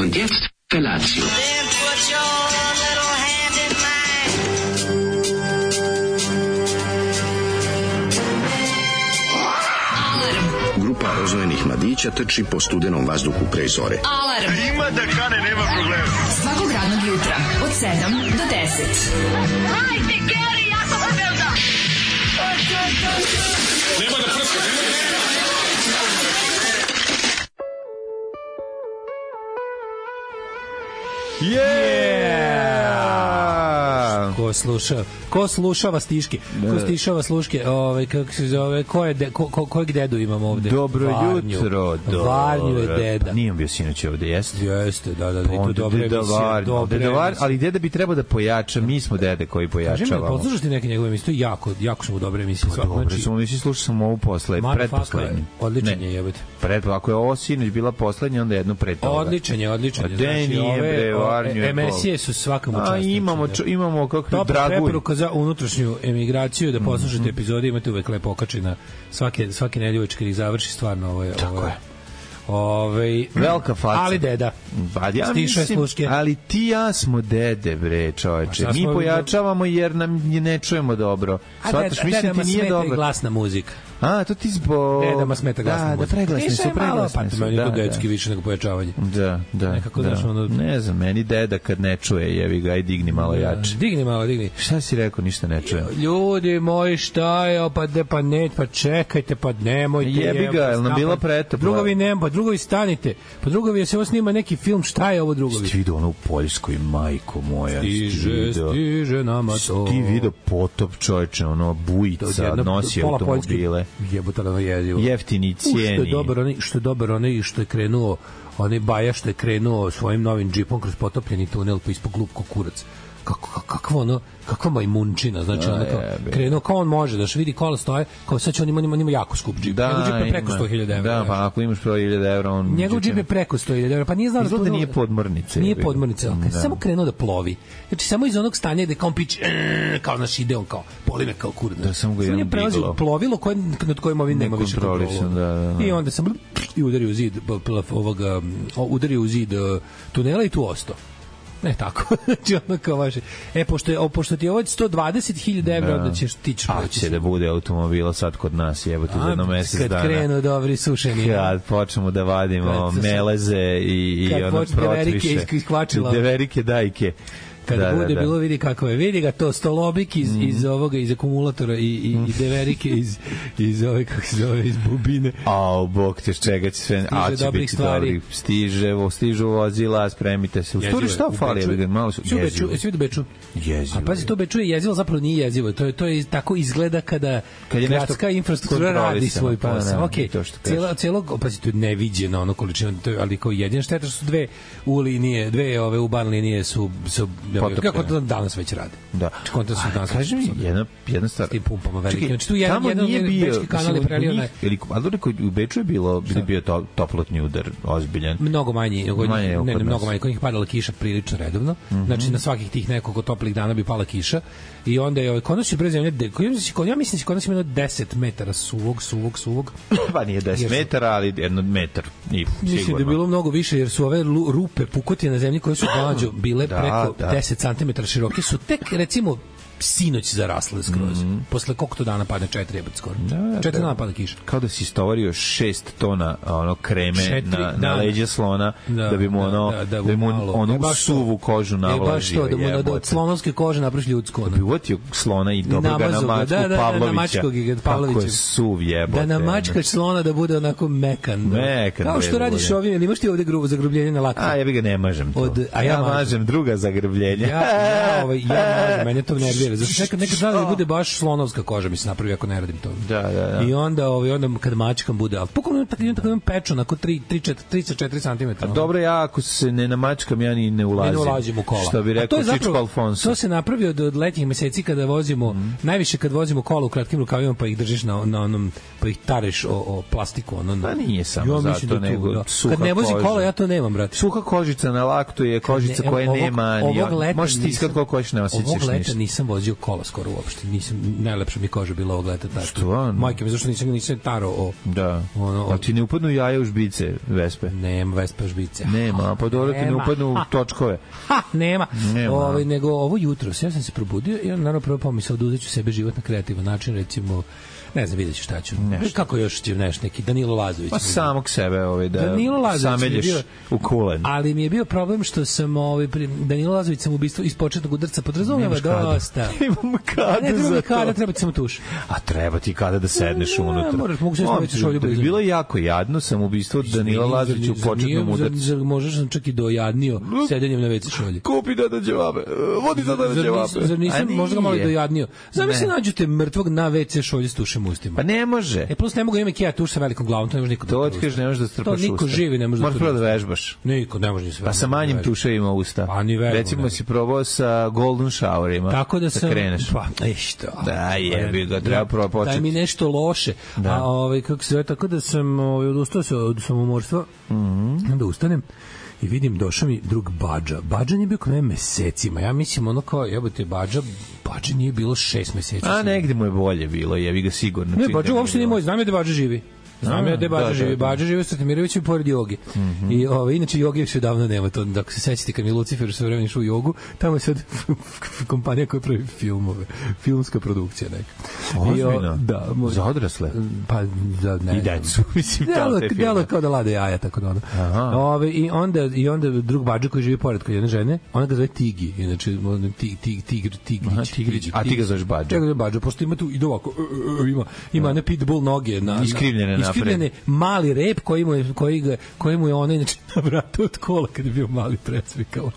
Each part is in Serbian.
Und jetzt Felatio. Grupa rozvojenih mladića trči po studenom vazduhu pre zore. Alarm! Ima da kane, nema problema. Svakog radnog jutra, od 7 do 10. Hajde, Geri, jako se velda! Nema da prska, nema da prska! Yeah! Ko slušava stiške? Ko stišava sluške? Kako se zove? Kojeg dedu imamo ovde? Dobro jutro. Varnju je deda. Nije bio sinoć ovde, jeste? Jeste, da. I to dobra emisija. Ali deda bi trebao da pojača. Mi smo dede koji pojačavamo. Kaži me, poslušaš ti neke njegove emisije? Jako smo u dobre emisije. Dobro, smo mi slušali samo ovu pretposlednju. Odličan je, jebate. Ako je ovo sinoć bila poslednja, onda jednu pre toga. Odličan je. Znači, ove emisije su svakam učestnici. Imamo kako Draguj. Preporuka za unutrašnju emigraciju, da poslušate epizode, imate uvek lepo okačina svake nedelje kad ih završi, stvarno ovo je. Velika faca. Ali deda. Ja mislim, ali ti ja smo dede, bre, čoveče. Mi pojačavamo jer nam ne čujemo dobro. Shvataš, mislim ti nije dobro. Glasna muzika. To ti zbog... Dedama smeta glasna muzika. Da, preglasni su. Meni je to dedski više nego pojačavanje. Da. Nekako, znaš, ono... Ne znam, meni deda kad ne čuje, jevi ga, i digni malo jače. Digni. Šta si rekao, ništa ne čujem? Ljudi moji, šta je, pa čekajte, pa nemojte. Jebi ga, je li nam bila pretopla? Drugovi stanite. Pa drugovi, se ovo snima neki film, šta je ovo drugovi? Ti vidio ono u Poljskoj, majko moja. Stiže nama to. Ti vidio potop, čovječe, ono, bujica, nosi automobile. Jebote, ono jezivo. Jeftini cijeni. Što je dobar onaj što je krenuo, onaj Baja što je krenuo svojim novim džipom kroz potopljeni tunel pa ispod glupko kurac. Kakva majmunčina, znači krenuo kao on može, da vidi kola stoje, kao sad će on ima jako skup džip. Njegov džip je preko 100.000 evra. Da, pa ako imaš preko 1.000 evra, on... Njegov džip je preko 100.000 evra, pa nije znao da to... Nije podmornice. Nije podmornice, samo krenuo da plovi. Znači, samo iz onog stanja gde kao on pić, kao naš ide on kao, boli me kao kurac. Da, samo ga jedan biglo. Plovilo nad kojim ovim nema više kontrolu. I onda sam udario u zid tunela i tu ostao. Ne tako. Znači ono kao vaše. Pošto ti je ovo 120.000 evra, onda ćeš tići. A će da bude automobila sad kod nas, jebote, za jedno mesec dana. Kad krenu dobri sušeni. Kad počnemo da vadimo meleze i ono protviše. Deverike dajke. Kada bude bilo, vidi kako je. Vidi ga to, stolobik iz ovoga, iz akumulatora i deverike iz ove, kako se zove, iz bubine. Bog te, čega će sve... će biti dobri. Stižu vozila, spremite se. U stvari šta fali? Malo su jezivo. Svi do Beču. Jezivo. A pazi, to Beču je jezivo, zapravo nije jezivo. To je tako izgleda kada gradska infrastruktura radi svoj posao. Ok, pazi, to je neviđeno ono količina, ali kao jedina šteta su dve u ban linije su kako to danas već rade. Da. Kaži mi jedna stvar. S tim pumpama velikim. Znači tu jedan bečki kanal je prelio. Ali u Beču je bio toplotni udar ozbiljan. Mnogo manji. Mnogo manji. Kod njih padala kiša prilično redovno. Znači na svakih tih nekoliko toplih dana bi pala kiša. I onda je kod nas je brez zemlje, ja mislim da kod nas ima 10 metara suvog. Pa nije 10 metara, ali jedno metar. Mislim da je bilo mnogo više, jer su ove rupe pukotine na zemlji koje su mlađo bile preko 10 cm široke, su tek, recimo, sinoć zarasle skroz. Posle koliko dana padne 4 jebate skoro. 4 dana pada kiša. Kao da si istovario 6 tona kreme na leđa slona da bi mu onu suvu kožu navlažio. Da mu od slonovske kože napraviš ljudsku. Da bi uvotio slona i dobro ga na mačku Pavlovića. Kako je suv jebote. Da namačkaš slona da bude onako mekan. Kao što radiš ovim, ili imaš ti ovde zagrbljenje na laktu? Ja bi ga ne mažem to. Ja mažem druga zagrbljenja. Ja mažem, mene to nervira. vidjeli, zašto nekad da bude baš slonovska koža, mi se napravi ako ne radim to. Da. I onda kad mačkam bude, ali pukom tako imam pečon, ako 3-4 cm. A dobro, ja ako se ne namačkam, ja ni ne ulazim. Ne ulazim u kola. Što bi rekao Čičko Alfonso. To se napravi od letnjih meseci kada vozimo, najviše kad vozimo kola u kratkim rukavima, pa ih držiš na onom, pa ih tareš o plastiku. Pa nije samo zato, nego suha kad ne vozi koža. kola, ja to nemam, brate. Suha kožica na laktu je kožica koja nema, možeš stiskati koliko hoćeš, ne osjećaš ništa. Ovog leta nisam vozio kola skoro uopšte. Najlepša mi koža bila ovog leta. Stvarno? Majke mi, zašto nisam taro Da. A ti ne upadnu jaja u žbice Vespe? Nema Vespe žbice. Nema, pa dobro ti ne upadnu u točkove. Nema. Nego ovo jutro, ja sam se probudio i naravno prvo pomisao da uzeću sebe život na kreativan način, recimo ne znam, vidjet ću šta ću. Kako još će neki Danilo Lazović? Pa samog sebe da zamelješ u kulen. Ali mi je bio problem što sam Danilo Lazović sam ubistvo iz početnog udarca podrazumeva dosta. Imam kada za to. Kada, treba ti samo tuš. A treba ti kada da sedneš unutra. Mogu se staviti šolju blizu. Bilo je jako jadno sam ubistvo Danila Lazovića u početnom udarcu. Možeš sam čak i dojadnio sedenjem na WC šolji. Kupi da ćevape. Vodi da ćevape. Zar nisam možda ga malo dojadnio? Zamisli nađete mrtvog na WC šolji s tušem ustima. Pa ne može. Plus ne mogu imati ja tuš sa velikom glavom, to ne može niko. To otkaš, ne može da strpaš usta. To niko živi ne može. Moraš prvo da vežbaš. Niko ne može ni sve. Pa sa manjim tuševima usta. Pa ni vežba. Recimo si probao sa golden showerima. Tako da sam kreneš. Pa što? Da, jebi ga, treba prvo početi. Daj mi nešto loše. A kako se zove, tako da sam odustao se od samomorstva. Onda ustanem i vidim, došao mi drug Badža. Badža nije bio kod mene mesecima. Ja mislim, ono kao, jebote, Badža nije bilo 6 meseci. A negde mu je bolje bilo, jevi ga sigurno. Ne, Badža uopšte nije moj, znam je da Badža živi. Znam ja da Badža živi. Badža živi u Stratimiroviću i pored Jogi. I inače Jogi više davno nema to. Dok se sećate kad mi Lucifer sve vreme išao u Jogu, tamo je sad kompanija koja pravi filmove. Filmska produkcija neka. Ozbiljno? Da. Za odrasle? Pa, ne. I decu, mislim. Delo kao da lade jaja, tako da ono. I onda drug Badža koji živi pored kod jedne žene, ona ga zove Tigi. Inače, Tigrić. A ti ga zoveš Badža? Ja ga zovem Badža, pošto ima tu, ide ovako, ima ne pitbull noge. Iskrivljene mali rep koji mu je ona inače na vratu od kola kad je bio mali presvikao.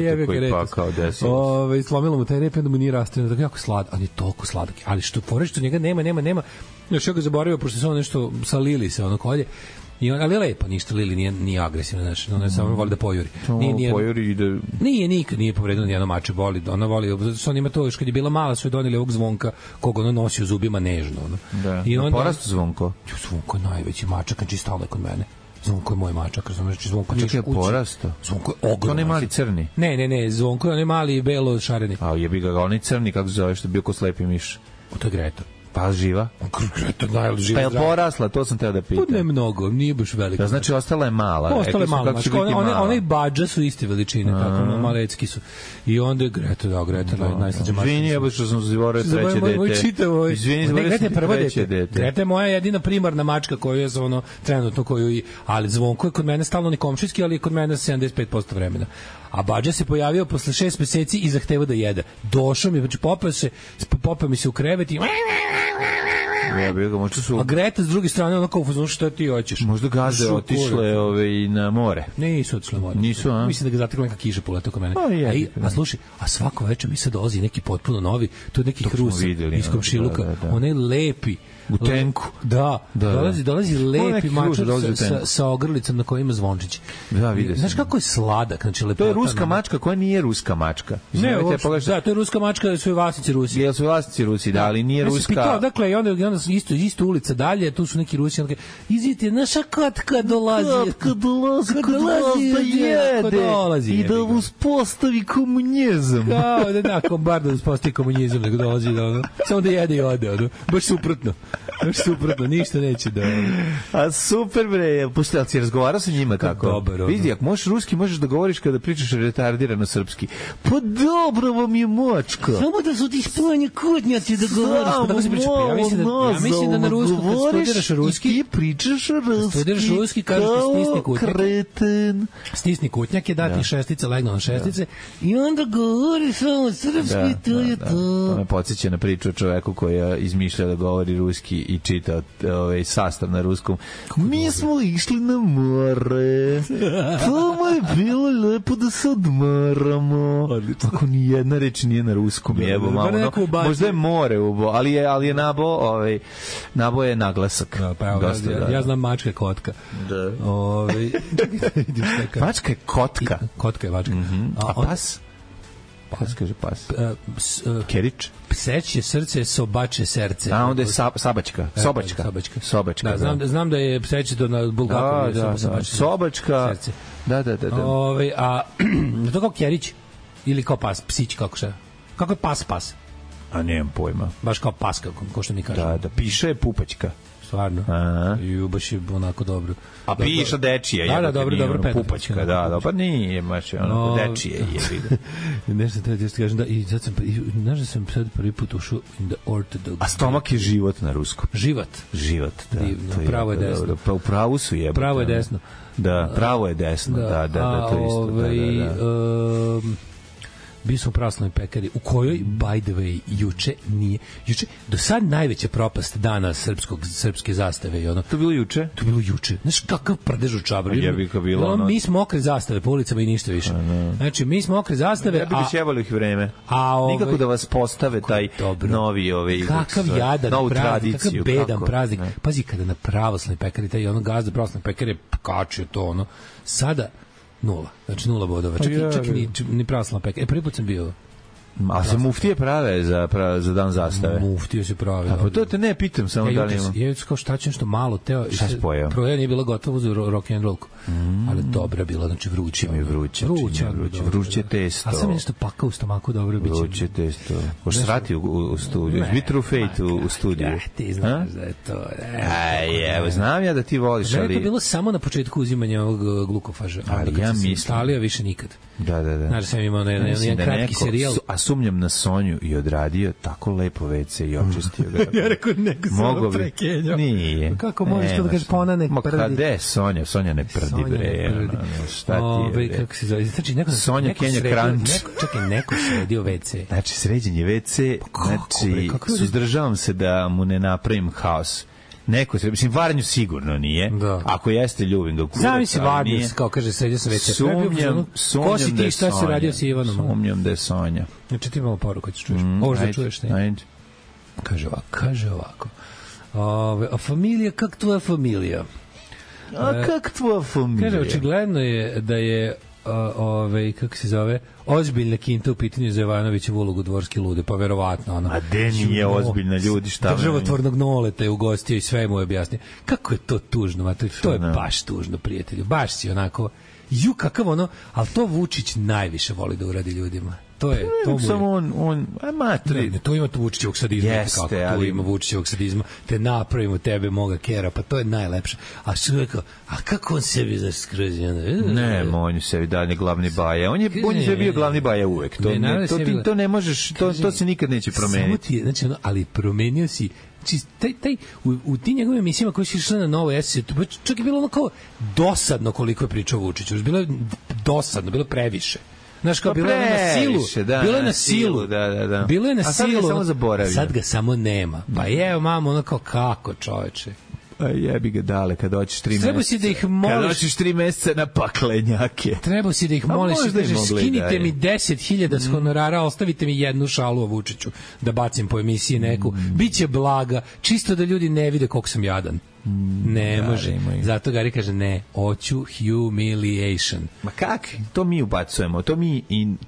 Jebote, koji pakao desilo. Slomilo mu taj rep i onda mu nije rastreno, tako jako sladak, ali je toliko sladak. Ali što poreći, što njega nema. Još ja ga zaboravio, pošto se ono nešto sa Lili se ono kolje. Ali je lepo, ništa Lili nije agresivna, znači ona samo voli da pojuri. Pojuri ide. Nije povredila ni jedno mače, ona voli, što on ima to još kad je bila mala, su je doneli ovog Zvonka kog ona nosi u zubima nežno, ono. Da. I onda porastu Zvonko. Zvonko je najveći mačak, znači stalno je kod mene. Zvonko je moj mačak, znači Zvonko čak je porasto. Zvonko je ogroman. To ne mali crni. Ne, Zvonko je onaj mali belo šareni. A jebi ga, onaj crni kako se zove, što je bio ko slepi miš. To je Greta. Pa živa? Greta najživa. Pa je porasla, to sam teo da pitam. Ne mnogo, nije baš velika. Da, znači ostala je mala. Ostala je mala, znači one i Badža su iste veličine, tako malecki su. I onda je Greta najslađa mačka. Izvini, ja što sam zaboravio treće dete. Izvini, zaboravio sam treće dete. Greta je moja jedina primarna mačka koju je trenutno ali Zvonko je kod mene stalno komšijski, ali je kod mene 75% vremena. A Badža se pojavio posle 6 meseci i zahteva da jede. Došao mi, znači popeo mi se u krevet i a Greta s druge strane ono kao fuzonu šta ti hoćeš. Možda gaze otišle na more. Nisu otišle more. Nisu, a? Mislim da ga zatekla neka kiša poleta oko mene. A slušaj, a svako večer mi se dolazi neki potpuno novi, to je neki Rus iz komšiluka. Onaj lepi u tenku. Da. Dolazi lepi mačak sa ogrlicom na kojima zvončić. Da, vidio sam. Znaš kako je sladak, znači lepota. To je ruska mačka koja nije ruska mačka. Da, to je ruska mačka, su vlasnici Rusi. Jesu vlasnici Rusi, da, ali nije ruska. Pitao, dakle, i onda isto ulica dalje, tu su neki Rusi, izvite, naša katka dolazi. Katka dolazi da jede i da uspostavi komunizam. Da, bar da uspostavi komunizam, nego dolazi samo da jede i ode, baš suprotno. Ništa neće da... A super bre, pusti, ali si razgovarao sa njima tako? Dobar, vidi, ako možeš ruski, možeš da govoriš kada pričaš retardirano srpski. Pa dobro vam je močka. Samo da su ti spojeni kutnjaci da govoriš. Ja mislim da na rusku, kad studiraš ruski, ti pričaš ruski, studiraš ruski, kažeš ti stisni kutnjak. Kreten. Stisni kutnjak je dati šestice, legno na šestice i onda govoriš samo srpski, to je to. To me podsjeća na priču o čoveku koja izmišlja da govori ruski i čitao sastav na ruskom. Mi smo išli na more. Tamo je bilo lepo da se odmaramo. Ako ni jedna reč nije na ruskom, jebo malo. Možda je more, ali je nabo je naglasak. Ja znam mačka kotka. Da. Mačka je kotka. Kotka je mačka. A pas? Pas kaže pas. Kerič? Pseće srce, sobače serce. A onda je sabačka. Sobačka. Da, znam da je pseće to na Bulgakovu. Da. Sobačka. Da. A to kao kerić ili kao pas, psić, kako šta? Kako je pas? A nemam pojma. Baš kao pas, kao što mi kažemo. Da, piše je pupačka. Stvarno. I baš je onako dobro. A piša dečije. Da, dobro pupačka, da. Pa nije, baš je onako dečije je. Nešto treba ti kažem, da, i sad sam, znaš da sam sad prvi put ušao in the orthodox. A stomak je život na ruskom. Život, da. Divno, pravo je desno. Pa u pravu su jebote. Pravo je desno. Da, pravo je desno, da, to isto. Bio sam u pravoslavnoj pekari u kojoj, by the way, juče do sad najveća propast dana srpske zastave i ono. To bilo juče? To bilo juče. Znaš kakav prdež u čabar. Mi smo okre zastave po ulicama i ništa više. Znači, mi smo okre zastave. Ja bi šjevali ih vreme. Nikako da vas postave taj novi kakav jadan praznik, kakav bedan praznik. Pazi, kada na pravoslavnoj pekari, taj ono gazda pravoslavnoj pekari kačio to ono. Sada 0. Znači 0 bodova. Čak ni pravoslavna pekara. Prvi put sam bio. A se muftije prave za dan zastave? Muftije se prave. A pa to te ne pitam samo da li ima. Ja kao šta će nešto malo teo. Šta se pojao? Prvo nije bila gotova za rock and rollku. Ali dobra bila, znači vruće. Vruće testo. A sam nešto pakao u stomaku, dobro biće. Vruće testo. Možeš srati u studiju. Bitter Fate u studiju. Ti znaš da je to. Evo, znam ja da ti voliš, ali... Da je to bilo samo na početku uzimanja ovog glukofaža. Ali ja mislim... Stalija više nikad. Da. Znaš, sam imao jedan kratki serijal. A sumnjam na Sonju i odradio tako lepo WC i očistio ga. Ja rekao, neko samo prekenjao. Nije. Kako možeš to da kažeš, pa ona ne prdi? Kada je Sonja? Sonja ne prdi, bre. Šta ti je, bre? Kako se zove? Znači, Sonja Kenja Kranč. Čekaj, neko sredio WC. Znači, sređen je WC. Znači, suzdržavam se da mu ne napravim haos. Neko se, mislim, Varnju sigurno nije. Da. Ako jeste, ljubim ga kurac. Zamisli Varnju, kao kaže, sredio sam WC. Sumnjam ko si ti, šta se radio s Ivanom? Sumnjam da je Sonja. Znači, ti imamo poruku, ćeš čuješ. Ovo što čuješ, ne? Kaže ovako. A familija, kak tvoja familija? A kak tvoja familija? Kaže, očigledno je da je kako se zove, ozbiljna kinta u pitanju za Jovanovićevu ulogu Dvorski lude, pa verovatno ono. A de nije ozbiljna, ljudi, šta? Državotvornog Noleta je ugostio i sve mu je objasnio. Kako je to tužno, mater, to je baš tužno, prijatelju. Baš si onako, kakav ono, ali to Vučić najviše voli da uradi ljudima. To je to samo on matri. To ima tu Vučićevog sadizma. Jeste, kako tu ima Vučićevog sadizma, te napravimo tebe moga kera, pa to je najlepše. A što je rekao, a kako on sebi zaskrozi? Ne, on sebi dalje glavni baja. On je sebi bio glavni baja uvek. To ne možeš, to se nikad neće promeniti. Znači, ali promenio si u tim njegovim emisijama koje su išle na Novo S, čak je bilo ono kao dosadno koliko je pričao Vučiću. Bilo je dosadno, bilo je previše. Znaš, kao, bilo je na silu. Bilo je na silu. Da. Bilo je na silu. A sad ga samo zaboravio. Sad ga samo nema. Pa je, mamo, ono kao, kako, čoveče? Jebi ga dale, kad hoćeš 3 meseca. Treba si da ih moliš. Kad hoćeš 3 meseca na paklenjake. Treba si da ih moliš. Skinite mi 10.000 s honorara, ostavite mi jednu šalu o Vučiću da bacim po emisiji neku. Biće blaga, čisto da ljudi ne vide koliko sam jadan. Ne može. Zato Gari kaže ne, hoću humiliation. Ma kak? To mi ubacujemo.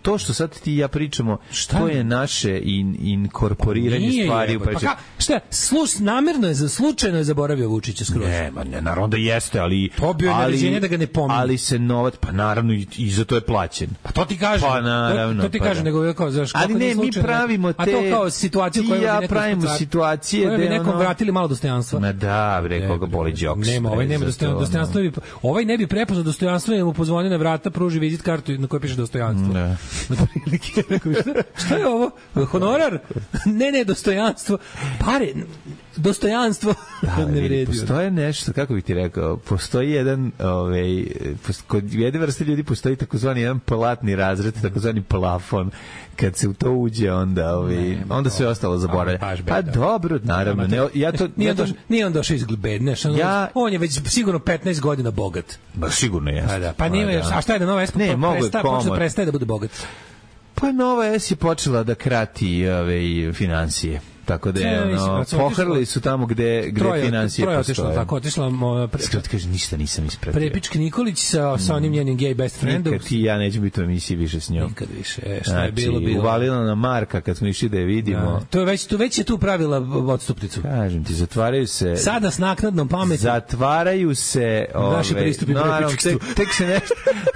To što sad ti i ja pričamo, to je naše inkorporiranje stvari. Pa šta? Namerno je, slučajno je zaboravio Vučića skroz. Ne, naravno da jeste, ali pobio je naređenje da ga ne pominje. Ali se novac, pa naravno i za to je plaćen. Pa to ti kaže. Pa naravno. To ti kaže, nego kao znaš, ali ne, mi pravimo te. A to kao situaciju koju ja pravimo situacije da bi nekom vratili malo dostojanstva. Ma da, bre, koga boli džoks. Nema, ovaj nema dostojanstva. Ovaj ne bi prepoznao dostojanstvo, jer mu pozvoni na vrata, pruži vizit kartu na kojoj piše dostojanstvo. Ne. Šta je ovo? Honorar? Ne, dostojanstvo. Pare. dostojanstvo ne vredi. Postoje nešto, kako bih ti rekao, postoji jedan, kod jedne vrste ljudi postoji takozvani jedan platni razred, takozvani plafon. Kad se u to uđe, onda sve ostalo zaboravlja. Pa dobro, naravno. Nije on došao iz bedne. On je već sigurno 15 godina bogat. Ba, sigurno je. Pa nije, a šta je da Nova S prestaje da bude bogat? Pa Nova S je počela da krati financije. Tako da je, pohrli su tamo gde financije postoje. Tako, otišla... Kaže, ništa nisam ispratio. Prepički Nikolić sa onim njenim gay best friendom. Nikad ti i ja neću biti u emisiji više s njom. Nikad više, šta je bilo. Uvalila na Marka kad smo išli da je vidimo. Već je tu pravila odstupnicu. Kažem ti, zatvaraju se... Sada s naknadnom pameti. Zatvaraju se... Naši pristupi prepičkstvu. Tek se nešto...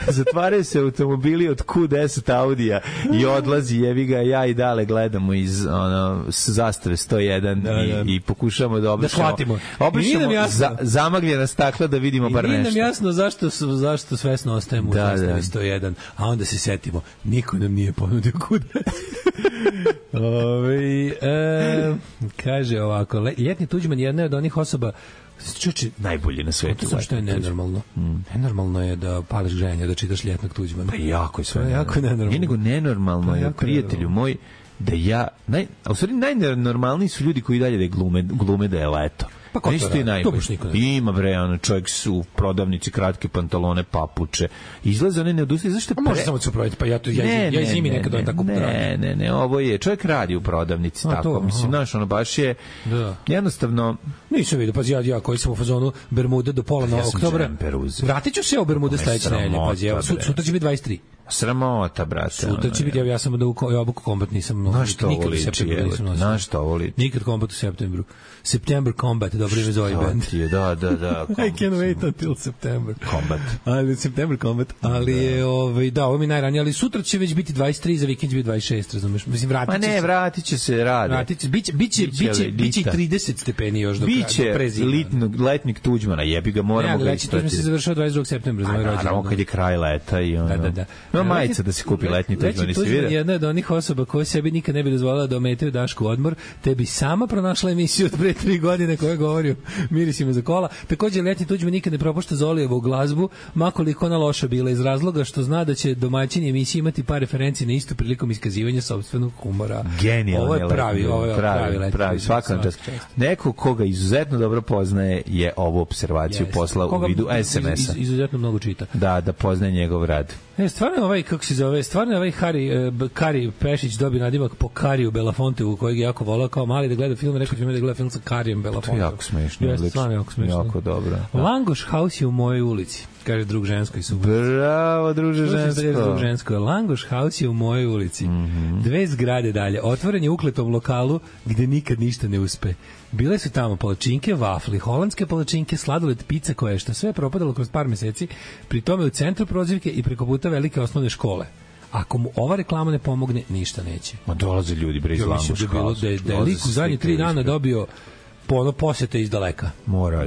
Zatvaraju se automobili od Q10 Audija i odlazi, jevi ga, ja i Dale gledamo iz Zastave 101 i pokušamo da obrišemo zamagljena stakla da vidimo bar nešto. I nije nam jasno zašto svesno ostajemo u Zastavi 101, a onda se setimo, niko nam nije ponudio kuda. Kaže ovako, Ljetni Tuđman je jedna od onih osoba najbolji na svetu. To što je nenormalno. Nenormalno je da pališ gženja, da čitaš Ljetnog Tuđmana. Pa jako je sve. Jako nenormalno. Nije nego nenormalno je, prijatelju moj, da a u stvari najnormalniji su ljudi koji dalje da glume da je leto. Pa ko to radi? To baš niko ne. Ima bre, čovjek su u prodavnici, kratke pantalone, papuče. Izlaze one ne odustaje. Zašto može samo se provjeriti, pa ja zimi nekad on tako radi. Ne, ovo je, čovjek radi u prodavnici, tako. Mislim, znaš, ono baš je jednostavno... Nisam vidio, pazi, ja koji sam u fazonu Bermude do pola na oktobra. Vratit ću se u Bermude sledeće nedelje, pazi, sutra će biti 23. Sramota, brate. Sutra će biti, ja sam da obuku kombat nisam nosio. Nikad u septembru nisam nosio. Znaš što ovo liči? Nikad kombat u septembru. September Combat, dobro ime zove band. Da. I can't wait until September. Combat. September Combat. Ali je, ovo mi najranije, ali sutra će već biti 23, za vikend će biti 26, razumeš? Mislim, vratit će se rade. Biće i 30 stepeni još do prezima. Biće letnik Tuđmana, jebi ga, moramo ga ispratiti. Tuđman se završava 22. septembra, za moj rođendan. Naravno, kad je kraj leta i ono. Da. Ima majica da se kupi letni Tuđman, nisi vidio? Jedna od onih osoba koja sebi nikad ne bi dozvolila da ometaju Dašku odmor, te bi sama pronašla emisiju od pre 3 godine koja govori o mirisima za kola. Također, Ljetni Tuđman nikad ne propušta Zolijevu glazbu, makoliko ona loša bila, iz razloga što zna da će domaćini emisije imati par referenci na istu prilikom iskazivanja sopstvenog humora. Genijalno. Ovo je pravi svakom čast. Neko koga izuzetno dobro poznaje je ovu observaciju poslao u vidu SMS-a. Izuzetno mnogo čita. Da poznaje njegov rad. Stvarno stvarno Kari Pešić dobio nadimak po Kariju Belafontevu, kojeg je jako volao kao mali da gleda film, rekao ću mi da gleda film sa Karijem Belafontevom. To je jako smešno. Stvarno jako smešno. Jako dobro. Langoš House je u mojoj ulici, kaže drug žensko iz Subotice. Bravo, druže žensko. Langoš House je u mojoj ulici. 2 zgrade dalje. Otvoren je ukletom lokalu gde nikad ništa ne uspe. Bile su tamo palačinke, vafli, holandske palačinke, sladoled, pizza, koje što sve propadalo kroz par meseci, pri tome u centru prozivke i preko puta velike osnovne škole. Ako mu ova reklama ne pomogne, ništa neće. Ma dolaze ljudi bre iz Langoš House. Da je lik u zadnje 3 dana dobio posete iz daleka.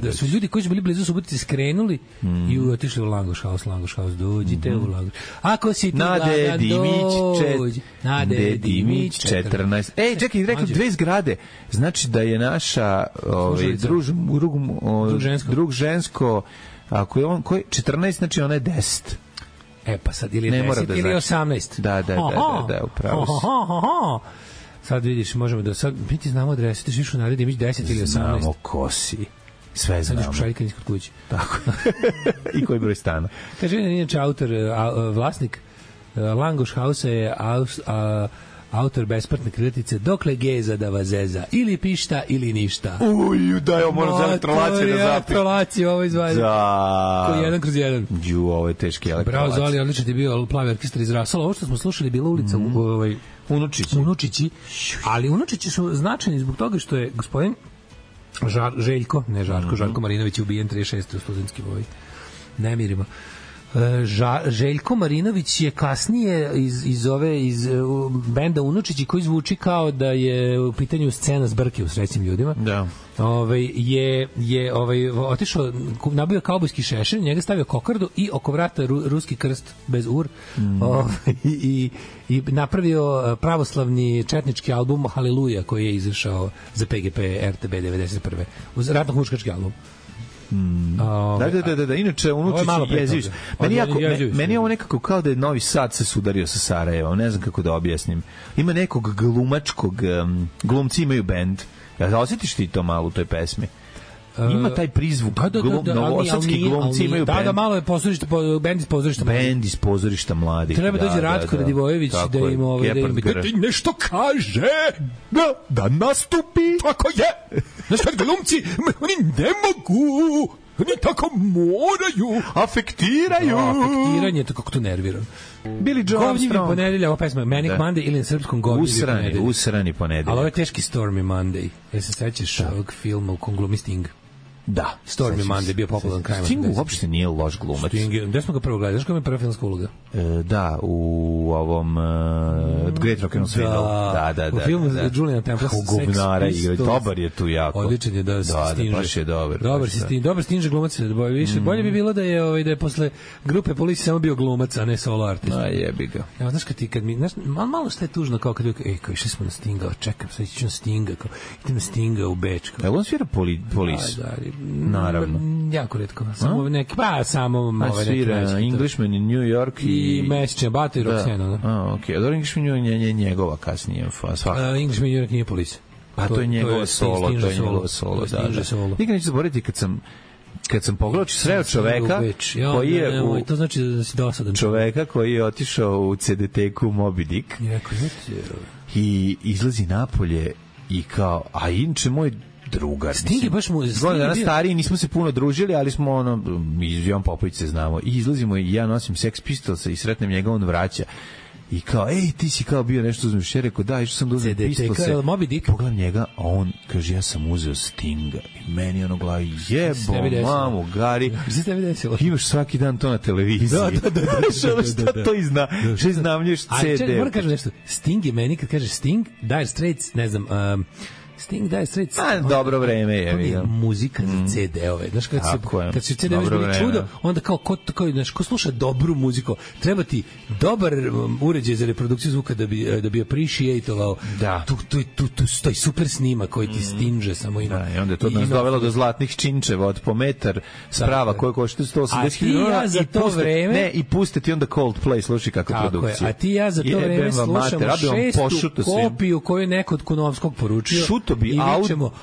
Da su ljudi koji su bili blizu Subotice skrenuli i otišli u Langoš House, dođite u Langoš. Ako si tu gladan, dođi. Nade Dimić, 14. Čekaj, rekao 2 zgrade. Znači da je naša drug žensko, ako je on, 14, znači ona je 10. Pa sad ili 10 ili 18. Da, upravo si. Sad vidiš, možemo da sad mi ti znamo adresu, ti šiš u Nade Dimić 10 ili 18. Znamo ko si. Sve znamo. Sad ćeš pošaljiti iskod kući. Tako. I koji broj stana. Kaže, inače autor, vlasnik Langoš House je autor besplatne kritice Dokle geza da vas zeza, ili pišta ili ništa. Da, evo moram za elektrolaciju da zapim. Elektrolaciju, ovo izvajaju. Koji je 1/1. Ovo je teški elektrolacija. Bravo, Zoli, odlično ti je bio plavi orkestar iz Rasala. Ovo što smo slušali bila ulica Unučići. Ali Unučići su značajni zbog toga što je gospodin Željko Marinović je ubijen 36. u studentskim nemirima. Željko Marinović je kasnije iz benda Unučići, koji zvuči kao da je u pitanju scena zbrke u Srećnim ljudima. Da. Je otišao, nabio kaubojski šešir, njega stavio kokardu i oko vrata ruski krst bez ur. I napravio pravoslavni četnički album Haleluja, koji je izašao za PGP RTB 91. uz ratno-huškački album. Da. Inače, Unučić je jezivić. Meni je ovo nekako kao da je Novi Sad se sudario sa Sarajevom. Ne znam kako da objasnim. Ima nekog glumačkog, glumci imaju bend. Ja osjetiš ti to malo u toj pesmi? Ima taj prizvuk, novosadski glumci imaju bend. Da, malo je pozorište, bend iz pozorišta mladih. Bend iz pozorišta mladih. Treba dođe Ratko Radivojević da im da ti nešto kaže, da nastupi. Tako je. Znaš kad glumci, oni ne mogu, oni tako moraju. Afektiranje, to kako to nervira. Billy Joe Armstrong. Ponedelja, ova pesma Manic Monday ili na srpskom Govnjivi ponedelja. Usrani ponedelja. Ali ovo je teški Stormy Monday. Jel se sećaš ovog filma u kom glumi Sting? Da. Stormy Monday bio popularan kraj. Sting uopšte nije loš glumac. Gde smo ga prvo gledali? Znaš koja je prva filmska uloga? Da, u ovom Great Rock and Roll Swindle. Da. U filmu Juliana Temple Sex Pistols. Dobar je tu jako. Odličan je da Stinge. Da, baš je dobar. Dobar Stinge glumac. Bolje bi bilo da je posle grupe Police samo bio glumac, a ne solo artist. Jebi ga. Ja, znaš kad mi, malo što je tužno kao kad kao išli smo na Stinga, čekam, sad ću na Stinga, kao idem na Stinga u Beč. Jel on svira Police? Naravno. Jako retko. Samo neki, samo ove neki Englishman in New York i Mesečne Bato i Roxana. Okej. A Englishman in New York je njegova kasnije. Englishman in New York nije Police. A to je njegova solo, to je njegova solo, da. Nikad neću zaboraviti kad sam pogledao sreo čoveka koji je to znači da si dosadan. Čoveka koji je otišao u CDT-ku Moby Dick i izlazi napolje i kao, a inče moj drugar. Sting je baš mu... Godina stariji, nismo se puno družili, ali smo iz Jovan Popović se znamo. I izlazimo i ja nosim Sex Pistolsa i sretnem njega, on vraća. I kao, ti si kao bio nešto uzmeš. Ja rekao, da, išao sam da uzmem Pistolse. Pogledam njega, a on kaže, ja sam uzeo Stinga. I meni ono glavi, jebo, mamu, Gari. Imaš svaki dan to na televiziji. Da. Šta to što iznamljuješ CD? Moram kažem nešto. Sting je meni, kad kažeš Sting, Dire Straits, ne znam... Sting daje sred. Dobro vreme je. Muzika za CD-ove. Znaš, kad se CD-ove bili čudo, onda kao ko sluša dobru muziku, treba ti dobar uređaj za reprodukciju zvuka da bi appreciatovao taj super snima koji ti Stinge samo ima. Da, i onda je to nas dovelo do zlatnih činčeva od po metar sprava koje košta 180.000 ne, i puste ti onda Coldplay, slušaj kakva produkcija. A ti ja za to vreme slušamo 6. kopiju koju je neko od Kunovskog poručio.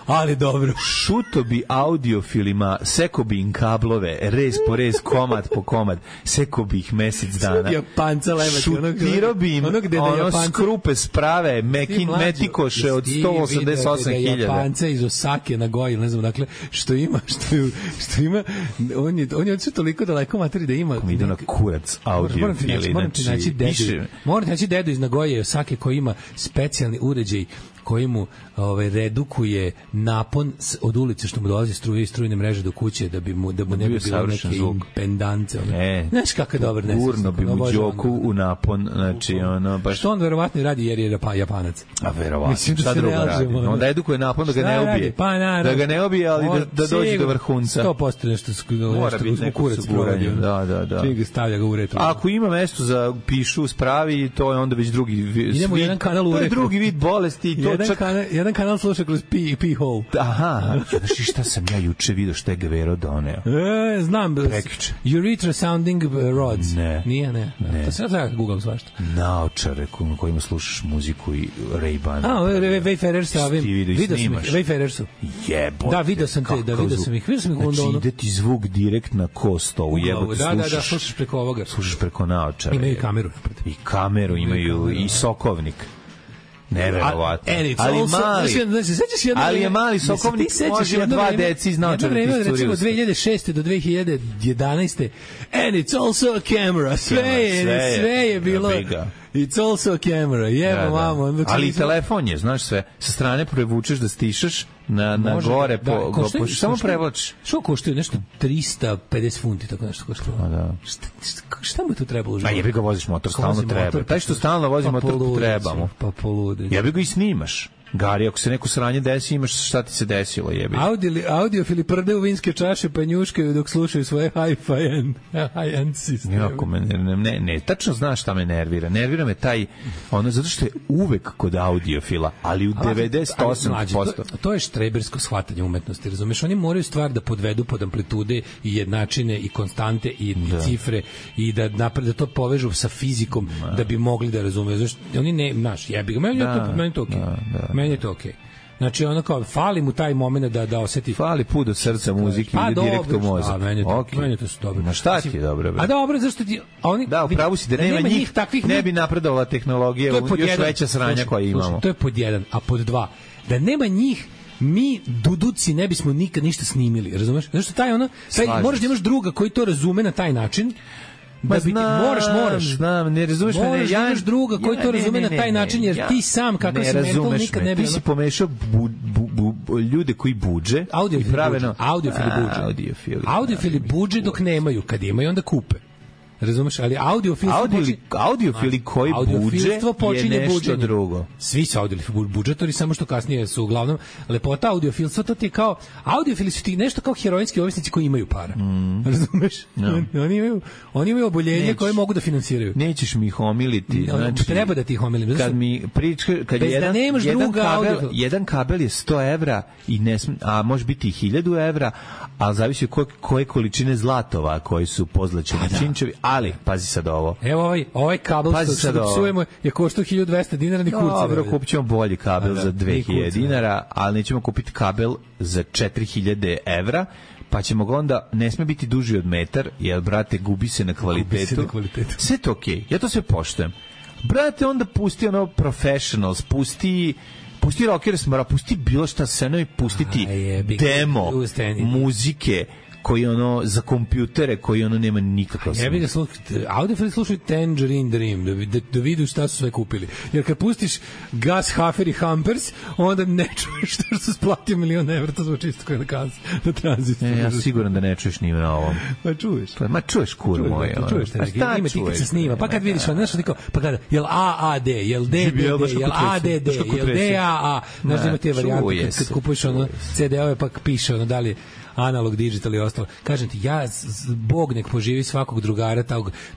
Ali dobro. Šuto bi audiofilima, seko bi im kablove, rez po rez, komad po komad, seko bi ih mesec dana. Šutiro bi im skrupe sprave, metikoše od 188.000. Japanca iz Osake na Goji, ne znam, dakle, što ima, on je sve toliko daleko materi da ima. Kako mi ide na kurac audiofili. Moram naći dedu iz Nagoje i Osake koji ima specijalni uređaj koji mu redukuje napon od ulice što mu dolazi struje i strujne mreže do kuće da mu ne bi bilo neke impendance. Znaš kako je dobar nesvesno. Gurno bi mu Đoku u napon, znači ono baš... Što on verovatno radi jer je Japanac. A verovatno, šta drugo radi? Onda edukuje napon da ga ne ubije. Da ga ne ubije, ali da dođe do vrhunca. 100% nešto kurac provodi. Da. Čim stavlja ga u retru. Ako ima mesto za pišu spravi, to je onda već drugi vid. Idemo jedan kanal u retru. To je drugi vid bolesti. Jedan kanal sluša kroz P-hole. Aha, znaš šta sam ja juče vidio što je Gavero doneo? Znam. Prekiče. Urethra sounding rods. Ne. Nije, ne. To se treba googlam svašta. Naočare kojima slušaš muziku i Ray-Ban. Wayfarer sa ovim. Vidio sam ih. Wayfarer su. Jebote. Da, vidio sam ih. Znači, ide ti zvuk direkt na kosto u jebote. Da, slušaš preko ovoga. Slušaš preko naočare. Imaju kameru. I kameru imaju i sokovnik. Neverovatno. Ali je mali sokovnik, može ima 2 deci iz naočara. Jedno vreme, recimo 2006. do 2011. And it's also a camera. Sve je bilo... It's also a camera. Jebo, mamo. Ali i telefon je, znaš sve. Sa strane prevučeš da stišaš na gore, samo prevlačiš. Što koštuje? Nešto 350 funti, tako nešto koštuje. Da. Šta mu tu trebalo? A jebi ga voziš motor, stalno treba. Taj što stalno vozi motor, trebamo. Pa polude. Jebi ga i snimaš. Gari, ako se neko sranje desi, imaš šta ti se desilo, jebi. Audiofili prde u vinske čaše pa njuškaju dok slušaju svoje high-end sisteme. Jako me ne, tačno znaš šta me nervira. Nervira me taj, zato što je uvek kod audiofila, ali u 98%. To je štrebersko shvatanje umetnosti, razumeš? Oni moraju stvar da podvedu pod amplitude i jednačine i konstante i cifre i da to povežu sa fizikom da bi mogli da razumeju. Znači, oni ne, znaš, jebi ga, meni je to okej. Meni je to okej. Znači, ono kao, fali mu taj moment da oseti... Fali put do srca muzike ili direkt u mozak. Meni je to su dobro. Na šta ti je dobro? A dobro, zašto ti... Da, upravo si da nema njih, ne bi napredovala tehnologija, još veća sranja koja imamo. To je pod jedan, a pod dva, da nema njih, mi duduci ne bismo nikad ništa snimili, razumeš? Zato što moraš da imaš druga koji to razume na taj način, da biti, moraš. Znam, ne razumeš me. Moraš da imaš druga koji to razume na taj način, jer ti sam, kakav si mental, nikad ne bi... Ti si pomešao ljude koji budže. Audiofili budže dok nemaju, kad imaju onda kupe. Razumeš, ali audiofili koji budže je nešto drugo. Svi su audiofili budžetori, samo što kasnije su uglavnom lepota audiofilstva, to ti je kao, audiofili su ti nešto kao heroinski ovisnici koji imaju para. Razumeš? Oni imaju oboljenje koje mogu da finansiraju. Nećeš mi ih omiliti. Znači, treba da ti ih omilim. Kad jedan kabel je 100 evra, a može biti i 1000 evra, ali zavisi koje količine zlatova koji su pozlačeni činčevi. Ali, pazi sad ovo. Evo ovaj kabel što da psujemo je koštao 1200 dinara, ni kurca. Dobro, kupit ćemo bolji kabel za 2000 dinara, ali nećemo kupiti kabel za 4000 evra, pa ćemo ga onda, ne sme biti duži od metar, jer, brate, gubi se na kvalitetu. Sve to okej, ja to sve poštujem. Brate, onda pusti professionals, pusti rockers, pusti bilo šta scenovi, pustiti demo muzike koji za kompjutere koji nema nikakav smisla. Ja bih ga audiofili slušaju Tangerine Dream da vidu šta su sve kupili. Jer kad pustiš Gas, Hafer i Hampers, onda ne čuješ što su splatio $1.000.000 evra, to zvuči isto kao na tranzitu. Ja siguran da ne čuješ ni na ovom. Ma čuješ. Ma čuješ kur moj. Čuješ te, ima ti kad se snima, pa kad vidiš, pa kada, jel AAD, jel DDD, jel ADD, jel DAA, znaš da ima te varijante kad kupuješ CD-ove pa piše da li analog, digital i ostalo. Kažem ti, Bog nek poživi svakog drugara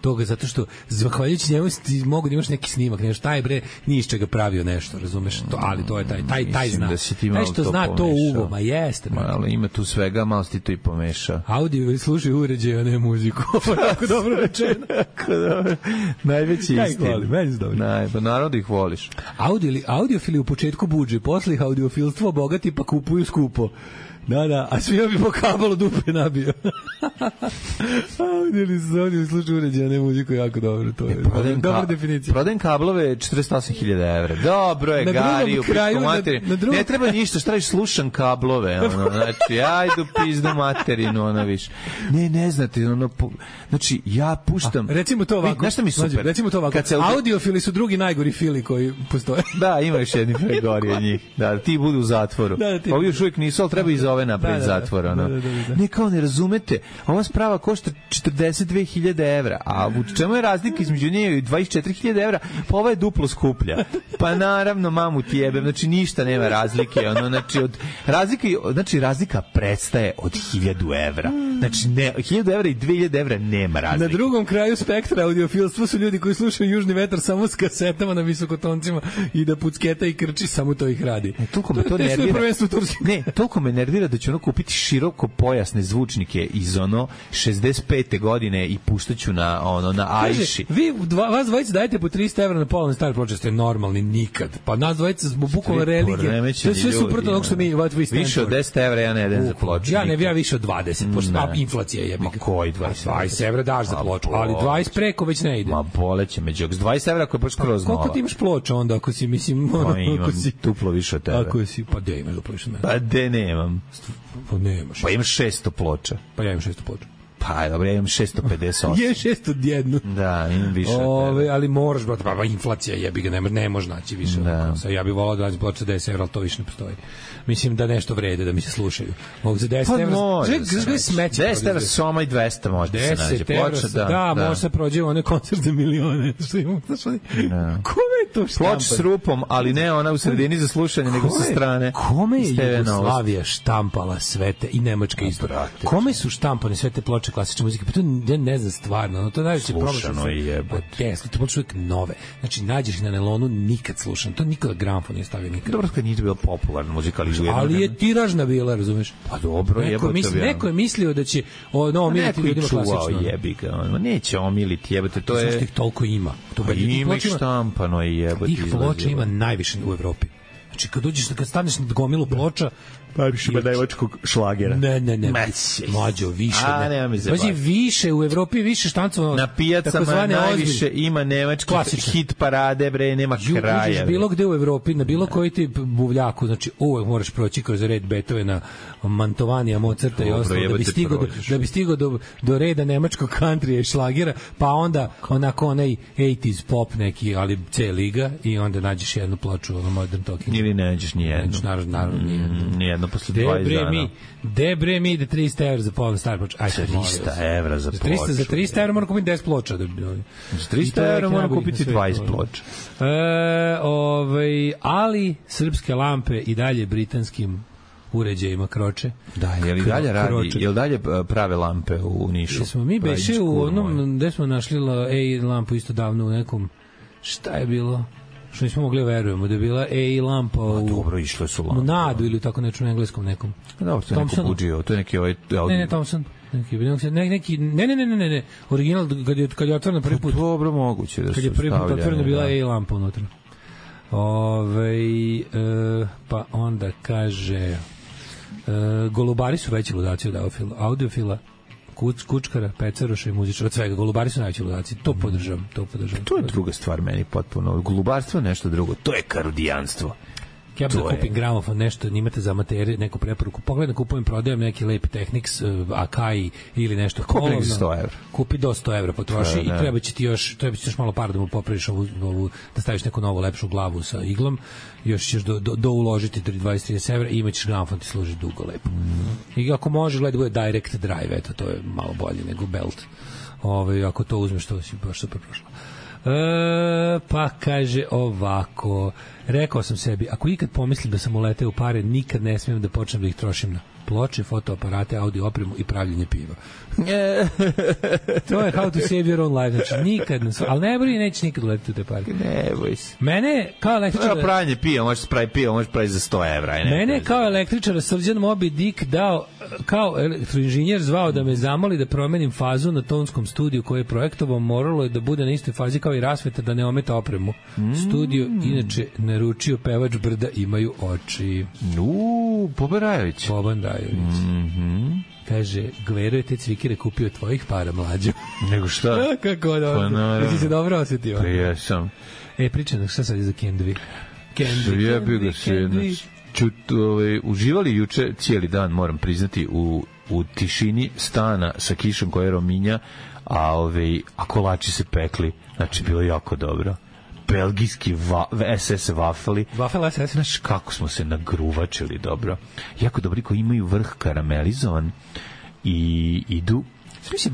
toga, zato što zahvaljujući njemu ti mogu da imaš neki snimak, nešto, taj bre ni iz čega pravio nešto, razumeš? Ali to je taj zna. Taj što zna to uvo, ma jeste. Ali ima tu svega, malo si ti to i pomeša. Audio slušaj uređaj, a ne muziku. Tako dobro rečeno. Najveći istin. Meni se dobro. Pa naravno da ih voliš. Audiofili u početku budže, posle ih audiofilstvo bogati pa kupuju skupo. Da, a svi bi po kabelu dupe nabio. Ovdje slučaju uređaja, ne muziku, jako dobro, to je dobra definicija. Prodajem kablove 48.000 evra. Dobro je, Gari, u pičku materinu. Ne treba ništa, šta reći, slušam kablove, znači, ajdu pizdu materinu, više. Ne znate, znači, ja puštam... Recimo to ovako. Znaš šta mi super? Recimo to ovako. Audiofili su drugi najgori fili koji postoje. Da, ima još jedni pregori od njih. Da, ti budu u zatvoru. Ovi još uvijek nisu, ali treba iz ove napred zatvora. Ne, kao ne razumete, ova sprava košta 42.000 evra, a u čemu je razlika između nje i 24.000 evra? Pa ova je duplo skuplja. Pa naravno, mamu ti jebem, znači ništa nema razlike, znači razlika prestaje od 1000 evra. Znači 1000 evra i 2000 evra nema razlike. Na drugom kraju spektra audiofilstva su ljudi koji slušaju Južni vetar samo s kasetama na visokotoncima i da pucketa i krči, samo to ih radi. Toliko me to nervira. Ne, toliko me nervira da ću kupiti široko pojasne zvučnike iz 65. godine i puštaću na Aiši. Vi vas dvojica dajete po 300 evra na polovne stare ploče, ste normalni nikad. Pa nas dvojica smo bukvalno religija. To je sve suprotno onog što mi više od 10 evra ja ne idem za ploču. Ja više od 20, pošto inflacija je. Ma koji 20? 20 evra daš za ploču, ali 20 preko već ne ide. Ma boleće me, s 20 evra ako je baš skroz nova. Koliko ti imaš ploča onda ako si, mislim... Pa imam duplo više od tebe. Ako si, pa de imaš duplo više od mene. Pa de nemam. Pa nemaš. Pa imaš 600 ploča. Pa ja imam 600 ploča. Pa, dobro, ja imam 658. Je 601. Da, imam više. Ali moraš, brate, pa inflacija jebi ga, ne može naći više. Da. Ja bih volao da ploča 10 evra, ali to više ne postoji. Mislim da nešto vrede, da mi se slušaju. Mogu za 10 evra. Pa 10 evra soma i 200 može da se nađe. Ploča, da, može se prođe one koncert za milione. Što imamo, kome je to štampano? Ploč s rupom, ali ne ona u sredini za slušanje, nego sa strane. Kome je Jugoslavija štampala sve te, i Nemačka isto? Kome su štampane sve te ploče klasične muzike? Pa to ja ne znam stvarno, to je najveći problem. Slušano je jebote. To ploče uvijek nove. Znači, nađeš ih na nelonu, nikad slušano. To nikada gramfon nije stavio nikad. Dobro, kad nije bilo popularna muzika, ali je tiražna bila, razumeš? Pa dobro, neko je mislio da će omiliti ljudima klasično. Jebi ga, neće omiliti, jebote, to je... Zašto ih toliko ima? Pa ima ih štampano i jebote. Tih ploča ima najviše u Evropi. Znači, kad staneš na gomilu ploča, najviše ima nemačkog šlagera. Ne. Mlađo, više. Pazi, više, u Evropi više štancova. Na pijacama najviše ima nemački hit parade, bre, nema kraja. Uđeš bilo gde u Evropi, na bilo koji ti buvljaku, znači uvek moraš proći kroz red Beethovena, Mantovanija, Mozarta i ostalo, da bi stigao do reda nemačkog countrya i šlagera, pa onda onako onaj 80s pop neki, ali C liga, i onda nađeš jednu ploču, Modern Talking. Ili ne nađeš nijednu. Naravno, nijedno posle 20 dana. Debre mi, da 300 evra za pola star ploča. 300 evra za ploču. Za 300 evra moram kupiti 10 ploča. Za 300 evra moram kupiti 20 ploča. Ali srpske lampe i dalje britanskim uređajima kroče. Da, je li dalje radi? Je li dalje prave lampe u Nišu? Smo mi beše u onom gde smo našli lampu isto davno u nekom, šta je bilo? Što nismo mogli verujemo da je bila lampa u... Dobro, išle su lampe. U Nadu ili tako nešto na engleskom nekom. Dobro, to je neko buđio, to je neki Ne, Thompson. Ne. Original, kad je otvorena prvi put. Dobro, moguće da su stavljene. Kad je prvi put otvorena bila lampa unutra. Pa onda kaže... Golubari su veći ludaci od audiofila, kučkara, pecaroša i muzičara, od svega. Golubari su najveći ludaci, to podržavam. To je druga stvar meni potpuno. Golubarstvo je nešto drugo, to je karudijanstvo. Ja bih da kupim gramofon, nešto, imate za amatere, neku preporuku. Pogledam, kupujem, prodajem neki Leip Technics, Akai ili nešto. Kupi 100 evra. Kupi do 100 evra, potroši i treba će ti još malo para da mu popraviš ovu, da staviš neku novu lepšu glavu sa iglom, još ćeš do uložiti 20-30 evra i imaćeš gramofon, ti služi dugo, lepo. I ako može, gledaj, bude direct drive, eto, to je malo bolje nego belt. Ako to uzmeš, to si baš super prošlo. Pa kaže ovako, rekao sam sebi, ako ikad pomislim da sam uleteo u pare, nikad ne smijem da počnem da ih trošim na ploče, fotoaparate, audio opremu i pravljenje piva. To je how to save your own life. Znači, nikad, ali ne boli, neće nikad uletiti u te pare. Ne boj se. Mene kao električara... Pravljanje piva, možeš spraviti piva, možeš praviti za 100 evra. Mene kao električara Srđan Moby Dick dao, kao elektroinženjer zvao da me zamoli da promenim fazu na tonskom studiju koje je projektovao, moralo je da bude na istoj fazi kao i rasveta, da ne ometa opremu. Studio, inače, naručio pevač Brda Imaju oči. Boban Rajović. Kaže, Gvero je te cvikire kupio tvojih para, mlađo. Nego šta? Kako dobro. Jesi se dobro osjetio? Pa jesam. Pričam, šta sad je za Kendvi? Jebi ga se. Uživali juče cijeli dan, moram priznati, u tišini stana sa kišom koja je rominja, a kolači se pekli. Znači, bilo jako dobro. Belgijski SS vafeli. Vafel SS. Znaš kako smo se nagruvačili dobro. Jako dobri koji imaju vrh karamelizovan i idu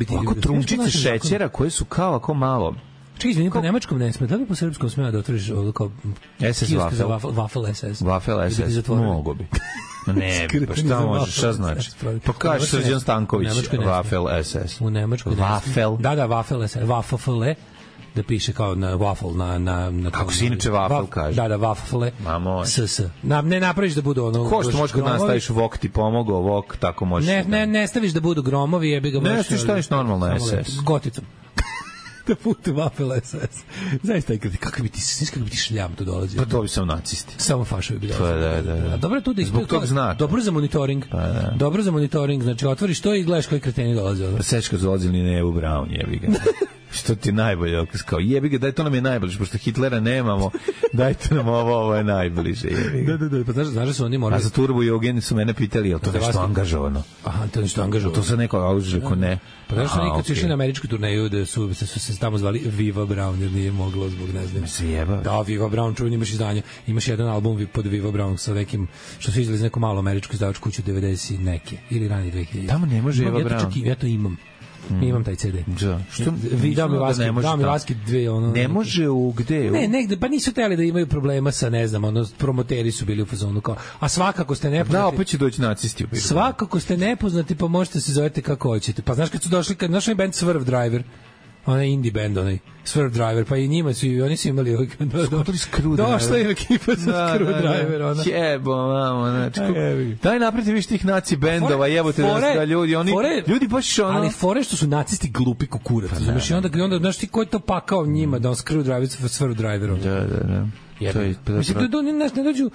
ovako trunčice šećera koje su kao ako malo. Čekaj, izvini, po nemačkom ne sme, da li po srpskom smeva da otvoriš kao SS Vafel SS? Vafel SS, mogo bi. Ne, pa šta možeš, šta znači? Pa kaže Srđan Stanković, Vafel SS. U Nemačkoj Vafel. Da, Vafel SS, Vafel da piše kao na waffle na kako se inače waffle kaže. Da, waffle. SS. Ne napraviš da budu ono. Ko što možeš kad nastaviš vok ti pomogao, vok tako možeš. Ne staviš da budu gromovi, jebi ga baš. Ne, ti staviš normalno SS. Goticom. Da putu waffle SS. Zaista kako bi ti šljam tu dolazi. Pa to bi sam nacisti. Samo fašovi bi dolazili. Da. Dobro je tu da zbog tog znaka. Dobro za monitoring. Dobro za monitoring, znači otvoriš to i gledaš koji kreteni dolaze. Pa sečka dolazili ne u Brown, jebi ga. Što ti je najbolje dokaz? Kao, jebi ga, daj, to nam je najbliže, pošto Hitlera nemamo, dajte nam ovo je najbliže. Da, pa znaš da su oni morali... A za Turbo i Eugen su mene pitali, je li to nešto angažovano? Aha, to je nešto angažovano. To se neko rekao ne. Pa znaš, oni kad su išli na američku turneju, da su se tamo zvali Viva Brown, jer nije moglo zbog, ne znam. Se jeba. Da, Viva Brown, čuveni imaš izdanje. Imaš jedan album pod Viva Brown sa nekim, što su izveli iz neku malu američku izdavačku kuću 90 neke, ili rani 2000. Tamo ne može Viva Brown. Ja to imam. Imam taj CD. Da. Što dao mi Vaski dve ono. Ne može u gde? Ne, negde, pa nisu hteli da imaju problema sa, ne znam, ono, promoteri su bili u fazonu kao, a svakako ste nepoznati. Da, opet će doći nacisti u Biru. Svakako ste nepoznati, pa možete se zovete kako hoćete. Pa znaš kad su došli, znaš onaj band Swerve Driver, onaj indie band, onaj Swerve Driver, pa i njima su, oni su imali došla je ekipa sa Screwdriver, ona. Jebo, mamo, znači, daj napreti više tih naci bendova, jebote da ljudi, ljudi baš ono... Ali fore što su nacisti glupi kukurac, znaš, i onda, znaš ti ko je to pakao njima, da on Screwdriver sa Swerve Driverom. Da. Mislim, da ne dođu,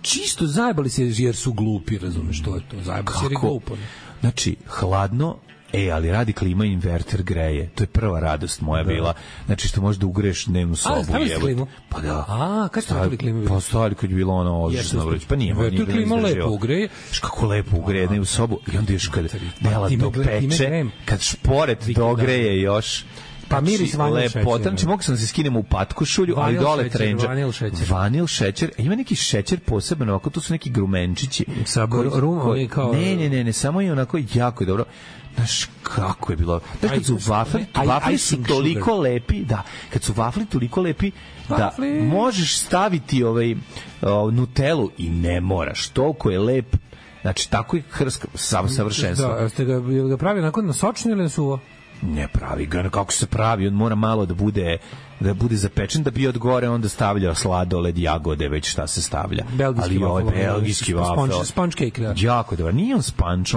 čisto zajebali se jer su glupi, razumeš, to je to, zajebali se jer je glupo. Znači, hladno, ali radi klima, inverter greje. To je prva radost moja bila. Znači što možeš da ugreješ dnevnu sobu. A, stavili ste klimu? Pa da. A, kad ste stavili klimu? Pa stavili kad je bilo ono odlično vreć. Pa nije. Inverter klima lepo ugreje. Kako lepo ugreje dnevnu sobu. I onda još kad dela to peče, kad šporet dogreje još. Pa miris vanil šećer. Znači mogu sam da se skinem u patkošulju, ali dole trenđa. Vanil šećer. Ima neki šećer poseban, ovako to su neki grumenčići. Sa rumom kao... Ne, samo je onako jako je dobro. Znaš kako je bilo. Znaš kad su vafli su toliko lepi, da, kad su vafli toliko lepi da možeš staviti Nutellu i ne moraš, toliko je lep. Znači tako je hrska savršenstvo. Da, ste ga pravi onako na sočno ili na suvo? Ne pravi ga, kako se pravi, on mora malo da bude zapečen, da bi od gore onda stavljao sladoled, jagode, već šta se stavlja. Ali belgijski vafel. Sponge cake, da. Jako dobro. Nije on sponge,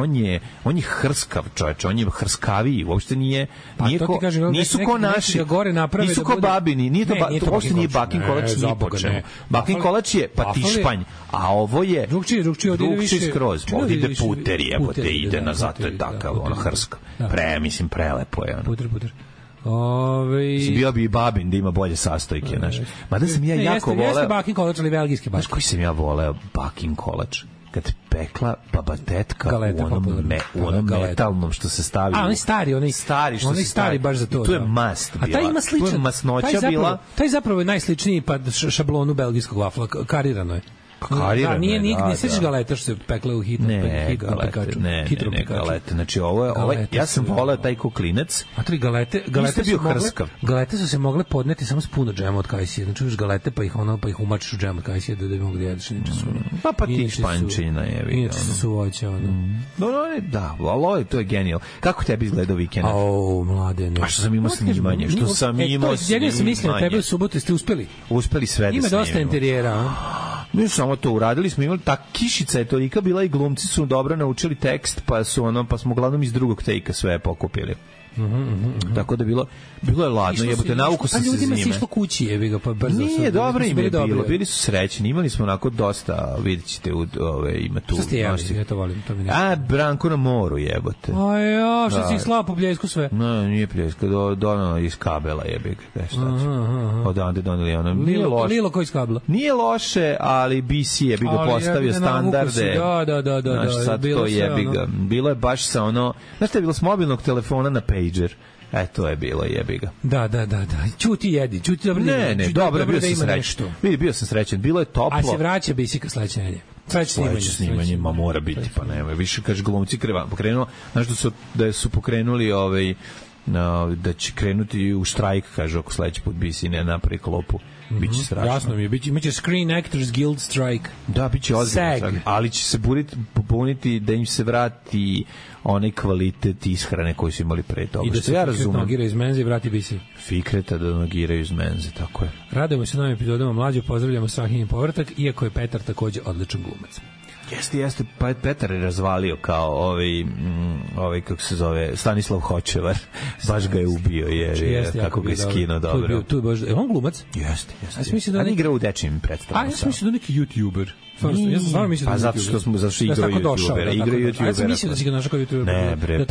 on je hrskav čovječ, on je hrskaviji, uopšte nije, nisu ko naši, nisu ko babini, nije to uopšte nije bakin kolač, nije počeo. Bakin kolač je patišpanj, a ovo je drugčiji skroz, ovdje ide puter, jebote, ide nazad, to je takav, ono hrskav. Mislim, prelepo je. Puter. Bio bi i babin da ima bolje sastojke, znaš. Mada sam ja jako voleo... Jeste bakin kolač, ali belgijski bakin. Znaš koji sam ja voleo bakin kolač? Kad pekla baba tetka u onom metalnom što se stavi. A, onaj stari što se stari baš za to. Tu je mast bila. A taj ima sličan. Tu je masnoća bila. Taj zapravo je najsličniji šablonu belgijskog vafla. Karirano je. Da, ne sećaš galeta što se pekle u hitnom pekaču. Ne, galete. Znači ovo ja sam voleo taj koklinac. A tri galete su se mogle podneti samo s puno džema od kajsije. Znači už galete pa ih umačiš u džem od kajsije da bi mogli da jedeš. Pa ti špančina je. Inače su voće. Da, ali to je genijal. Kako tebi izgledao vikend? Mladene. A što sam imao snimanje? Jedino sam mislio na tebe u subotu ste uspeli. Uspeli sve da snimimo. Ima dosta interijera. Mi samo to uradili smo, imali ta kišica je tolika bila i glumci su dobro naučili tekst, pa smo uglavnom iz drugog tejka sve pokupili. Tako da bilo je ladno, jebote, nauku sam se zime. Ljudima se išlo kući, jebi ga, pa brzo. Nije, dobro im je bilo, bili su srećni, imali smo onako dosta, vidjet ćete, ima tu. Što ste jeli, ja to volim, to mi ne. Branko na moru, jebote. Što si ih slao po Bljesku sve? Ne, nije Bljeska, donao iz kabela, jebi ga, šta će. Odande doneli ono, nije loše. Lilo koji iz kabela? Nije loše, ali BC je bi ga postavio standarde. Da, sad to jebi ga. Bilo je baš sa ono, znaš što je bilo s mobilnog telefona na pager. To je bilo, jebi ga. Da. Ćuti jedi, dobro. Ne, dobro, bio sam srećan. Bio sam srećan, bilo je toplo. A se vraća Bisika sledeće nedelje. Sledeće snimanje, mora biti, pa nema. Više, kaže, glumci pokrenuo, znaš da su pokrenuli da će krenuti u štrajk, kaže, ako sledeći put BC ne napravi klopu. Biće strašno. Jasno mi je, imaće Screen Actors Guild strike. Da, biće ozbiljno, ali će se pobuniti da im se vrati onaj kvalitet ishrane koji su imali pre toga. I da se Fikret nogira iz menze i vrati bisi. Fikreta da nogiraju iz menze, tako je. Radujemo se novim epizodama Mlađe, pozdravljamo Strahinji povratak, iako je Petar takođe odličan glumac. Jeste, pa Petar je razvalio kao ovaj kako se zove, Stanislav Hočevar. Baš ga je ubio, jer kako ga je skinuo dobro. Tu je baš, on glumac? Jeste. A ne igra u dečijim predstavama. A ja sam mislio da neki YouTuber. Ja sam stvarno mislio da pa zato što smo zašto igrao YouTubera. Ja sam mislio da si ga našao kao YouTuber. Ne bre,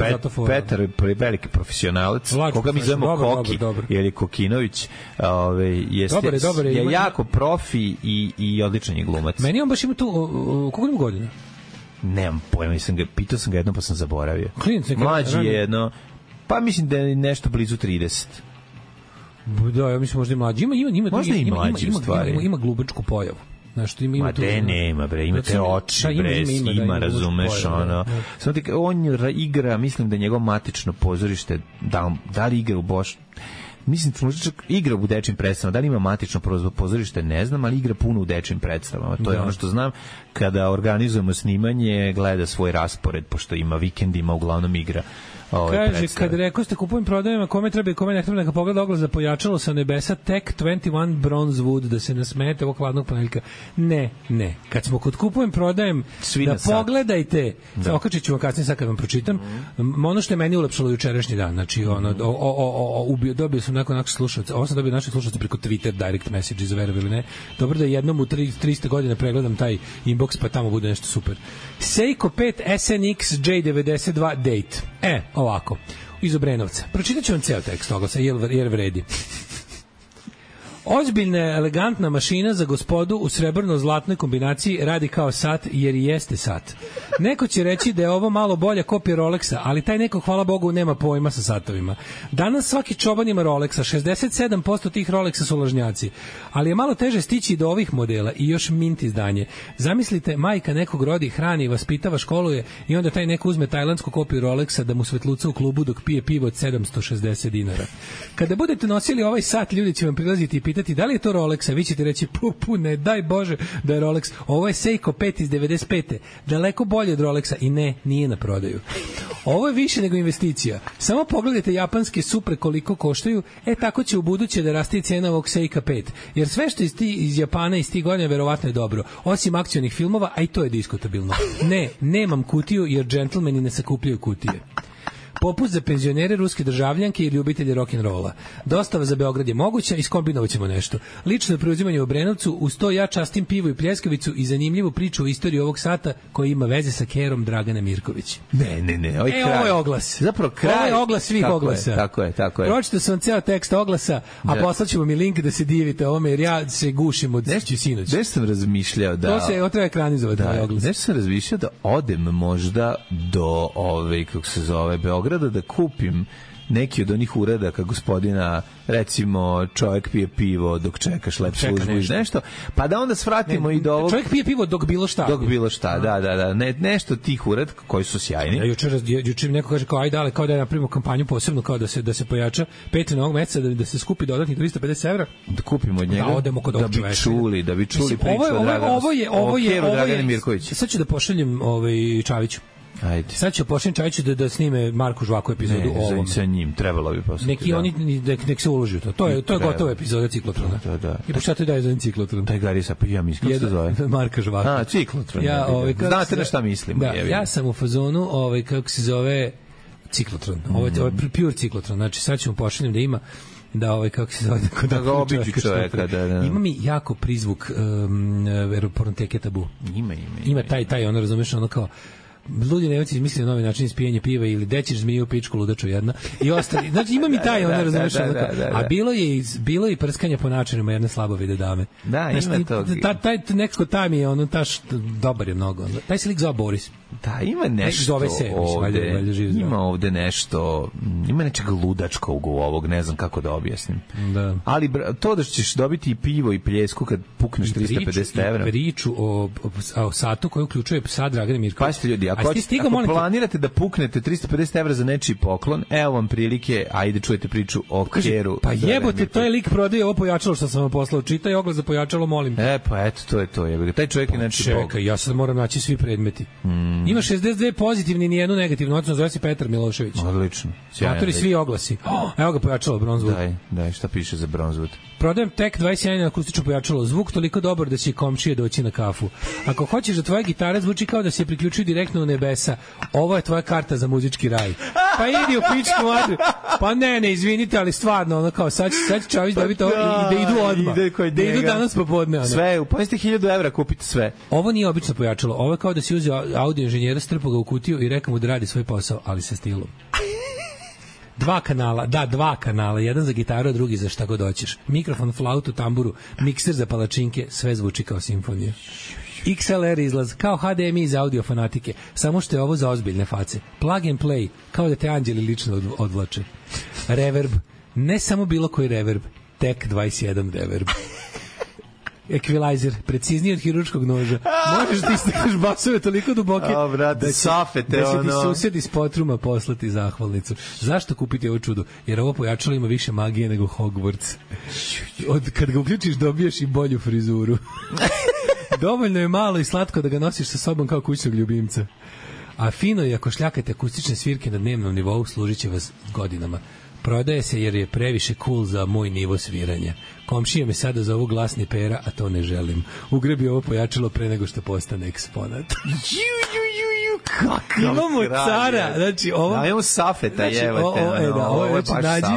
Petar je veliki profesionalac, koga mi zovemo Koki, jer je Kokinović, je jako profi i odličan je glumac. Meni on baš ima tu, koliko ima godina? Nemam pojma, pitao sam ga jedno pa sam zaboravio. Klinac, mlađi je jedno, pa mislim da je nešto blizu 30. Da, ja mislim možda i mlađi. Ima glubačku pojavu. Znaš, ima tu... nema, bre, ima te oči, ima, razumeš, ono. On igra, mislim da njegov matično pozorište, da li igra u mislim, čak igra u dečim predstavama, da li ima matično pozorište, ne znam, ali igra puno u dečim predstavama. To je ono što znam, kada organizujemo snimanje, gleda svoj raspored, pošto ima vikendima, uglavnom igra. Kaže, kad rekao ste kupujem prodajama, kome treba i kome ne treba, neka pogleda oglas za pojačalo sa nebesa, tek 21 bronze wood, da se nasmete ovog hladnog ponedeljka. Ne. Kad smo kod kupujem prodajem, da pogledajte, okačit ću vam kasnije sad kad vam pročitam, ono što je meni ulepšalo jučerašnji dan, znači, dobio sam neko slušalca, ovo sam dobio naše slušalce preko Twitter direct message, za verovali ne, dobro da jednom u 300 godina pregledam taj inbox, pa tamo bude nešto super. Seiko 5 SNX J92 date. Ovako, iz Obrenovca. Pročitat ću vam ceo tekst oglasa, jer vredi. Ozbiljna, elegantna mašina za gospodu u srebrno-zlatnoj kombinaciji radi kao sat, jer i jeste sat. Neko će reći da je ovo malo bolja kopija Rolexa, ali taj neko, hvala Bogu, nema pojma sa satovima. Danas svaki čoban ima Rolexa, 67% tih Rolexa su lažnjaci, ali je malo teže stići do ovih modela i još mint izdanje. Zamislite, majka nekog rodi, hrani, vaspitava, školuje i onda taj neko uzme tajlandsku kopiju Rolexa da mu svetluca u klubu dok pije pivo od 760 dinara. Kada budete nosili ovaj sat, ljudi će vam prilaziti i pitati da li je to Rolex, a vi ćete reći ne, daj Bože da je Rolex. Ovo je Seiko 5 iz 95. Daleko bolje od Rolexa i ne, nije na prodaju. Ovo je više nego investicija. Samo pogledajte japanske Supre koliko koštaju, tako će u buduće da raste cena ovog Seika 5. Jer sve što iz Japana iz tih godina verovatno je dobro. Osim akcionih filmova, a i to je diskutabilno. Ne, nemam kutiju jer džentlmeni ne sakupljaju kutije. Popust za penzionere, ruske državljanke i ljubitelje rock'n'rolla. Dostava za Beograd je moguća, iskombinovat ćemo nešto. Lično preuzimanje u Obrenovcu, uz to ja častim pivo i pljeskavicu i zanimljivu priču o istoriji ovog sata koja ima veze sa kerom Dragana Mirković. Ne, ovo je oglas. Zapravo kraj. Ovo je oglas svih oglasa. Tako je. Pročite sam ceo tekst oglasa, a poslaćemo mi link da se divite ovome, jer ja se gušim od sinoć. Nešto sam razmišljao da... To treba ekranizovati ovaj oglas. Nešto sam razmišljao da odem možda do kako se zove, Beograda, da kupim neki od onih uradaka gospodina, recimo čovjek pije pivo dok čeka šlep službu i nešto, pa da onda svratimo i do ovog... Čovjek pije pivo dok bilo šta. Dok bilo šta, da. Nešto tih uradaka koji su sjajni. Ja juče neko kaže kao ajde, kao da napravimo kampanju posebno, kao da se pojača Patreon ovog meseca, da se skupi dodatnih 350 evra. Da kupimo od njega, da odemo kod ovog čoveka. Da bi čuli priču o Draganu Mirkoviću. Sad ću da pošaljem Čaviću. Ajde. Sad će pošaljem Čajiću da snime Marko Žvaku epizodu o ovom. Sa njim, trebalo bi posle. Nek se uloži u to. To je gotova epizoda Ciklotrona. Da. I pa šta ti daje za Ciklotron? Taj Garisa, pa ja mislim, kako se zove? Marka Žvaku. Ciklotron. Znate na šta mislim. Da, ja sam u fazonu, kako se zove, Ciklotron. Ovo je pure Ciklotron. Znači, sad ćemo pošaljem da ima kako se zove, da ga obiđu čoveka, da. Ima mi jako prizvuk Pornoteke Tabu. Ima taj, ono, razumeš, ono kao ludi Nemci izmislili novi način ispijanja piva ili dećiš zmiju pičku ludaču jedna i ostali. Znači ima mi taj, ono, razumeš, a bilo je i prskanje po načinima jedne slabovide dame. Da, ima to. Taj nekako taj mi je ono dobar je mnogo. Taj se lik zove Boris. Da, ima nešto ovde, ima ovde nešto, ima nečeg ludačkog u ovog, ne znam kako da objasnim. Da. Ali to da ćeš dobiti i pivo i pljesku kad pukneš 350 evra. Priču o satu koji uključuje psa Dragana Mirkovića. Pazite ljudi, ako planirate da puknete 350 evra za nečiji poklon, evo vam prilike, ajde čujete priču o keru. Pa jebote, to je lik prodaje ovo pojačalo što sam vam poslao. Čitaj oglas za pojačalo, molim. Pa eto, to je to. Taj čovjek je znači bog. Čekaj, ja sad moram naći svi predmeti. Ima 62 pozitivni, ni jednu negativnu ocenu, zove se Petar Milošević. Odlično. Matori svi oglasi. Evo ga pojačalo Bronzewood. Daj, šta piše za Bronzewood? Prodajem tek 21 akustično pojačalo. Zvuk toliko dobar da će komšije doći na kafu. Ako hoćeš da tvoja gitara zvuči kao da se priključuje direktno u nebesa, ovo je tvoja karta za muzički raj. Pa idi u pičku matru. Pa ne, izvinite, ali stvarno, ono kao, sad će Čavić dobiti ovo i da idu odmah. Da idu danas popodne. Ono. Sve, pojeste 1000 evra, kupite sve. Ovo nije obično pojačalo. Ovo je kao da si uzeo audio inženjera, strpao ga u kutiju i rekao mu da radi svoj posao, ali sa stilom. 2 kanala, jedan za gitaru, a drugi za šta god hoćeš. Mikrofon, flautu, tamburu, mikser za palačinke, sve zvuči kao simfonija. XLR izlaz, kao HDMI za audio fanatike, samo što je ovo za ozbiljne face. Plug and play, kao da te anđeli lično odvlače. Reverb, ne samo bilo koji reverb, tek 21 reverb. Equalizer, precizniji od hirurškog noža. Možeš da istakneš basove toliko duboke da će ti susjed iz potruma poslati zahvalnicu. Zašto kupiti ovo čudo? Jer ovo pojačalo ima više magije nego Hogwarts. Kad ga uključiš dobiješ i bolju frizuru. Dovoljno je malo i slatko da ga nosiš sa sobom kao kućnog ljubimca. A fino je ako šljakate akustične svirke na dnevnom nivou, služit će vas godinama. Prodaje se jer je previše cool za moj nivo sviranja. Komšija me sada zovu glasni Pera, a to ne želim. Ugrebi ovo pojačalo pre nego što postane eksponat. Imamo cara, znači ovo... Imamo Safeta, jevate. Ovo je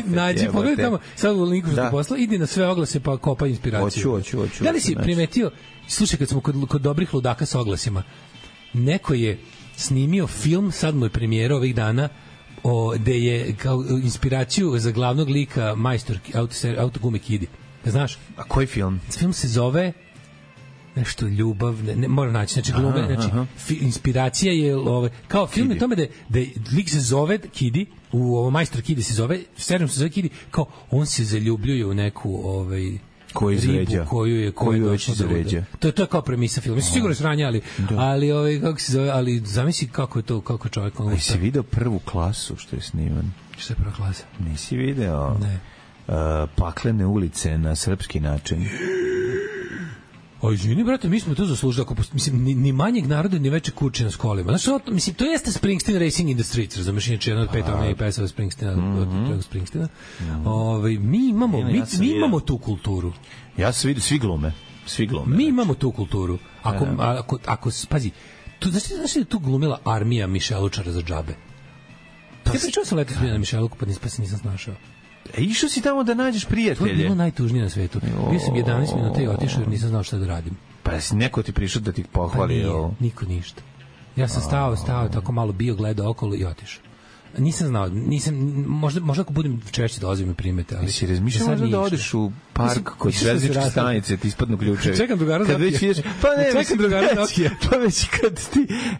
nađi, pogledaj tamo, sad u linku što posla, idi na sve oglase pa kopa inspiraciju. Hoću. Da li si primetio, slušaj, kad smo kod dobrih ludaka sa oglasima, neko je snimio film, sad mu je premijera ovih dana, gde je kao inspiraciju za glavnog lika majstor autogume Kidi. Znaš? A koji film? Film se zove nešto ljubav, ne moram naći, znači glume, znači inspiracija je kao film je tome da lik se zove Kidi, u ovo majstor Kidi se zove, serijom se zove Kidi, kao on se zaljubljuje u neku ribu koju doći izređa. To je kao premisa filma. Mislim, sigurno sranja, ali kako se zove, ali zamisli kako je to, kako čovjek... Jesi video Prvu klasu što je sniman? Što je Prva klasa? Nisi video? Ne. Paklene ulice na srpski način. O, izvini, brate, mi smo to zaslužili. Mislim, ni manjeg naroda, ni veće kuće na skolima. Znači, mislim, to jeste Springsteen Racing in the Streets, razumeš, inače jedna od 5 onih pesava Springsteena. Mi imamo tu kulturu. Ja sam vidio, svi glume. Mi imamo tu kulturu. Ako pazi, znaš da je tu glumila armija Mišelučara za džabe? Ja pričao sam letos bio na Mišeluku, pa se nisam snašao. Išao si tamo da nađeš prijatelje. To je bilo najtužnije na svetu. Bio sam 11 minuta i otišao jer nisam znao šta da radim. Pa si neko ti prišao da ti pohvali? Pa nije, niko ništa. Ja sam stao tako malo bio, gledao okolo i otišao. Nisam znao, možda ako budem češće dolazim i primete, ali... Si razmišljao možda da odeš u park kod železničke stanice, ti ispadnu ključevi. Čekam drugara da otije. Pa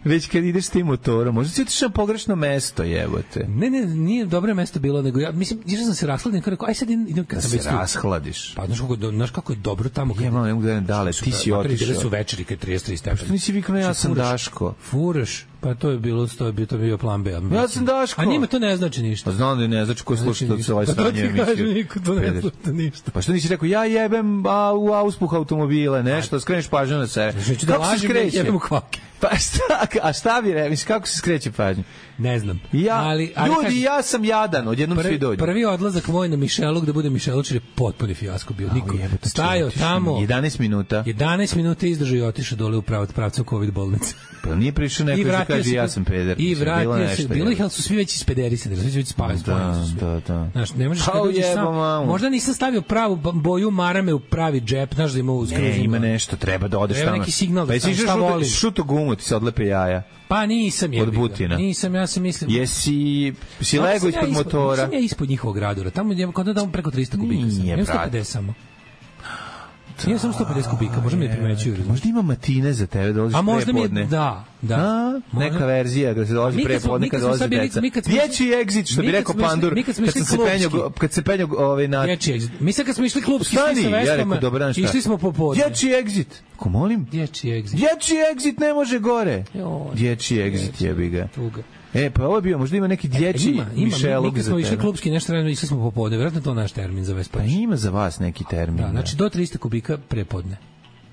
već kad ideš s tim motorom, možda si otišao na pogrešno mesto, jebote. Ne, nije dobro mesto bilo, nego ja, mislim, išao sam se rashladim, kao rekao, aj sad idem kad sam već tu. Rashladiš. Pa znaš kako je dobro tamo. Ne mogu da dale, ti si otišao. Makar su večeri kad 33 stepeni. Pa nisi vikao, ja sam Daško. Furaš. Pa to je bio plan B. Ja sam Daško. A njima to ne znači ništa. Pa znam da ne znači ko sluša to ovaj sranje emisiju. Pa to ti kaže, niko to ne sluša ništa. Pa što nisi rekao, ja jebem u auspuh automobile, nešto, skreneš pažnju na sebe. Kako se skreće? Jebem u kvake. Pa šta bi rekao, kako se skreće pažnju? Ne znam. Ljudi, ja sam jadan, odjednom svi dođu. Prvi odlazak moj na Mišeluk, da bude Mišelučar, je potpuni fijasko bio. Niko stajao tamo. 11 minuta. 11 minuta izdržao i otišao dole u pravcu COVID bolnice. Pa nije prišao neko da kaže ja sam peder. I vratio se. Bilo ih, ali su svi već ispederisani, svi već spavaju. Da. Znaš, ne možeš kad dođeš sam. Možda nisam stavio pravu boju marame u pravi džep, znaš da ima uskroz. Ne, ima nešto, treba da odeš tamo. Treba neki signal da šta volim. Šuto gumu, ti se odlepe jaja. Pa nisam je. Od Butina. Nisam, ja sam mislim. Jesi lego ispod motora? Nisam ja ispod njihovog radura. Tamo je kod da preko 300 kubika. Nije, brate. 150 samo. Nije samo 150 kubika, možda mi ne primećuju. Možda ima matine za tebe, dolaziš prepodne. Da. Neka verzija da se dolazi prepodne kad dolazi deca. Dječji exit, što bi rekao Pandur, kad se penjao na... Dječji exit. Mi sad kad smo išli klubski svi sa Vespama, išli smo popodne. Dječji exit. Ko molim? Dječji exit. Dječji exit ne može gore. Dječji exit jebi ga. Pa ovo je bio, možda ima neki dječji Mišeluk za tebe. Mi kad smo išli klubski nešto vremena, išli smo popodne, vjerojatno to naš termin za Vespa. Pa ima za vas neki termin. Da, znači do 300 kubika prepodne.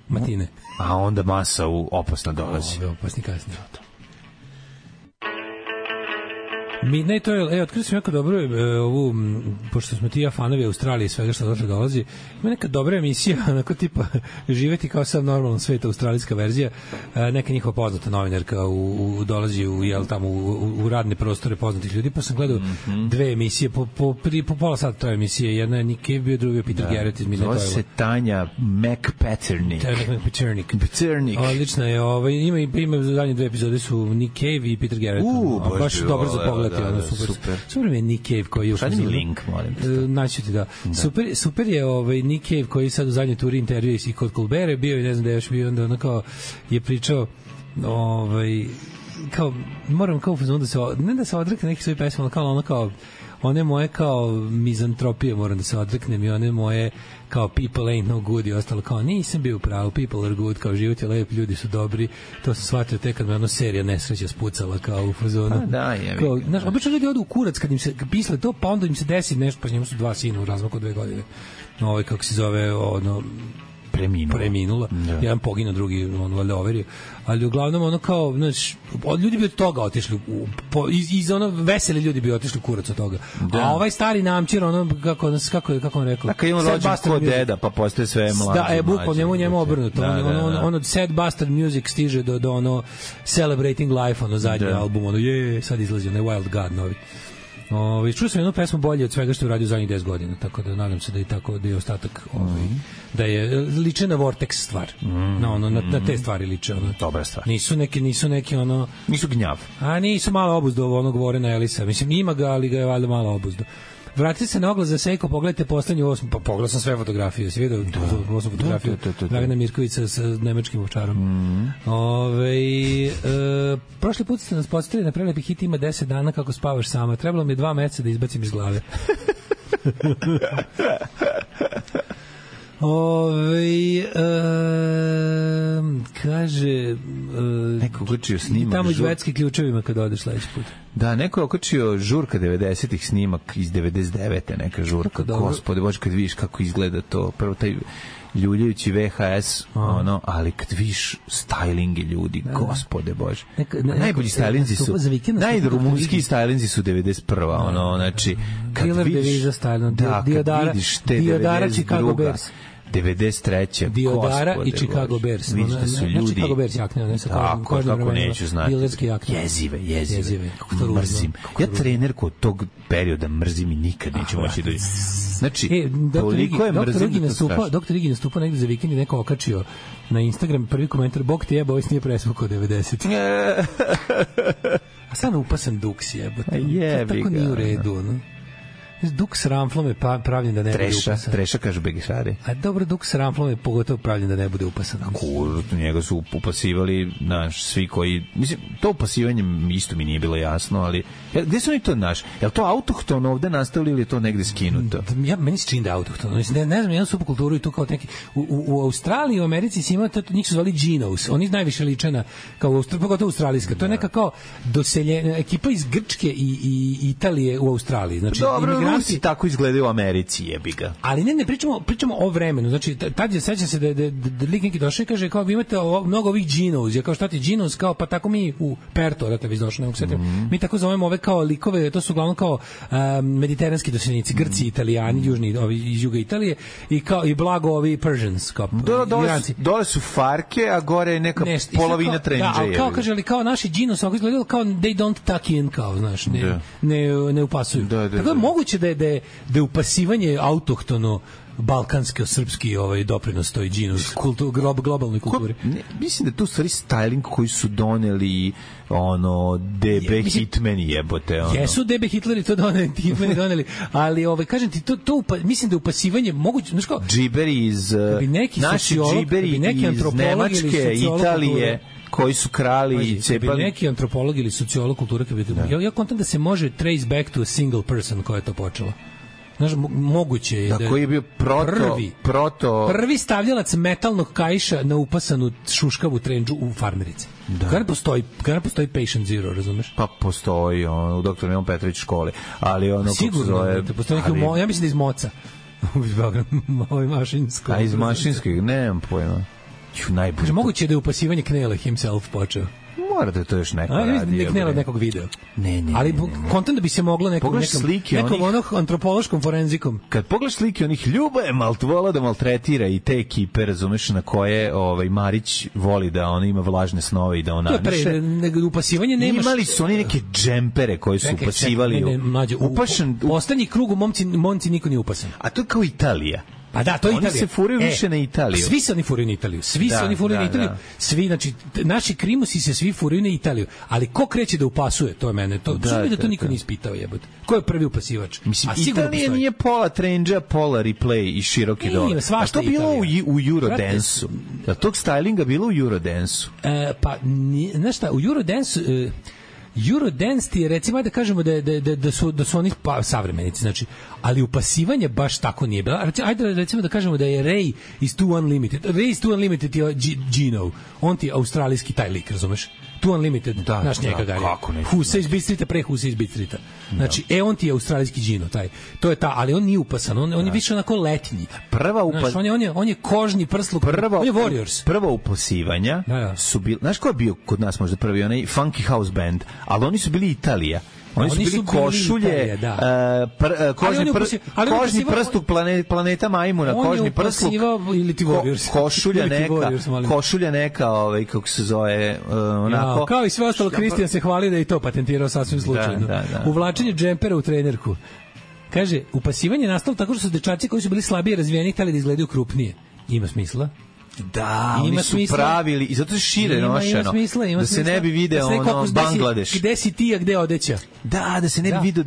Matine. A onda masa opasna dolazi. Ove opasni kasnije. Ne, to je, otkrio sam jako dobro ovu, pošto smo ti ja fanovi Australije i svega što došle dolazi, ima neka dobra emisija, onako tipa živeti kao sad normalno svet, australijska verzija, neka njihova poznata novinarka dolazi u radne prostore poznatih ljudi, pa sam gledao dve emisije, po pola sata to emisije, jedna je Nick Cave bio, drugi je Peter Garrett iz Midnight Oil. Zove se Tanja McPaternick. Odlična je, ima zadnje dve epizode su Nick Cave i Peter Garrett. Baš dobro za pogledati, super mi je Nick Cave koji još šalji mi link, molim te. Naći ti da. Super je Nick Cave koji sad u zadnjoj turi intervjua i kod Colbert bio i ne znam da je još bio, onda ono kao je pričao kao moram kao da se ne da se odrekne nekih svojih pesama, kao ono kao one moje kao mizantropije moram da se odreknem i one moje kao people ain't no good i ostalo kao nisam bio pravo, people are good, kao život je lep, ljudi su dobri, to sam shvatio tek kad me ono serija nesreća spucala kao u fazonu. Pa da, je. Znaš, obično ljudi odu u kurac kad im se pisle to, pa onda im se desi nešto, pa njemu su dva sina u razmaku 2 godine. Kako se zove, preminula. Jedan poginuo, drugi valjda overio. Ali uglavnom ono kao, znaš, ljudi bi od toga otišli iz ono veseli ljudi bi otišli kurac od toga. Da. A ovaj stari namčir ono kako on rekao. Dakle on rođen kod deda, pa postaje sve mlađi. Da, njemu obrnuto. Ono Sad Bastard Music stiže do ono Celebrating Life, ono zadnji album, ono sad izlazi onaj Wild God novi. Čuo sam jednu pesmu bolje od svega što je uradio zadnjih 10 godina, tako da nadam se da je tako, da je ostatak da je liče na Vortex stvar. Na te stvari liče. Dobra stvar. Nisu neki ono... Nisu gnjav. A nisu malo obuzdo onog Vorena Elisa. Mislim, ima ga, ali ga je valjda malo obuzdo. Vratite se na oglas za Seiko, pogledajte poslednju 8, pa pogledao sam sve fotografije, si vidio 8 fotografiju Dragana Mirkovića sa nemačkim ovčarom. Prošli put ste nas podsjetili na prelepi hit Ima 10 dana kako spavaš sama. Trebalo mi je 2 meseca da izbacim iz glave. Kaže neko okačio snimak tamo iz Švedske ključevima kad odeš sledeći put. Da, neko je okačio žurka 90-ih snimak iz 99. neka žurka. Gospode Bože, kad vidiš kako izgleda to, prvo taj ljuljajući VHS, ali kad vidiš stylinge ljudi, gospode Bože. Najbolji stylinzi su, najrumunski stylinzi su 91. Znači, kad vidiš, kad vidiš te 92. 93. Diodara i Chicago Bears. Vidiš da su ljudi... Chicago Bears jakne, ne sa kako neću znati. Dilerske jakne. Jezive. Mrzim. Ja trenerku od tog perioda mrzim i nikad neću moći da... Znači, toliko je mrzim da to strašno. Doktor Igi nastupao negde za vikend i neko okačio na Instagram prvi komentar, Bog te jeba, ovo nije presvukao 90. A sad upasan duks jebate. Tako nije u redu, no? Duk s ramflom je pravljen da ne bude upasan. Treša kažu Begišari. A dobro, duk s ramflom je pogotovo pravljen da ne bude upasan. Njega su upasivali svi koji... Mislim, to upasivanje isto mi nije bilo jasno, ali... Gde su oni to naš? Je li to autohtono ovde nastavili ili je to negde skinuto? Meni se čini da je autohtono. Ne znam, jednu subkulturu i tu kao neki... U Australiji i u Americi si imao, njih su zvali Genos. Oni najviše liče na... Pogotovo australijska. To je neka kao doseljena ekipa iz Grčke i Italije u Australiji. Znači, Rusi tako izgledaju u Americi, jebi ga. Ali ne pričamo o vremenu. Znači, tad je, sećam se da lik neki došao i kaže, kao vi imate mnogo ovih Genos. Ja kao šta ti Genos, kao pa tako mi u Perto, dakle vi došli, mi tako zovemo ove kao likove, to su uglavnom kao mediteranski doseljenici, Grci, Italijani, južni, ovi iz juga Italije i blago ovi Persians, kao Iranci. Dole su farke, a gore je neka polovina trendža. Da, kao kaže, ali kao naši Genos, ako izgledalo kao they don't tuck in, kao, znaš, ne upasuju. Tako je moguće da je upasivanje autohtono balkanski, srpski doprinos toj Genos globalnoj kulturi. Mislim da to u stvari styling koji su doneli DB Hitmeni jebote. Jesu DB Hitleri to doneli, ali kažem ti, mislim da je upasivanje moguće, znaš kao... Džiberi iz... Naši džiberi iz Nemačke, Italije, koji su krali i cepali. Neki antropolog ili sociolog kulture, ja kontam da se može trace back to a single person koja je to počela. Znaš, moguće je da koji je bio prvi stavljalac metalnog kaiša na upasanu šuškavu trendžu u farmerici. Kada postoji Patient Zero, razumeš? Pa postoji u Dr. Milan Petrović škole, ali sigurno, postoji neki, ja mislim da iz Moca. Ovo mašinsko. A iz mašinskog, nemam pojma. Moguće je da je upasivanje Knele himself počeo. mora da to još neko radi. Nek ne od nekog videa. Ne. Ali kontent da bi se moglo nekom antropološkom forenzikom. Kad pogledaš slike onih Ljuba je vola da maltretira i te ekipe, razumeš, na koje Marić voli da on ima vlažne snove i da on naneše. Upasivanje nemaš. Imali su oni neke džempere koji su upasivali. Poslednji krug u momci niko nije upasan. A to je kao Italija. Pa da, to je Italija. Oni se furaju više na Italiju. Svi se oni furaju na Italiju. Svi, znači, naši krimusi se svi furaju na Italiju. Ali ko kreće da upasuje, to je mene. To niko nije ispitao, jebote. Ko je prvi upasivač? Mislim, Italija nije pola trendža, pola replay i široki dole. A to bilo u Eurodance-u? Da tog stylinga bilo u Eurodance-u? Pa, znaš šta, u Eurodance ti je, recimo, da kažemo da su oni savremenici, znači, ali upasivanje baš tako nije bilo. Ajde recimo da kažemo da je Ray iz Two Unlimited. Ray iz Two Unlimited je Gino. On ti je australijski taj lik, razumeš? Two Unlimited, naš njega gari. Husa iz Beat Streeta pre Husa iz Beat Streeta. Znači, on ti je australijski Gino, taj. To je ta, ali on nije upasan, on je više onako letnji. On je kožni prsluk, on je Warriors. Prva upasivanja su bili, znaš ko je bio kod nas možda prvi, onaj Funky House Band, ali oni su bili Italija. Oni su bili košulje, kožni prstuk planeta Majmuna, kožni prstuk, košulja neka, kako se zove, onako. Kao i sve ostalo, Kristijan se hvali da je i to patentirao sasvim slučajno. Uvlačenje džempera u trenerku. Kaže, upasivanje je nastalo tako što su dečaci koji su bili slabije razvijeni hteli da izgledaju krupnije. Ima smisla? Da, oni su pravili i zato se šire nošeno. Da se ne bi video Bangladeš. Gde si ti, a gde odeća? Da se ne bi video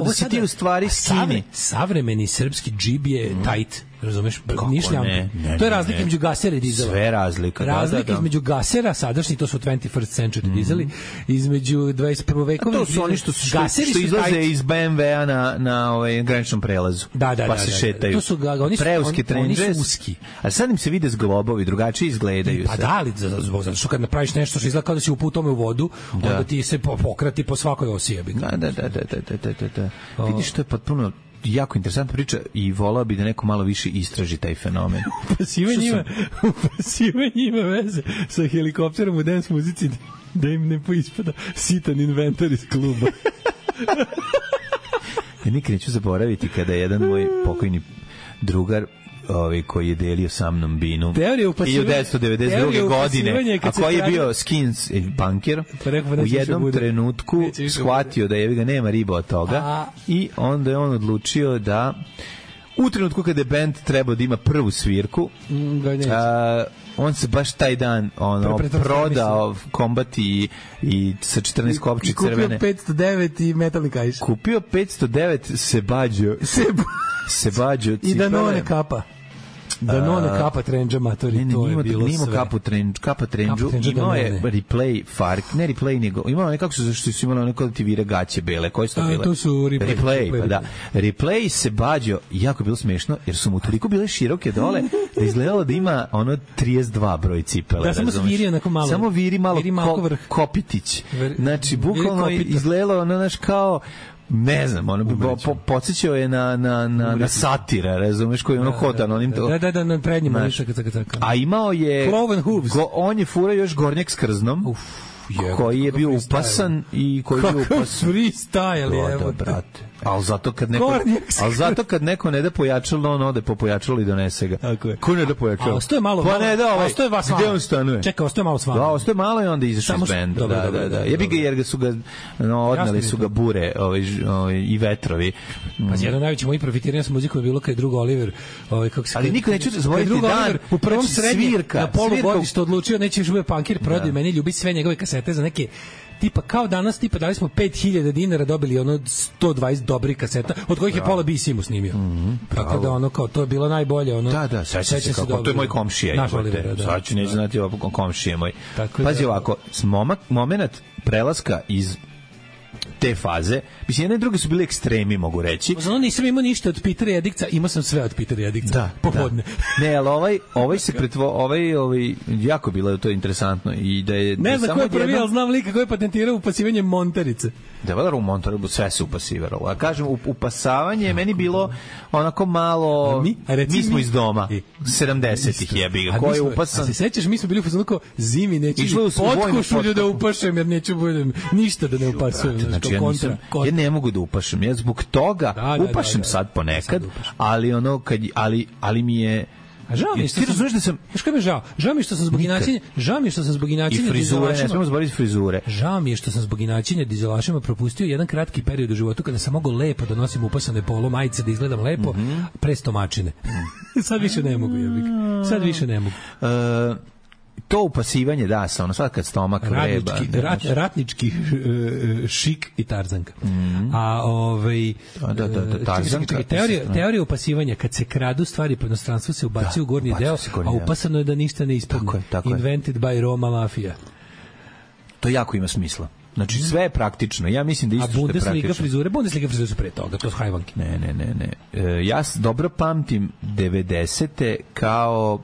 da si ti u stvari skini. Savremeni srpski džib je tight. Razumeš? Nišljamka. To je razlika između gasera i dizela. Sve razlika. Razlika između gasera, sadašnji, to su 21st century dizeli, između 21. vekovni. To su oni što izlaze iz BMW-a na graničnom prelazu. Pa se šetaju. To su preuski trendžes. Oni su uski. A sad im se vide zglobovi, drugačije izgledaju. Pa da, ali zato što kad napraviš nešto što izgleda kao da si upao tome u vodu, onda ti se pokrati po svakoj osi. Da. Vidiš, to je potpuno jako interesantna priča i volao bi da neko malo više istraži taj fenomen. Upasivanje ima veze sa helikopterom u dance muzici da im ne poispada sitan inventar iz kluba. Ja nikad neću zaboraviti kada je jedan moj pokojni drugar koji je delio sa mnom binu 1992. godine, a koji je bio skins punker, u jednom trenutku shvatio da je ga nema riba od toga i onda je on odlučio da u trenutku kada je band trebao da ima prvu svirku, on se baš taj dan prodao kombat i sa 14 kopči crvene. Kupio 509 i metalni kajš. Kupio 509 Sebađo i Danone kapa. Danone kapa trendža matori, to je bilo sve. Kapa trendžu, imao je replay fark, ne replay nego, imao nekako su imali one kod ti vire gaće bele, koje su to bile? To su replay, pa da. Replay se bađo, jako bilo smešno, jer su mu toliko bile široke dole, da izgledalo da ima 32 broj cipele. Da, samo viri onako malo. Samo viri malo kopitić. Znači, bukvalno izgledalo znaš kao ne znam, podsjećao je na satira, razumeš, koji ono hodan onim to. Da, na prednjima. A imao je Cloven Hooves. On je furao još gornjak s krznom. Koji je bio upasan i koji je bio upasan. Freestyle, evo. Brate. Ali zato kad neko ne da pojačalo, on ode po pojačalo i donese ga. Ko ne da pojačalo? Ostoje malo. Pa ne da, ostoje vas malo. Gde on stanuje? Čekaj, ostoje malo s vama. Da, ostoje malo i onda izašao iz benda. Da. Jebi ga jer su ga odnali su ga bure i vetrovi. Pa jedan najveći moj profitiranje s muzikom je bilo kad je drug Oliver, kako se. Ali niko neće zaboraviti dan u prvom srednjem na polugodištu odlučio neće više biti punkir, prodaj meni ljubi sve njegove kasete za neke tipa kao danas, tipa dali smo 5000 dinara, dobili ono 120 dobrih kaseta, od kojih je pola B-Simu snimio. Tako da ono kao, to je bilo najbolje. Ono, da, sećam se kako, to je moj komšija. Sad ću neći znati ovo komšije moj. Pazi ovako, moment prelaska iz te faze. Mislim, jedne i druge su bile ekstremi, mogu reći. Znači, nisam imao ništa od Pitera Jedikca, imao sam sve od Pitera Jedikca. Da, popodne. Da. Ne, ali ovaj se ovaj jako bilo to interesantno i da je ne znam ko je prvi, ali znam lika koji je patentirao upasivanje montarice. Da, valjda u montaru sve se upasivalo. A kažem, upasavanje meni bilo onako malo... Mi smo iz doma. 70-ih jebi ga. Ko je upasan? A se sećaš, mi smo bili u fazonu kao zimi, neću potkošulju da upašem, jer neću budem ništa da ne upasujem. Znači, ja ne mogu da upašem. Ja zbog toga upašem sad ponekad, ali ono, ali mi je... A žao mi je što sam... Znaš kako mi je žao? Žao mi je što sam zbog inačenja... I frizure, ne smemo zaboraviti frizure. Žao mi je što sam zbog inačenja dizelašima propustio jedan kratki period u životu kada sam mogao lepo da nosim upasane polo majice, da izgledam lepo, pre stomačine. Sad više ne mogu, jebik. Sad više ne mogu. To upasivanje, da, sa ono, sad kad stomak vreba. Ratnički šik i tarzanka. A tarzanka. Teorija upasivanja, kad se kradu stvari po inostranstvu, se ubaci u gornji deo, a upasano je da ništa ne ispadne. Invented by Roma Mafia. To jako ima smisla. Znači, sve je praktično. Ja mislim da isto što je praktično. Bundesliga frizure su pre toga, to su hajvanki. Ne. Ja dobro pamtim 90-te kao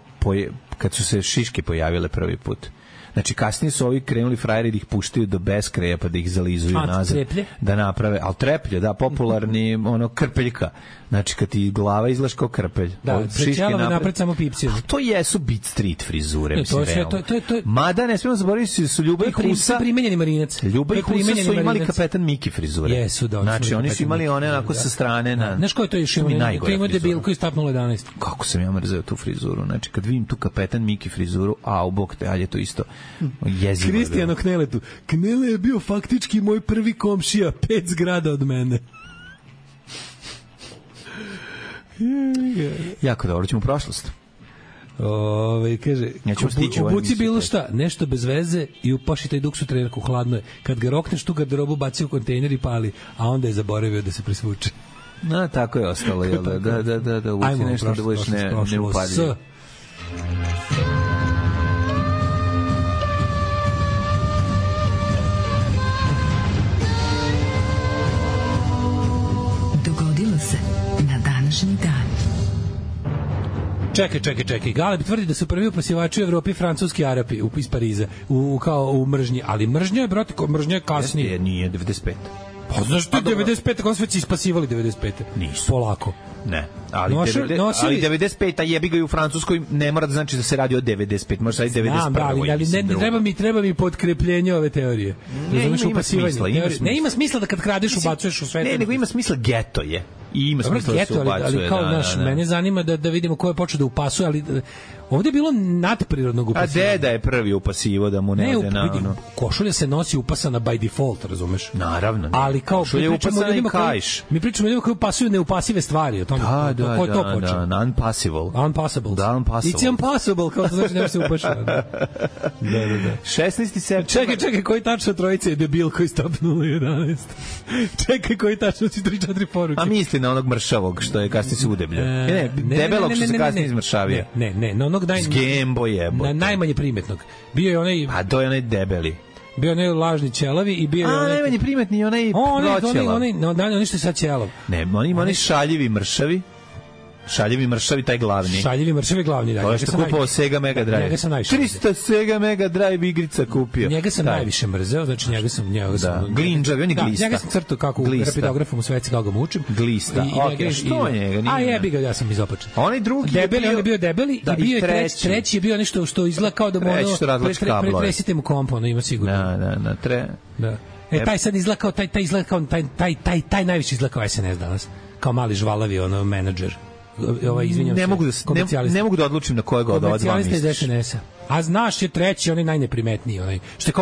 kad su se šiške pojavile prvi put. Znači, kasnije su ovi krenuli frajeri da ih puštaju do beskraja pa da ih zalizuju nazad. Treplje? Da naprave, ali treplje, da, popularni krpeljka. Znači, kad ti glava izgledaš kao krpelj. Da, prećelove napred samo pipsiju. To jesu beat street frizure, mislim, realno. Mada, ne smijemo zaboraviti, su Ljuba i Husa... primenjeni marinac. Ljuba i Husa su imali kapetan Miki frizure. Jesu, da. Znači, oni su imali one onako sa strane na... Znaš ko je to još imao? To ima debilku iz Tap 011. Kako sam ja mrzeo tu frizuru. Znači, kad vidim tu kapetan Miki frizuru, u bok te, ali je to isto jezivo. Kristijano Kneletu. Knele je bio faktički moj prvi komšija, 5 zgrada od mene. Jako dobro, ćemo u prošlost. Kaže, obuci bilo šta, nešto bez veze i upaši taj duksu trenerku, hladno je. Kad ga rokneš tu garderobu, baci u kontejner i pali, a onda je zaboravio da se presvuče. Tako je ostalo, jel? Da, uvuci nešto da budeš neupadljiv. Dogodilo se na današnji dan. Čekaj. Galeb tvrdi da su prvi upasivači u Evropi francuski Arapi iz Pariza, kao u mržnji. Ali mržnja je, brate, mržnja je kasnije. Nije 95. Pa znaš ti 95. Kako su već ispasivali 95. Nisu. Polako. Ne, ali 95. jebi ga i u Francuskoj ne mora da znači da se radi o 95, može raditi 91. Ali treba mi potkrepljenje ove teorije. Ima smisla. Ne ima smisla da kad kradeš ubacuješ u sve. Ne, nego ima smisla, geto je. I ima smisla da se ubacuje. Ali kao mene zanima da vidimo ko je počeo da upasuje, ali ovdje je bilo nadprirodnog upasivanja. A deda je prvi upasivo da mu ne ode na ono. Košulja se nosi upasana by default, razumeš? Naravno. Ali kao košulja upasana i kajš. Mi pričamo o ljudima koji upasuju neupasive stvari, o tome. Da, unpassable. It's impossible, kao to znači nema se upaša. Da. 16. septembar. Čekaj, koji tačno trojice je debil koji stop 011? Čekaj, koji tačno si 3-4 poruke? A misli na onog mršavog što je kasnije se udebljio. Debelog što se kasnije izmršavio. Ne, na onog Gembo jebote. Na najmanje primetnog. Bio je onaj... A to je onaj debeli. Bio onaj lažni ćelavi i bio je onaj... najmanje primetni onaj proćelav. Onaj što je sad ćelav. Ne, oni šaljivi mršavi. Šaljivi mršavi, taj glavni. Šaljivi mršavi glavni, da. To je što kupao Sega Mega Drive. Njega sam najviše 300 Sega Mega Drive igrica kupio. Njega sam najviše mrzeo, znači njega sam Glinđavi, on je glista. Njega sam crtao kako u rapidografom u sveci kako ga mučim. Glista. Što njega? A jebi ga, ja sam izopačen. Onaj drugi je bio debeli i bio je treći je bio nešto što izgleda kao da mu pretresite mu komp, ono ima sigurno. Da. Taj sad izgleda kao taj najviše izgleda kao SNS danas. Kao mali žvalavi menadžer. Izvinjam se. Ne mogu da odlučim na kojeg od ova dva misliš. A znaš je treći, onaj najneprimetniji, onaj što je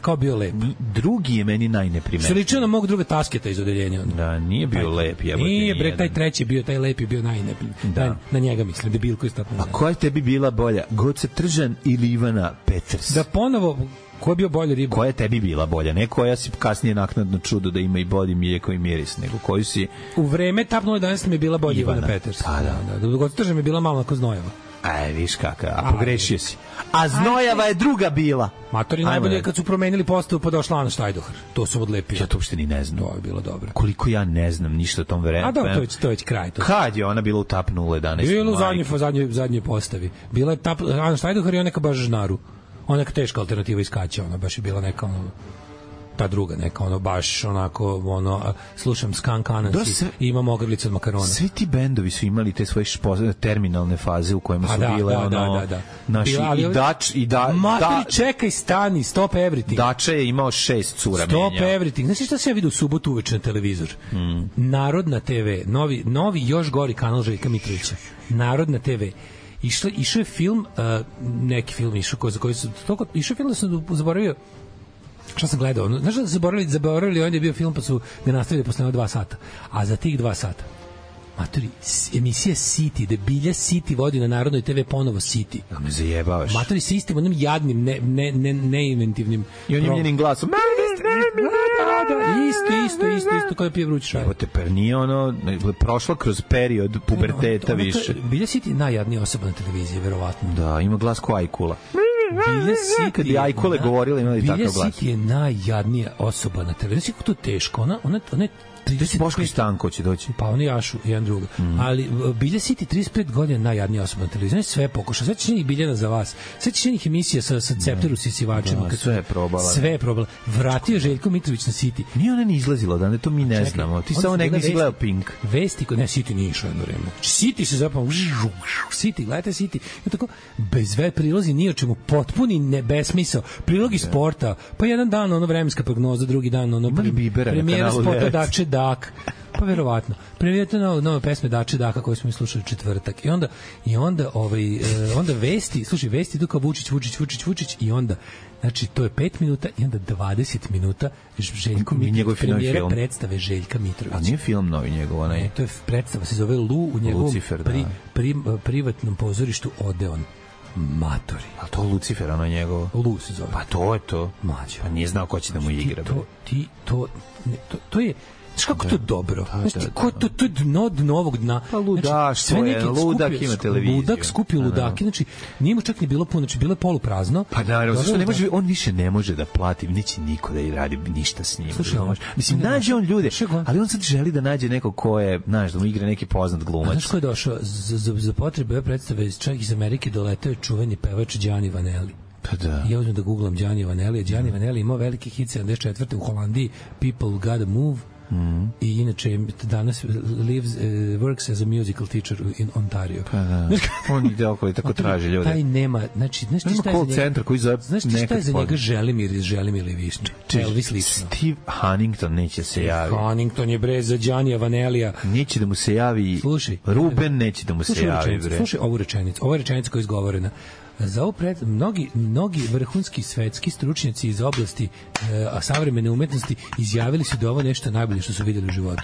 kao bio lep. Drugi je meni najneprimetniji. Što ličio na mog druga Tasketa iz odeljenja. Da, nije bio lep. Nije, bre, taj treći bio, taj lep je bio najneprimetniji. Na njega mislim, debilko iz Tap 011. A koja tebi bila bolja, Goca Tržan ili Ivana Peters? Da ponovo... Ko je bio bolja riba? Koja je tebi bila bolja? Ne koja si kasnije naknadno čudo da ima i bolji mlijeko i miris, nego koju si... U vreme Tap 011 mi je bila bolja Ivana Peters. Da. Goca Tržan mi je bila malo onako znojeva. Aj, viš kakav, a pogrešio si. A Znojava je druga bila. Matori najbolje kad su promenili postavu pa došla Ana Štajdohar. To su odlepili. Ja to uopšte ni ne znam. To je bilo dobro. Koliko ja ne znam ništa o tom vremenu. A dobro, to je već kraj. Kad je ona bila u TAP 011? Bila u zadnjoj postavi. Bila je Ana Štajdohar i ona neka baš žnaru. Ona neka teška alternativa iz Kaća. Ona baš je bila neka ta druga neka, baš onako, slušam Skunk Anansi i imam ogrlicu od makarona. Svi ti bendovi su imali te svoje terminalne faze u kojima su bile naši Matri, čekaj, stani, Stop Everything. Dača je imao 6 cura menja. Stop Everything. Znaš šta se ja vidio u subotu uveče na televizor? Narodna TV, novi još gori kanal Željka Mitrovića. Narodna TV. Išao je film, neki film išao za koji su išao film da sam zaboravio šta sam gledao. Znaš da zaboravili onda je bio film pa su ga nastavili posle 2 sata. A za tih 2 sata matori, emisija City, da Bilja City vodi na Narodnoj TV ponovo City. Da me zajebavaš. Matori sa istim onim jadnim, neinventivnim i onim njenim glasom. Isto kao je pije vruć šaj. Evo te, per nije prošla kroz period puberteta više. Bilja City je najjadnija osoba na televiziji, verovatno. Da, ima glas ko Ajkula. Bilja City kad je Ajkule govorila imali takav glas. Bilja City je najjadnija osoba na televiziji. Kako to teško? Ona Boško i Stanko će doći. Pa oni jašu, jedan druga. Ali Bilja City 35 godina najjadnija osoba na televiziji. Sve pokuša. Sve će njih Biljana za vas. Sve će njih emisija sa Cepteru sisivačima. Sve je probala. Sve je probala. Vratio Željko Mitrović na City. Nije ona ni izlazila, da ne, to mi ne znamo. Ti samo nek nisi gledao Pink. Vesti, ne, City nije išao jedno vreme. City se zapravo City, gledajte City. I tako, bez sve prilozi ni o čemu, potpuni besmisao. Prilogi sporta, pa jedan dan vremenska prognoza, drugi dan premijera spota Dače Dak, pa verovatno. Premijete nove pesme Dače Daka koje smo slušali četvrtak. I onda vesti, slušaj, vesti idu kao Vučić i onda, znači to je 5 minuta i onda 20 minuta Željko Mitrović, premijera predstave Željka Mitrovića. A nije film novi njegov, onaj? To je predstava, se zove Lu, u njegovom privatnom pozorištu Odeon. Matori. A to Lucifer, ono njegovo? Lu se zove. Pa to je to. Mađo. Pa nije znao ko će da mu igra. To je znaš kako to dobro? To je dno novog dna. Pa ludaštvo je, ludak ima televiziju. Ludak skupio ludaki, znači nije mu čak ni bilo puno, znači bilo je poluprazno. Pa naravno, zašto ne može, on više ne može da plati, neće niko da radi ništa s njim. Mislim, nađe on ljude, ali on sad želi da nađe neko ko je, znaš, da mu igra neki poznat glumac. Znaš ko je došao? Za potrebe ove predstave čak iz Amerike doletao je čuveni pevač Gianni Vanelli. Pa da. Ja uzmem da googlam Gianni Vanelli. Gianni Vanelli imao veliki hit 74. u Holandiji, People Gotta Move. I inače danas works as a musical teacher in Ontario. Pa da. On ide okolo i tako traži ljude. Taj nema, znači, znaš ti šta je za centar koji zove šta je za njega Želimir Višća? Elvis lično. Steve Huntington neće se javi. Huntington je bre za Giannija Vanellija. Neće da mu se javi. Slušaj, Ruben neće da mu se javi. Slušaj ovu rečenicu. Ova rečenica koja je izgovorena. Za ovo mnogi vrhunski svetski stručnjaci iz oblasti savremene umetnosti izjavili su da ovo nešto najbolje što su vidjeli u životu.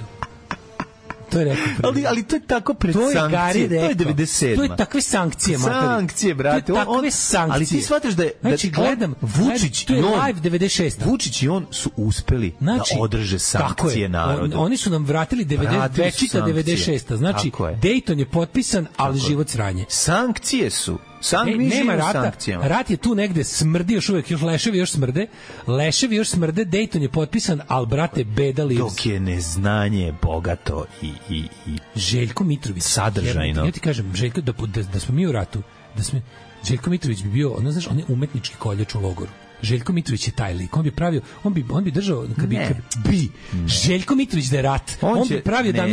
To je rekao. Ali to je tako pred sankcije. To je 97. To je takve sankcije, mater. Sankcije, brate. To je takve sankcije. Ali ti shvataš da je znači, gledam Vučić i on live 96. Vučić i on su uspeli da održe sankcije narodu. Oni su nam vratili 96. Znači Dayton je potpisan, ali život sranje. Sankcije su nema rata, rat je tu negde, smrdi još uvek, leševi još smrde, Dayton je potpisan, ali brate, beda lives. Dok je neznanje bogato i Željko Mitrović sadržajno. Ja ti kažem, Željko, da smo mi u ratu, Željko Mitrović bi bio, znaš, on je umetnički koljač u logoru. Željko Mitrović je taj lik. On bi držao Željko Mitrović da je rat. On bi pravio da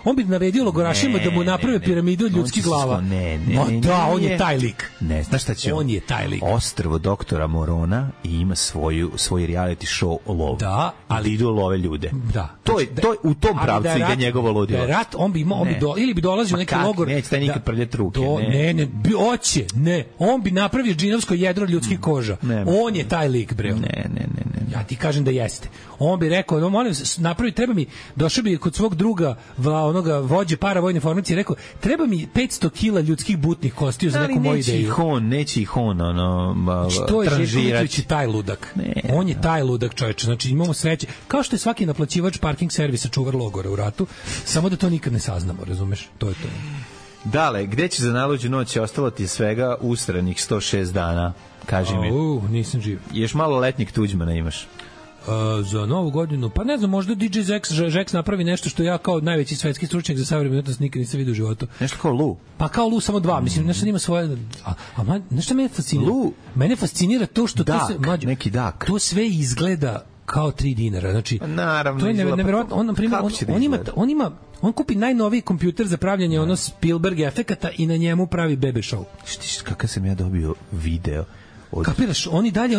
on bi naredio logorašima da mu naprave piramidu od ljudskih glava. On je taj lik. Ne, znaš šta će on je taj lik. Ostrvo doktora Morona i ima svoj reality show lov. Da, ali idu love ljude. Da. To je u tom pravcu ide njegovo ludilo. Da je rat, on bi ili bi dolazio u neki logor. Neće taj nikad prljati ruke. Ne. On bi napravio džinovsko jedro od ljudskih koža. On je taj lik, bre. Ne. Ja ti kažem da jeste. On bi rekao, molim se, napravi, treba mi, došao bi kod svog druga, onoga vođe paravojne formacije, rekao, treba mi 500 kila ljudskih butnih kostiju za neku moju ideju. Neće ih on, što je Željko Mitrović taj ludak? On je taj ludak, čoveče. Znači, imamo sreće. Kao što je svaki naplaćivač parking servisa čuvar logora u ratu, samo da to nikad ne saznamo, razumeš? To je to. Dale, gde će za najluđu noć? Ostalo ti svega usranih 106 dana. Kaži mi. Nisam živ. Još malo letnjeg Tuđmana imaš. Za novu godinu, pa ne znam, možda DJ Zex napravi nešto što ja kao najveći svetski stručnjak za savremenu umetnost nikad nisam vidio u životu. Nešto kao Lu. Pa kao Lu, samo dva, mislim, nešto ima svoje... nešto mene fascinira? Lu. Mene fascinira to što dak, to se... Mlađo, neki dak. To sve izgleda kao 3 dinara, znači... Naravno. To je neverovatno, on, na primjer, on kupi najnoviji kompjuter za pravljanje ono Spielberg efekata i na njemu pravi bebe show. Štiš, kakav sam ja dobio video... Kapiraš, oni dalje,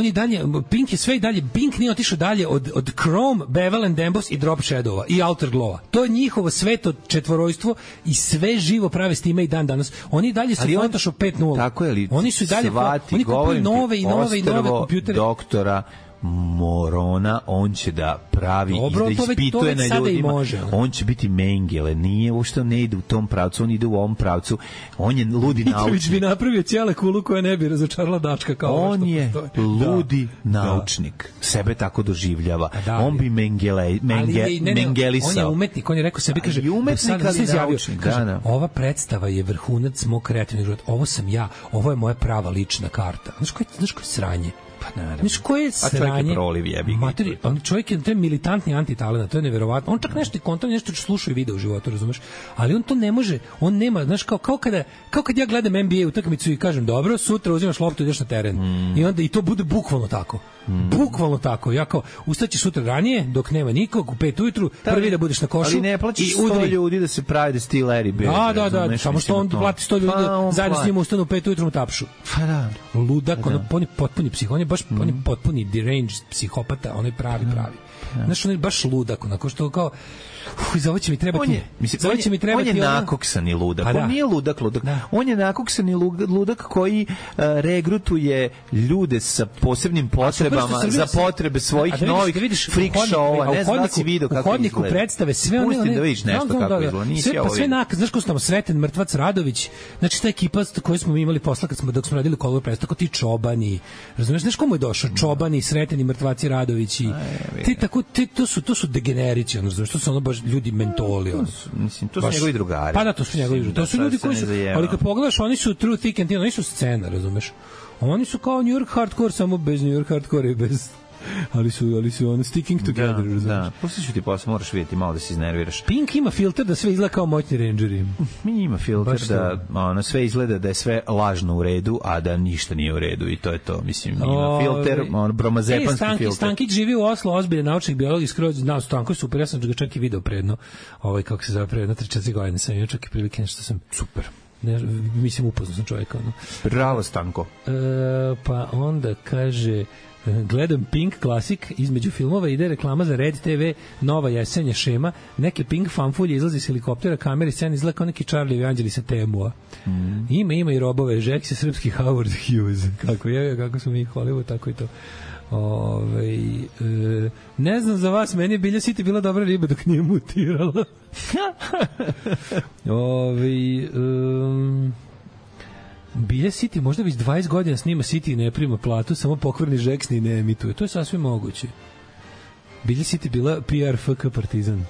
Pink je sve i dalje, Pink nije otišao dalje od Chrome, Bevel and Emboss i Drop Shadow-a i Outer Glow-a. To je njihovo sveto četvorojstvo i sve živo prave s time i dan danas. Oni dalje su Photoshop 5.0. Tako je li? Oni su i dalje, oni kupuju nove i nove kompjutere. Doktora Morona, on će da pravi i da ispituje na ljudima. On će biti Mengele, nije uopšte, ne ide u tom pravcu, on ide u ovom pravcu. On je ludi naučnik. Mitrović bi napravio cijele kulu koja ne bi razočarala dačka kao on je ludi naučnik. Sebe tako doživljava. On bi mengelisao. On je umetnik, on je rekao sebi, kaže, umetnik, ali naučnik. Ova predstava je vrhunac mog kreativnog života. Ovo sam ja, ovo je moja prava lična karta. Znaš koje sranje? Pa naravno. Znaš, koje sranje? Čovjek je militantni antitalent, to je neverovatno. On čak nešto kontra, nešto sluša i vide u životu, razumeš? Ali on to ne može, on nema, znaš, kao kad ja gledam NBA utakmicu i kažem, dobro, sutra uzimaš loptu i ideš na teren. I onda i to bude bukvalno tako. Bukvalno tako. Ja kao, ustaći sutra ranije, dok nema nikog, u 5 ujutru, prvi da budeš na košu. Ali ne plaćiš 100 ljudi da se pravi da si ti Larry Bird. Da, samo što on plati 100 ljudi da zajedno s njim ustanu u 5 ujutru mu tapšu. Pa da. Ludak, on je potpuni psih, on je potpuni deranged psihopata, on je pravi. Znaš, on je baš ludak, onako što kao za ovo će mi trebati. On je nakoksani ludak. On nije ludak. On je nakoksani ludak koji regrutuje ljude sa posebnim potrebama za potrebe svojih novih freak show-ova. Ne znam da si vidio kako izgleda. U hodniku predstave sve one... Pusti da vidiš nešto kako izgleda. Sve znaš ko su tamo Sreten Mrtvac Radović, znači ta ekipa koju smo imali posla dok smo radili Kolovo predstavu, tako ti Čobani, razumiješ, znaš komu je došao? Čobani, Sreteni Mrtvaci Radovići, to su degenerici, ono, znaš, to su ono baš ljudi mentoli. Mislim, to su njegovi drugari. Pa da, to su njegovi drugari. To su ljudi koji su, ali kad pogledaš, oni su true thick and thin, oni su scena, razumeš? Oni su kao New York hardcore, samo bez New York hardcore i bez... ali su ono sticking together, razumiješ? Da, pustit ću ti posle, moraš vidjeti malo da se iznerviraš. Pink ima filter da sve izgleda kao moćni rangeri. Mi ima filter da sve izgleda da je sve lažno u redu, a da ništa nije u redu i to je to, mislim, ima filter, bromazepanski filter. Stankić živi u Oslo, ozbiljan naučnik, biolog, skroz znao Stanko je super, ja sam ga čak i video predno, kako se zove, predno 3-4 godine sam imao čak i prilike nešto sam super. Mislim, upoznao sam čovjeka. Bravo, Stanko. Pa onda kaže... Gledam Pink klasik, između filmova ide reklama za Red TV, nova jesenja šema, neke Pink fanfulje izlazi s helikoptera, kamere, scena izgleda kao neki Charlie i Anđeli sa Temua. Ima i robove, Jack je srpski Howard Hughes. Kako smo mi Hollywood, tako i to. Ne znam za vas, meni je Bilja City bila dobra riba dok nije mutirala. Bilja City možda već 20 godina snima City i ne prima platu, samo pokvarni Žeks ni ne emituje. To je sasvim moguće. Bilja City bila PR FK Partizan.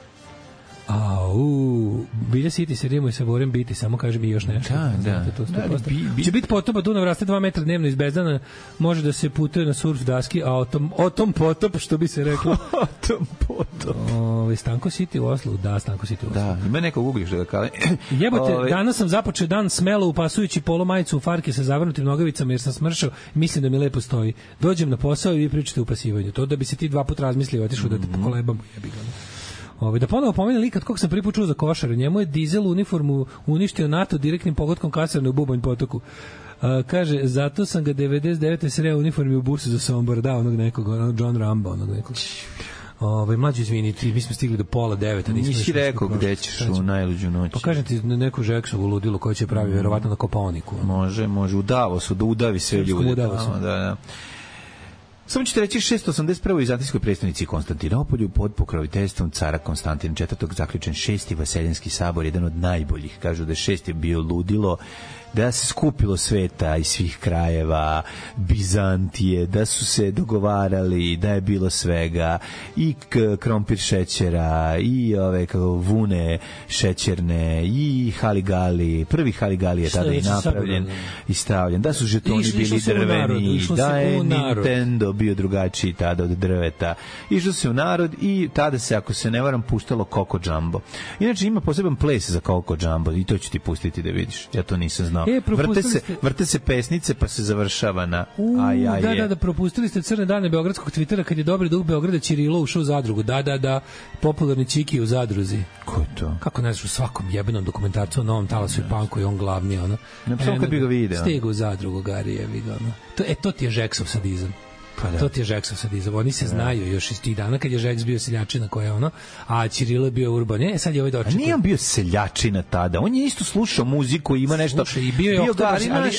Bilja City se rimuje sa Vorem biti, samo kaže mi još nešto. Da. Će biti potopa, Dunav raste 2 metra dnevno iz Bezdana, može da se putuje na surf daski, a o tom potop, što bi se reklo. O tom potop. Stanko City u Oslu, da, Stanko City u Oslu. Da, ima nekog ugliš da ga kale. Jebote, danas sam započeo dan smelo upasujući polo majicu u farke sa zavrnutim nogavicama jer sam smršao, mislim da mi lepo stoji. Dođem na posao i vi pričate o upasivanju. To da bi se ti 2 puta razmislio, otišao da te pokolebamo, jebi ga. Da ponovo pomenu lik kog sam prvi put čuo za košare. Njemu je dizel uniformu uništio NATO direktnim pogodkom kasarne u Bubanj potoku. Kaže, zato sam ga 99. sreo u uniformi u busu za Sombor, da, onog nekog, John Rambo, onog nekog. Mlađo, izviniti, mi smo stigli do 8:30. Nisi rekao gde ćeš u najluđu noć. Pa kažem ti neku Žeksovu ludilo koje će pravi verovatno na Kopaoniku. Može, u Davosu, da udavi sve ljude. U Davosu. Da. Samo ćete reći 681. u Vizantijskoj prestonici Konstantinopolju pod pokroviteljstvom cara Konstantina IV. Zaključen 6. Vaseljenski sabor, jedan od najboljih. Kažu da 6. je bio ludilo, da se skupilo sveta iz svih krajeva, Bizantije, da su se dogovarali, da je bilo svega, i krompir šećera, i ove vune šećerne, i haligali. Prvi haligali je tada i napravljen i stavljen. Da su žetoni bili drveni, da je Nintendo bio drugačiji tada od drveta. Išlo se u narod i tada se, ako se ne varam, puštalo Coco Jumbo. Inače ima poseban ples za Coco Jumbo i to ću ti pustiti da vidiš. Ja to nisam znao. Vrte se pesnice pa se završava na da, propustili ste crne dane beogradskog Twittera kad je dobri duh Beograda Ćirilo ušao u zadrugu. Da, popularni Čiki u zadruzi. Ko je to? Kako ne znaš, u svakom jebenom dokumentarcu o novom talasu i panku i on glavni, ono. Samo kad bi ga video. Stigu u zadrugu, Gari je vidio, ono. To ti je Žeksov sadizam. Pa da. To ti je Žeksov sadizam. Oni se znaju još iz tih dana kad je Žeks bio seljačina koja je ono, a Ćirilo je bio urban. Sad je ovaj dočekao. A nije on bio seljačina tada. On je isto slušao muziku, ima nešto. Slušaj, i bio je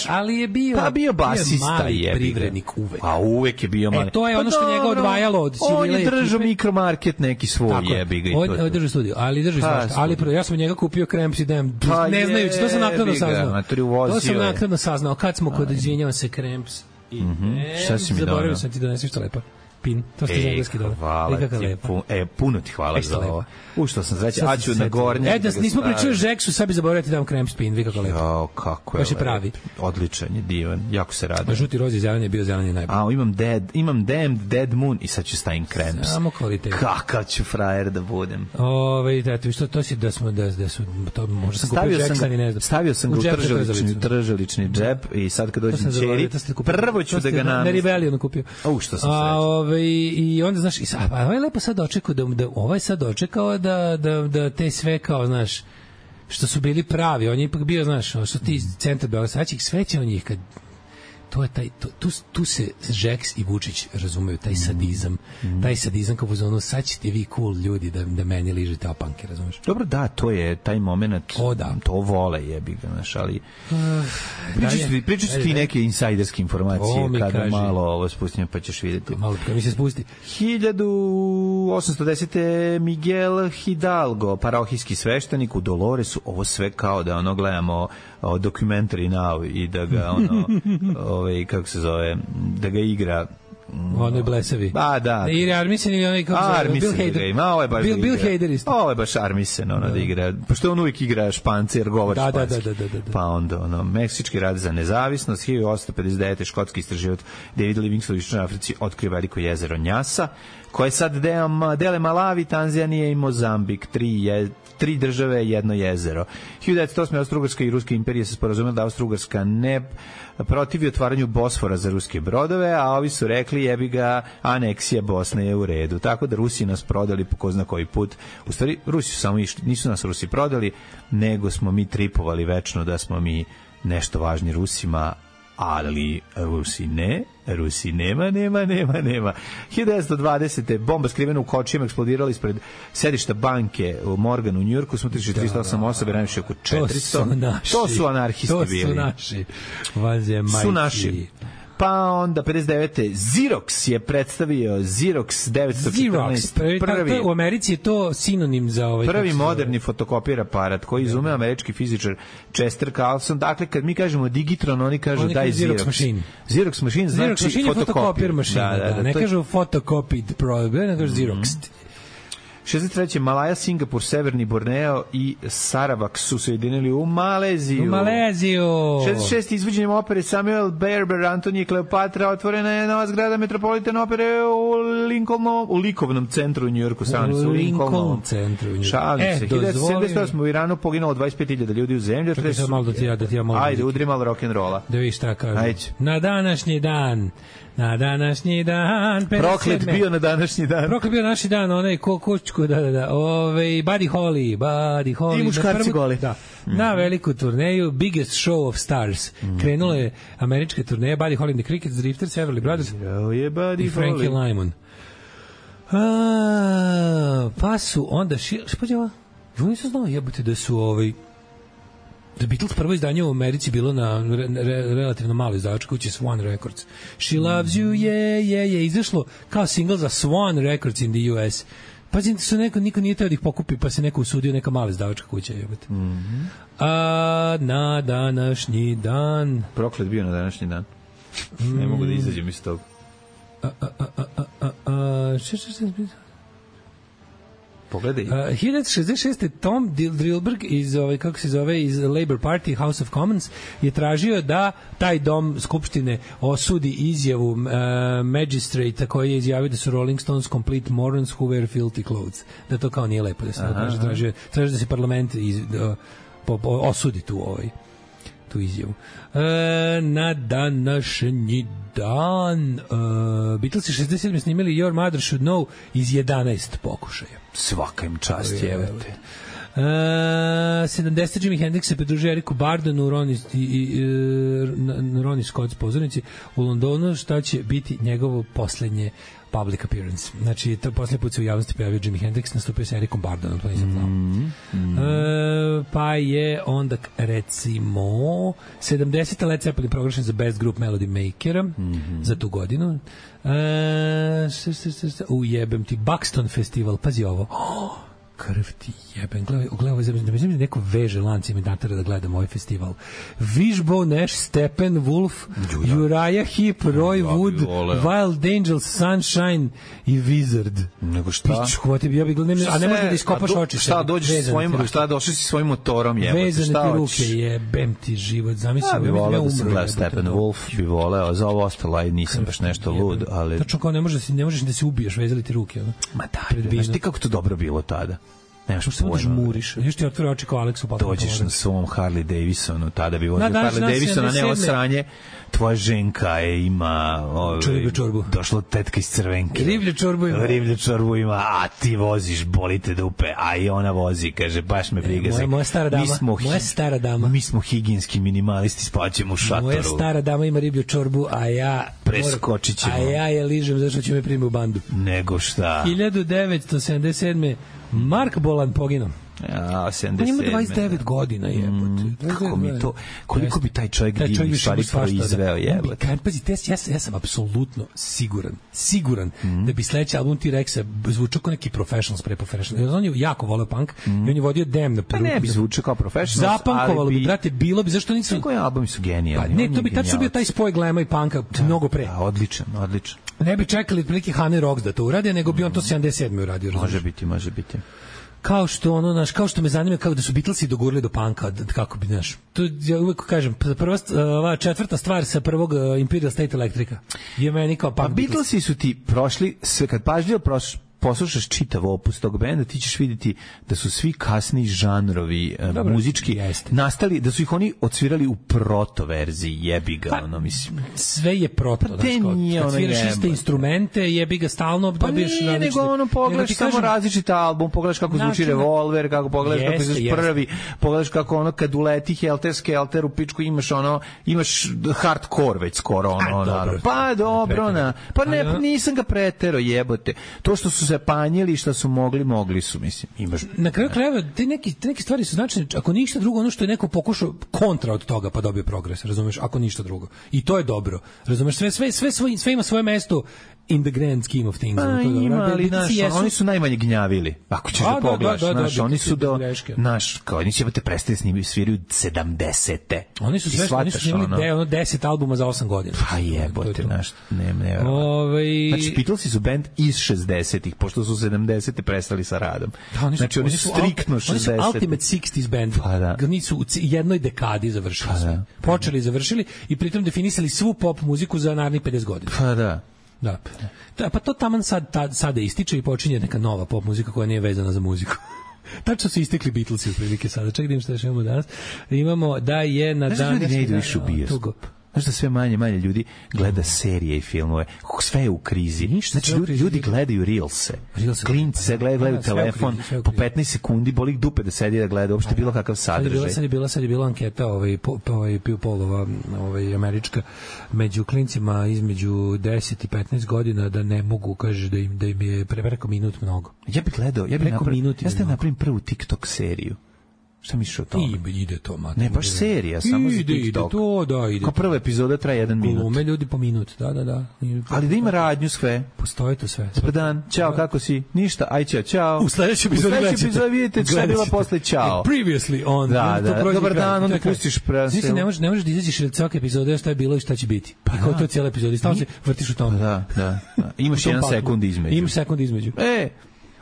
ali je bio. Pa bio basista je. Privrednik uvek. A uvek je bio mali. To je ono što njega odvajalo od Ćirila. On je držao mikromarket neki svoj, jebi ga i to. On držao studio, ali drži svašta. Ali ja sam njega kupio Kremps i Dem, ne znajući, to sam naknadno saznao. Kad smo kod, izvinjavam se, Kremps i zaboravio sam ti doneseš što lepa. Pin, to ste za engleski dobro. Hvala ti, puno ti hvala za ovo. Što sam srećan, a ću na gornje. Da nismo pričali o Žeksu, sad bi zaboravio ti dam krem spin, vi kako lepo. Jo, kako je. Baš je pravi. Odličan je, divan, jako se radi. Žuti roz i zeleni je bio zeleni najbolji. A imam Dead Moon i sad ću stavim Kremps. Samo kvalitet. Kakav ću frajer da budem. Eto, što to si da smo da su to možda sam kupio Žeksa ni ne znam. Stavio sam ga u tržalični džep i sad kad dođem ćeri, prvo ću da ga namestim. Na Rebellion kupio. Što sam srećan. I onda, znaš, ovaj lepo sad dočekao ovaj sad dočekao da te sve kao, znaš, što su bili pravi, on je ipak bio, znaš, što ti centar Beograda, sad će ih sveće on njih kad to je tu se Žeks i Vučić razumeju, taj sadizam kao ono, sad ćete vi cool ljudi da meni ližete opanke, razumeš? Dobro, da, to je taj moment, to vole jebi ga, znaš, ali pričat ću ti neke insajderske informacije kada malo ovo spustim pa ćeš vidjeti. Malo kad mi se spusti. 1810. Miguel Hidalgo, parohijski sveštenik u Doloresu, ovo sve kao da ono gledamo documentary now i da ga ono kako se zove, da ga igra onoj blesavi. Da. Ili Armisen ili onaj kako se zove, Bill Hader. Bill Hader isto. Ovo je baš Armisen, da igra, pošto on uvijek igra Španca jer govori španski. Da. Pa onda, Meksički rad za nezavisnost, 1859. škotski istraživač David Livingstone u Južnoj Africi otkrio veliko jezero Njasa, koje sad dele Malavi, Tanzanije i Mozambik, tri države, jedno jezero. 1908. Austro-Ugarska i Ruska imperija se sporazumela da Austro-Ugarska ne protivi otvaranju Bosfora za ruske brodove, a ovi su rekli jebi ga, aneksija Bosne je u redu. Tako da Rusi nas prodali po ko zna koji put. U stvari, Rusi su samo išli, nisu nas Rusi prodali, nego smo mi tripovali večno da smo mi nešto važni Rusima, ali Rusi ne. Rusi nema. 1920. bomba skrivena u kočijama eksplodirala ispred sedišta banke u Morganu u Njujorku, smo 338 osobe, najviše oko 400. To su anarhisti bili. To su naši. Vanzemaljci. Su naši. Pa onda 59. Xerox je predstavio Xerox 914. Prvi, u Americi je to sinonim za ovaj prvi moderni fotokopir aparat koji izumeo američki fizičar Chester Carlson. Dakle, kad mi kažemo Digitron, oni kažu da je Xerox mašin. Xerox mašin znači fotokopir mašina. Ne kažu photocopied program, ne kažu Xerox. 63. Malaja, Singapur, Severni Borneo i Saravak su se jedinili u Maleziju. 66. izvođenjem opere Samuel Barber, Antonije Kleopatra, otvorena je nova zgrada Metropolitan opere u likovnom centru u Njujorku. U Lincoln centru u Njujorku. Šalim se. 1978. u Iranu poginulo 25.000 ljudi u zemlji. Ajde, udri malo rock'n'rolla. Da vidiš šta kažu. Na današnji dan proklet bio na današnji dan, onaj kočko, da. Buddy Holly. I muškarci goli. Da. Na veliku turneju Biggest Show of Stars. Krenula je američka turneja Buddy Holly and the Crickets, Drifters, Everly Brothers i Frankie Lymon. Pa su onda nisam znao jebote da su The Beatles prvo izdanje u Americi bilo na relativno malo izdavačkoj kući Swan Records. She Loves You, je izašlo kao singl za Swan Records in the US. Pazi, niko nije teo da ih pokupi, pa se neko usudio, neka mala izdavačka kuća. A na današnji dan... Proklet bio na današnji dan. Ne mogu da izađem iz toga. Pogledaj. 1966. Tom Drillberg iz iz Labour Party House of Commons je tražio da taj dom skupštine osudi izjavu magistrata koji je izjavio da su Rolling Stones complete morons who wear filthy clothes. Da to kao nije lepo da se traži da se parlament osudi tu izjavu. Na današnji dan Beatlesi 67. snimili Your Mother Should Know iz 11 pokušaja. Svaka im čast, jevete. 70. Jimi Hendrix se pridružio Eriku Bardenu na Ronnie Scott's pozornici u Londonu, šta će biti njegovo poslednje public appearance. Znači, to poslednji put se u javnosti pojavio Jimi Hendrix, nastupio sa Erikom Bardonom, to nisam znao. Pa je onda, recimo, 70. Led Zeppelin proglašen za Best Group Melody Makera za tu godinu. Ujebem ti, Buxton Festival, pazi ovo. Krv ti jebem, gledaj ovo, da mi neko veže lanci mi natara da gledam ovaj festival. Wishbone, Nash, Stephen, Wolf, Uriah Heep, Roy Wood, Wild Angels, Sunshine i Wizard. Nego šta? Pičku, ja bih gledam, a ne možda da iskopaš oči. Šta došli si svojim motorom, jebate, vezane ti ruke, jebem ti život, zamisli. Ja bih voleo da sam gledao Stephen Wolf, bi voleo, za ovo ostalo, nisam baš nešto lud, ali... Tačno kao ne možeš da se ubiješ, vezali ti ruke. Ma daj, znaš ti kako to dobro bilo tada? Nemaš pojma. Što žmuriš? Još ti otvore oči kao Aleksu Patrick. Dođeš na svom Harley Davisonu, tada bi vozio Harley Davisona, ne osranje. Tvoja ženka ima riblju čorbu. Došla tetka iz Crvenke. Riblju čorbu ima. A ti voziš, boli te dupe, a i ona vozi, kaže, baš me briga. Moja stara dama. Mi smo higijenski minimalisti, spaćemo u šatoru. Moja stara dama ima riblju čorbu, a ja preskočit ćemo. A ja je ližem zašto će me primi u bandu. Nego šta? 1977. Mark Bolan poginuo. Ja, 77. On ima 29 godina, jebote. Kako mi to, koliko bi taj čovjek divni stvari proizveo, jebote. Pazi, ja sam apsolutno siguran da bi sledeći album T-Rexa zvučao kao neki Professionals pre Professionals. On je jako voleo punk i on je vodio Damn na prvu. Pa ne bi zvučao kao Professionals, zapankovalo bi, brate, bilo bi, zašto nisu... Koji albumi su genijalni. Pa ne, to bi tačno bio taj spoj glema i punka mnogo pre. Da, odličan. Ne bi čekali prilike Honey Rocks da to urade, nego bi on to 77. uradio. Može biti. Kao što me zanima kako da su Beatlesi dogurali do punka, kako bi, znaš, to ja uvek kažem, ova četvrta stvar sa prvog Imperial State Electrica je meni kao punk. A Beatlesi su ti prošli, sve kad pažljivo poslušaš čitav opus tog benda, ti ćeš vidjeti da su svi kasni žanrovi muzički nastali, da su ih oni odsvirali u proto verziji, jebi ga, mislim. Sve je proto, kad sviraš iste instrumente, jebi ga stalno, dobiješ različite. Pa nije, nego pogledaš samo različit album, pogledaš kako zvuči Revolver, kako pogledaš kako izvuči prvi, pogledaš kako kad uleti Helter Skelter u pičku imaš hardcore već skoro pa dobro, pa ne, nisam ga pretero, jebote. To što su se panjili, što su mogli su, mislim. Na kraju krajeva, te neke stvari su značajne, ako ništa drugo, ono što je neko pokušao kontra od toga, pa dobio progres, razumeš, ako ništa drugo. I to je dobro. Razumeš, sve ima svoje mesto in the grand scheme of things. Pa ima, ali oni su najmanje gnjavili. Ako ćeš da pogledaš, oni su kao oni će te prestati sviraju 70-te. Oni su snimili 10 albuma za 8 godina. Pa jebote, ne. Znači, Beatlesi su band iz 60-ih, pošto su 70-te prestali sa radom. Znači, oni su striktno 60-te. Oni su Ultimate 60s band. Oni su u jednoj dekadi završili. Počeli i završili i pritom definisali svu pop muziku za narednih 50 godina. Pa da. Pa to taman sada ističe i počinje neka nova pop muzika koja nije vezana za muziku. Tačno su istekli Beatlesi otprilike sada. Čekaj da im šta još imamo danas. Imamo da je na danas... Ljudi ne idu više u bioskop. Znaš da sve manje ljudi gleda serije i filmove. Sve je u krizi. Znači, ljudi gledaju Reelse. Klinci se gledaju telefon po 15 sekundi, boli ih dupe da sedi da gleda uopšte bilo kakav sadržaj. Sad je bila anketa Polova američka među klincima između 10 i 15 godina da ne mogu, kaže da im je preko minut mnogo. Ja bih napravim prvu TikTok seriju. Šta misliš o tome? Ide to, mate. Ne, baš serija, samo za TikTok. Ide. Kao prva epizoda traje 1 minut. Glume ljudi po minut, da. Ali da ima radnju sve. Postoji to sve. Dobar dan, ćao, kako si? Ništa, aj ćao. U sledećoj epizodi vidite šta je bila posle ćao. Previously on. Dobar dan, onda pustiš prase. Ne možeš da izađeš od svake epizode šta je bilo i šta će biti. Pa kao to je cijela epizoda. Stalno se vrtiš u tome. Da. Imaš 1 sekund između.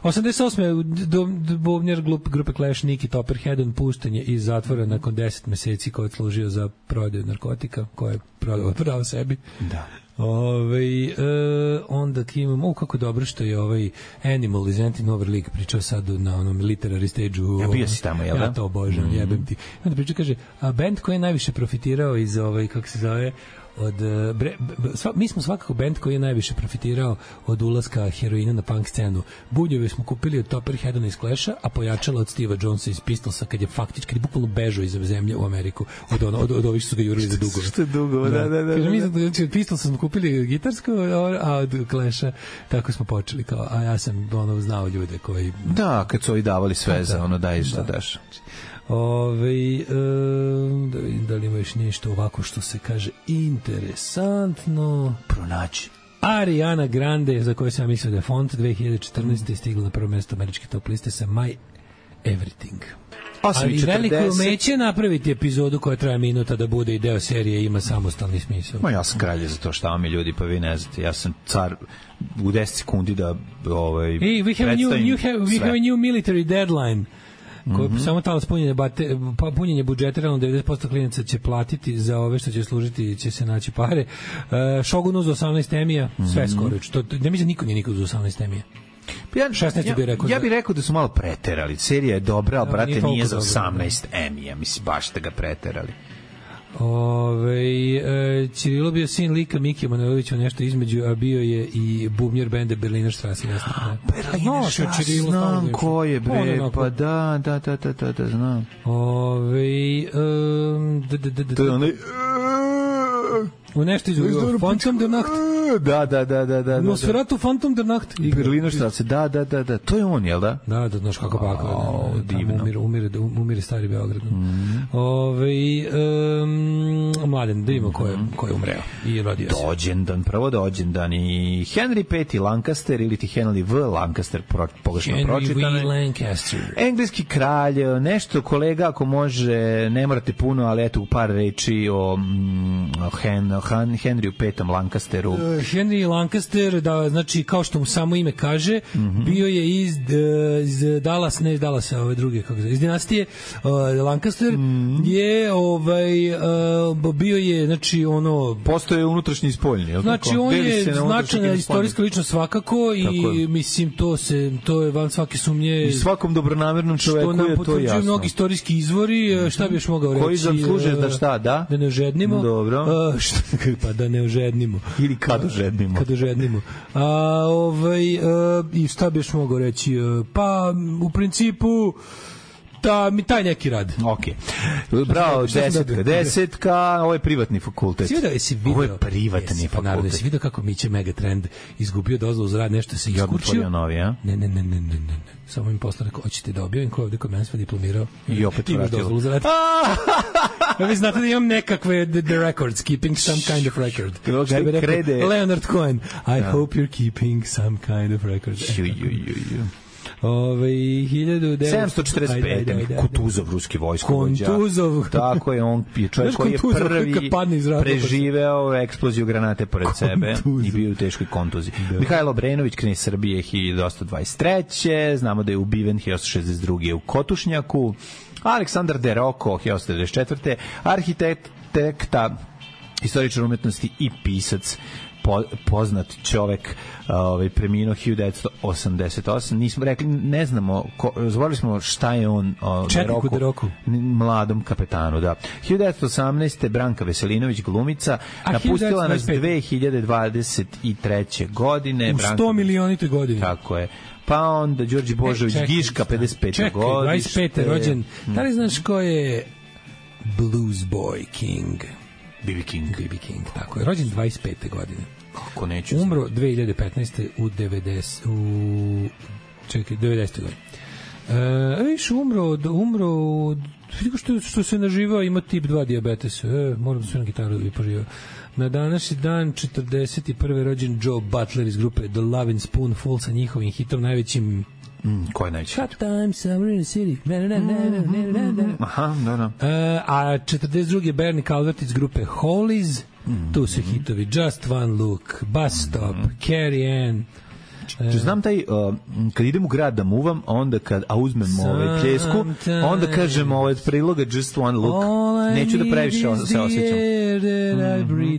88. bubnjar grupe Clash Nicky Topperhead pušten je iz zatvora nakon 10 meseci koji je služio za prodaju narkotika koje je prodao sebi. Da. Onda imamo, kako dobro što je ovaj Animal iz Anti-Nover League pričao sad na onom literary stage-u. Ja bio si tamo, jel da? Ja to obožavam, jebem ti. Onda priča, kaže, a band koji je najviše profitirao iz kako se zove, mi smo svakako bend koji je najviše profitirao od ulaska heroina na punk scenu. Buljeve smo kupili od Topperheada iz Clasha, a pojačala od Steva Jonesa iz Pistolsa kad je bukvalno bežao iz zemlje u Ameriku od ovih što su ga jurili za dugove. Što je dugo, da. Kaže, mi od Pistolsa smo kupili gitarsko, a od Clasha tako smo počeli. A ja sam znao ljude koji... Da, kad su ovi davali sve za daj šta daš. Da li ima još nešto ovako što se kaže interesantno pronaći. Ariana Grande, za koju sam ja mislio da je font, 2014. je stigla na prvo mesto američke top liste sa My Everything. Ali veliko umeće napraviti epizodu koja traje minuta da bude i deo serije ima samostalni smisao. Ja sam kralj za to, šta mi ljudi, pa vi ne znate, ja sam car u 10 sekundi da we have a new military deadline. Samo talo punjenje budžeta, realno 90% klinaca će platiti za ove što će služiti, će se naći pare. Shogun uz 18 emija, sve skoro. Ne mislim, niko nije nikad uz 18 emija. 16 bih rekao. Ja bih rekao da su malo preterali. Serija je dobra, ali brate nije za 18 emija. Mislim, baš da ga preterali. Cirilo bio sin lika Mikija Manojlovića, nešto između, a bio je i bubnjar benda Berliner Strasse. Berliner Strasse, znam ko je, bre, pa da, znam. To je onaj... U nešto izgleda Phantom der Nacht. Da. Nosferatu Phantom der Nacht. Berliner Strasse, da. To je on, jel da? Da, znaš kako baka. Umire stari Beograd. Mladen, da ima ko je umreo i rodio se. Prvo dođendan i Henry V. Lancaster ili ti Henry V. Lancaster, pogrešno pročitane. Henry V. Lancaster. Engleski kralj, nešto kolega ako može, ne morate puno, ali eto u par reči o Henryu V. Lancasteru. Henry Lancaster, da, znači kao što mu samo ime kaže, bio je iz Dallas, ne iz Dallasa, ove druge, iz dinastije Lancaster je bio je, znači postoje unutrašnji i spoljni, znači on je značajna istorijska ličnost svakako i mislim to je van svake sumnje i svakom dobronamernom čoveku je to jasno. Što nam potvrđuju mnogi istorijski izvori, šta bi još mogao reći? Koji zasluže da šta, da? Da ne ožednimo. Dobro. Pa da ne ožednimo. Ili kad ožednimo. I šta bi još mogao reći? Pa u principu mi taj neki rad. Okej. Bravo, desetka, ovo je privatni fakultet. Ovo je privatni fakultet. Jesi vidio kako Miće Megatrend izgubio dozvolu za rad, nešto se iskučio? Ne. Samo im posle rekao, hoćete da objavim ko je ovde kod mene sve diplomirao? I opet vratilo. Vi znate da imam nekakve the records, keeping some kind of record. Leonard Cohen, I hope you're keeping some kind of record. 745. Kutuzov, ruski vojskovođa. Tako je, on je čovjek koji je prvi preživeo eksploziju granate pored sebe i bio u teškoj kontuziji. Mihajlo Obrenović, knez Srbije, 1823. Znamo da je ubiven 1862. u Kotušnjaku. Aleksandar De Rocco, 1894. Arhitekta, istoričar umetnosti i pisac, poznat čovek, preminuo 1988. Nismo rekli, ne znamo, zvolili smo šta je on De Rocco. Mladom kapetanu, da. 1918. Branka Veselinović, glumica, napustila nas 2023. godine. U 100 milionitoj godini. Tako je. Pa onda Đorđe Božović, Giška, 55. godište. Čekaj, 25. rođen. Da li znaš ko je Blues Boy King? B.B. King, tako je. Rođen 25. godine. Kako neću. Umro 2015. u 90. godine. Viš, umro što se naživao, ima tip 2 dijabetes. Moram da sve na gitaru i poživao. Na današnji dan 41. rođen Joe Butler iz grupe The Lovin' Spoonful sa njihovim hitom najvećim ko je najveći? Hot Time Summer in the City. Aha, da. A 42. Bernie Calvert iz grupe Hollies. Tu su hitovi Just One Look, Bus Stop, Carrie Ann. Znam taj, kad idem u grad da muvam, onda a uzmem pljesku, onda kažem od priloga Just One Look. Neću da previše se osjećam.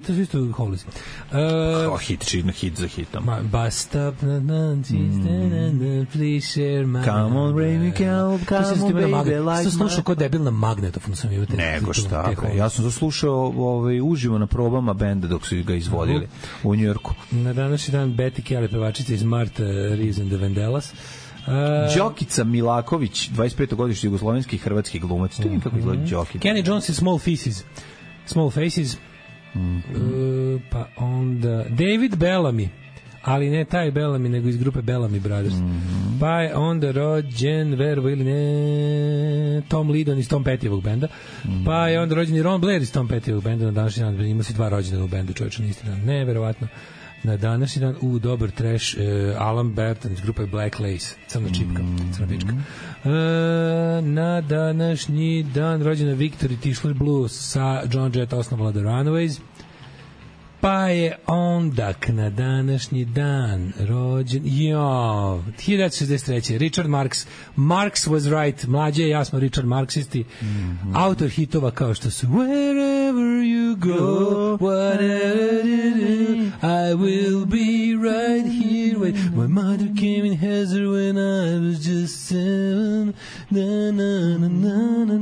To su isto Hollies. Hit za hitom. Bus Stop, please share my... Come on, baby, come on, baby, like my... Slušao kod debil na magnetofonu sam imao. Nego šta, ja sam to slušao uživo na probama benda dok su ga izvodili u Njujorku. Na današnji dan Betty Kelly, pevačica iz Marta Reeves and the Vandellas. Đokica Milaković, 25. godišnji jugoslovenski i hrvatski glumac. To je kako izgleda Đokica. Kenny Jones i Small Faces. Pa onda David Bellamy, ali ne taj Bellamy, nego iz grupe Bellamy Brothers. Pa je onda rođen, verovo ili ne, Tom Lydon iz Tom Pettyjevog benda. Pa je onda rođen i Ron Blair iz Tom Pettyjevog benda. Na današnji dan ima si 2 rođena u bendu, čovječa na isti dan. Neverovatno. Na današnji dan, dobar trash, Alan Burton iz grupe Black Lace, crna čipka, crna pička. Na današnji dan rođena Victory Tischler Blues sa John Jett osnovala The Runaways. Pa je onda na današnji dan rođen 1963. Richard Marx. Marx was right. Mlađe i ja smo Richard Marksisti. Autor hitova kao što su Wherever you go, whatever you do, I will be right here. My mother came in Heather when I was just 7. Na na na na na na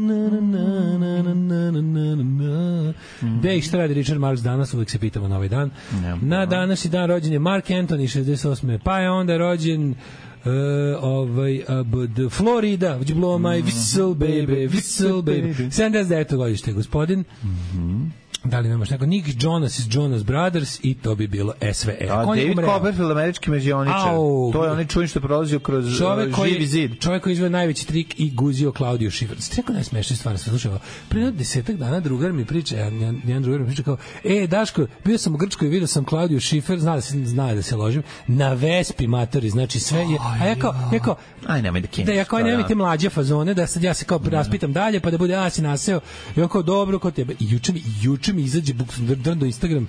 na na na na na. Gde i šta radi Richard Marx danas? Uvijek se pitamo na ovaj dan. Na današnji dan rođen je Mark Anthony 68. Pa je onda rođen Florida, would you blow my whistle baby, whistle baby. 79. godište gospodin. Da li nemaš neko? Nick Jonas iz Jonas Brothers i to bi bilo SVR. David Copperfield, američki mađioničar. To je onaj čujen što je prolazio kroz živi zid. Čovjek koji izveo najveći trik i guzio Claudio Schiffer. Tako najsmešnije stvari sam slušao. Prije 10 dana drugar mi priča, jedan drugar mi priča kao, Daško, bio sam u Grčkoj i vidio sam Claudio Schiffer, zna da se ložim, na Vespi matori, znači sve je, a ja kao, aj nemoj da kiniš. Da ja kao nemoj te mlađe fazone, da sad ja se kao raspitam dalje, pa da bude, si naseo, i on kao, dobro, kod tebe. I juče mi izađe drn do Instagram,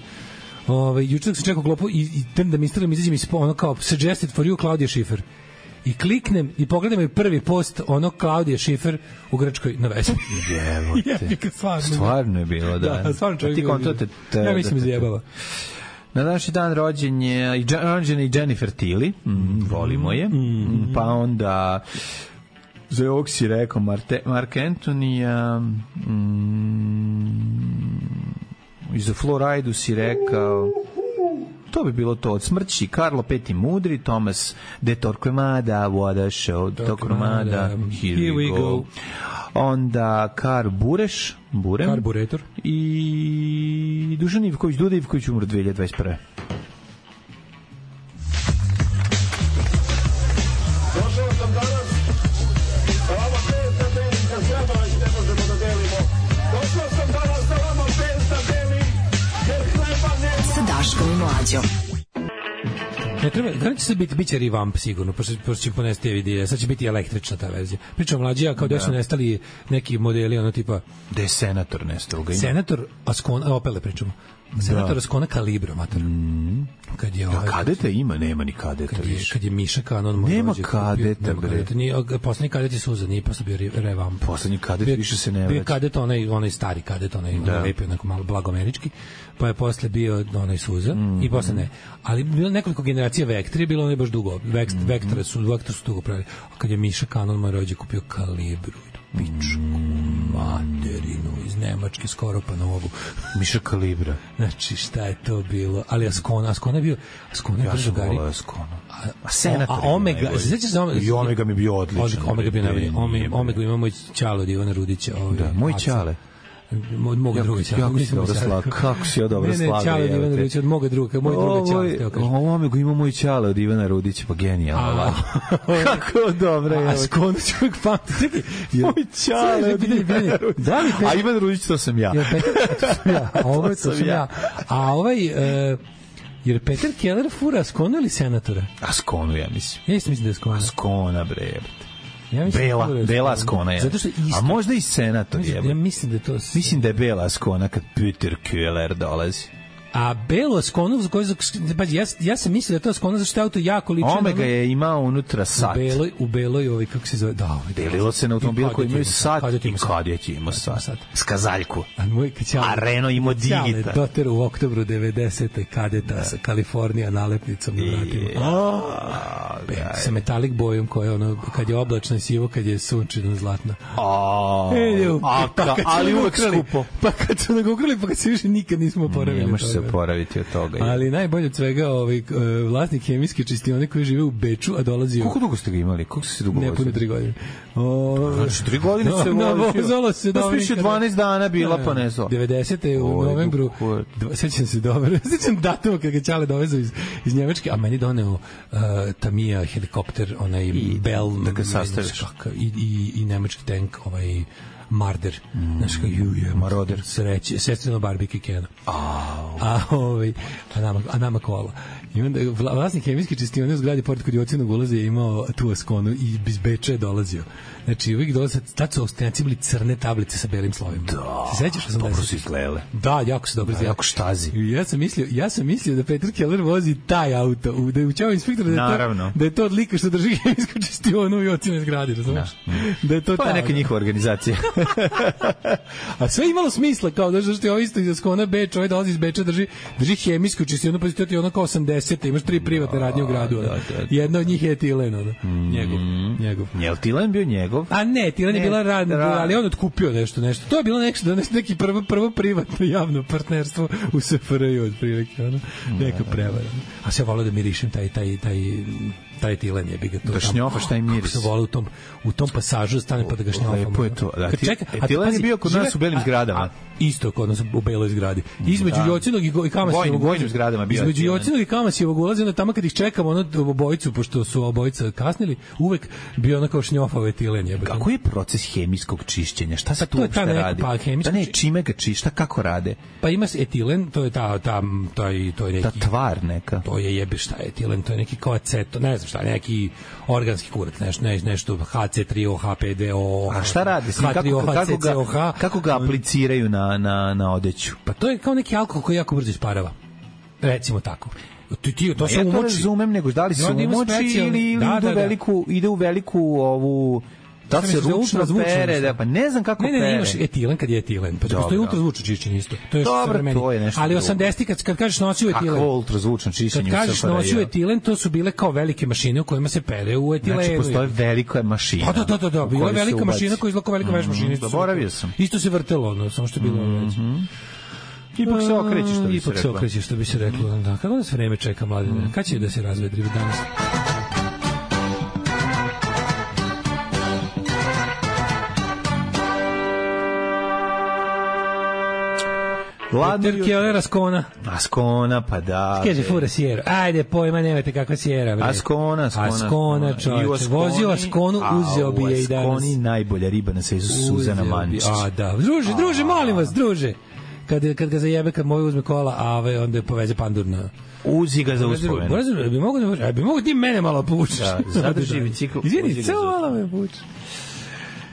juče sam čekao klopu i drn da mi Instagram izađe mi ono kao suggested for you Claudia Schiffer. I kliknem i pogledam je prvi post ono Claudia Schiffer u Grčkoj na Vespi. Jevote. Stvarno je bilo, da. Da, stvarno čovjek. Ti kontate. Ja mislim izjebava. Na današnji dan rođen je i Jennifer Tilly, volimo je. Pa onda za ovog si rekao Mark Antonija, i za Floridu si rekao, to bi bilo to, od smrći Karlo V Mudri, Thomas de Torquemada, What a Show, Torquemada, Here we go. Onda Kar Burem, Karburetor i Dušan Ivković, Duda Ivković umro 2021. Daškom i Mlađom. Ne treba, kada će se biće revamp sigurno, pošto će ponesti vidije, sad će biti električna ta verzija. Pričam Mlađija kao da su nestali neki modeli, ono tipa... Da je Senator nestao. Senator Ascona, Opele pričamo. Senator Ascona Kalibro, mater. Kad je kadeta ima, nema ni kadeta više. Kad je Miša Kanon... Nema kadeta, bre. Poslednji kadet je Suza, nije posle bio revamp. Poslednji kadet više se ne vraća. Bio kadet, onaj stari kadet, onaj lepi, onako malo blagomerički, pa je posle bio onaj Suza i posle ne. Ali bilo nekoliko generacija Vektra, bilo onaj baš dugo. Vektra su dugo pravili. A kad je Miša Kanon moj rođe kupio Kalibru, pičku materinu iz Nemačke skoro pa novu. Miša Kalibra. Znači šta je to bilo? Ali Ascona je bio... Ja sam volao Ascona. A Senator a Omega, i Omega mi je bio odličan. Omega bio najbolji. Omega imamo i Ćalo od Ivana Rudića. Da, moj Ćale. Od moga druga Ćale. Kako si ja dobro slaga. Ne, Ćale od Ivana Rudića, od moga druga, moj druga Ćale. Ovo me go ima moj Ćale od Ivana Rudića, pa genijalno. Kako dobro je. A skonu ću uvijek pamtiti. Moj Ćale od Ivana Rudića. A Ivan Rudić, to sam ja. To sam ja. A ovo to sam ja. A ovaj... Jer Peter Keller fura Askonu ili senatora? Askonu, ja mislim. Ja isto mislim da je Askona. Askona, bre. Ja Bela Askona je. Zato što isto. A možda i senator je. Ja mislim da je to... Mislim da je Bela Askona kad Peter Keller dolazi. A Belu Askonu, ja sam mislio da je to Askona zašto je auto jako lično. Omega je imao unutra sat. U beloj, kako se zove, delilo se na automobil koji imaju sat i kadjet ima sat. Skazaljku. A Renault ima Digita. Doter u oktobru 90. kadeta sa Kalifornija nalepnicom na vratima. Sa metalik bojom koja ono, kad je oblačno i sivo, kad je sunčino zlatno. Ali uvek skupo. Pa kad su ga ukrali, pa kad se više nikad nismo oporavili. Ne može se oporaviti od toga. Ali najbolje od svega vlasnik hemijske čistione koji žive u Beču, a dolazi... Koliko dugo ste ga imali? Koliko ste se dugo vozili? Ne, puno 3 godine. Znači 3 godine se vozilo se dobro. Više 12 dana bila, pa ne znam. 90. u novembru, sećam se dobro, sećam datuma kada ga Ćale dovezao iz Njemačke, a meni doneo Tamiya helikopter, onaj Bell, da ga sastaviš. I nemački tank, Marder, znaš kako je Maroder, sreće, sestrino barbike Kena. A nama kola. I onda vlasnik hemijske čistione u zgradi pored kod Jocinog ulaza je imao tu Askonu i iz Beča je dolazio. Znači uvijek dolaze, tad su ostajanci bili crne tablice sa belim slovima. Da, se sećaš 80? dobro su izgledale. Da, jako su dobro izgledale. Jako štazi. Ja sam mislio da Peter Keller vozi taj auto, da je učao inspektor da je to od lika što drži hemijsku čistionu u Jocinoj zgradi, razumiješ? Da je to pa neka njihova organizacija. A sve imalo smisla, kao da što je ovo isto iz Askona Beč, ovaj dolazi iz Beča, drži hemijsku čistionu, pa ti ono kao 80, imaš 3 privatne radnje u gradu. Jedna od njih je Tilen, njegov. Je li Tilen bio njegov? A ne, Tilen je bila radna, ali on otkupio nešto. To je bilo neki prvo privatno javno partnerstvo u SFRJ otprilike, neka prevara. A se volio da mirišem taj Tilen je biga to. Da šnjofaš taj miris. Se volio u tom pasažu stane pa da ga šnjofam. Lepo je to. Tilen je bio kod nas u belim zgradama. Isto kod nas u beloj zgradi. Između Jocinog i Kamasijevog ulaza. Između Jocinog i Kamasijevog ulaza, onda tamo kad ih čekamo obojicu, pošto su obojica kasnili, uvek bio ono kao šnjofave Tilen je. Kako je proces hemijskog čišćenja? Šta se tu uopšte radi? Da ne, čime ga čišta, kako rade? Pa ima etilen, to je to je neki... Ta tvar neka. To je jebe šta je etilen, to je neki kao aceto, ne znam šta, neki organski kurac, nešto HC3O, H5O. A šta radi? Kako ga apliciraju na odeću? Pa to je kao neki alkohol koji jako brzo isparava. Recimo tako. To se umoči. Ja to razumem, nego da li se umoči ili ide u veliku ovu... Da se ručno pere, pa ne znam kako pere. Ne, imaš etilen kad je etilen, pa postoji ultrazvučno čišćenje isto. To je dobro, to je nešto. Ali 80 kad kažeš nosio etilen. Kako ultrazvučno čišćenje? Kad kažeš nosio etilen, to su bile kao velike mašine u kojima se pere u etilenu. Znači postoje velika mašina. Da, bila je velika mašina koja izlako velika veš mašina. Zaboravio sam. Isto se vrtelo, samo što je bilo već. Ipak se okreće, što bi se reklo. Da, kako nas vreme čeka, mladine? Kad će da se razvedri danas? Peter Keller Askona, pa da. Kaže fura Sierra. Ajde, pojma, nemate kakva Sierra, bre. Askona, čovječe. Vozio Askonu, uzeo bi je i danas. Askoni najbolja riba na svetu, Suzana Mančić. A da, druže, molim vas, druže. Kad ga zajebe, kad moj uzme kola, a onda poveze pandur na... Uzi ga za uspomenu. Bi mogo ti mene malo povučeš. Da, zadrži bicikl. Izvini, samo malo me povučeš.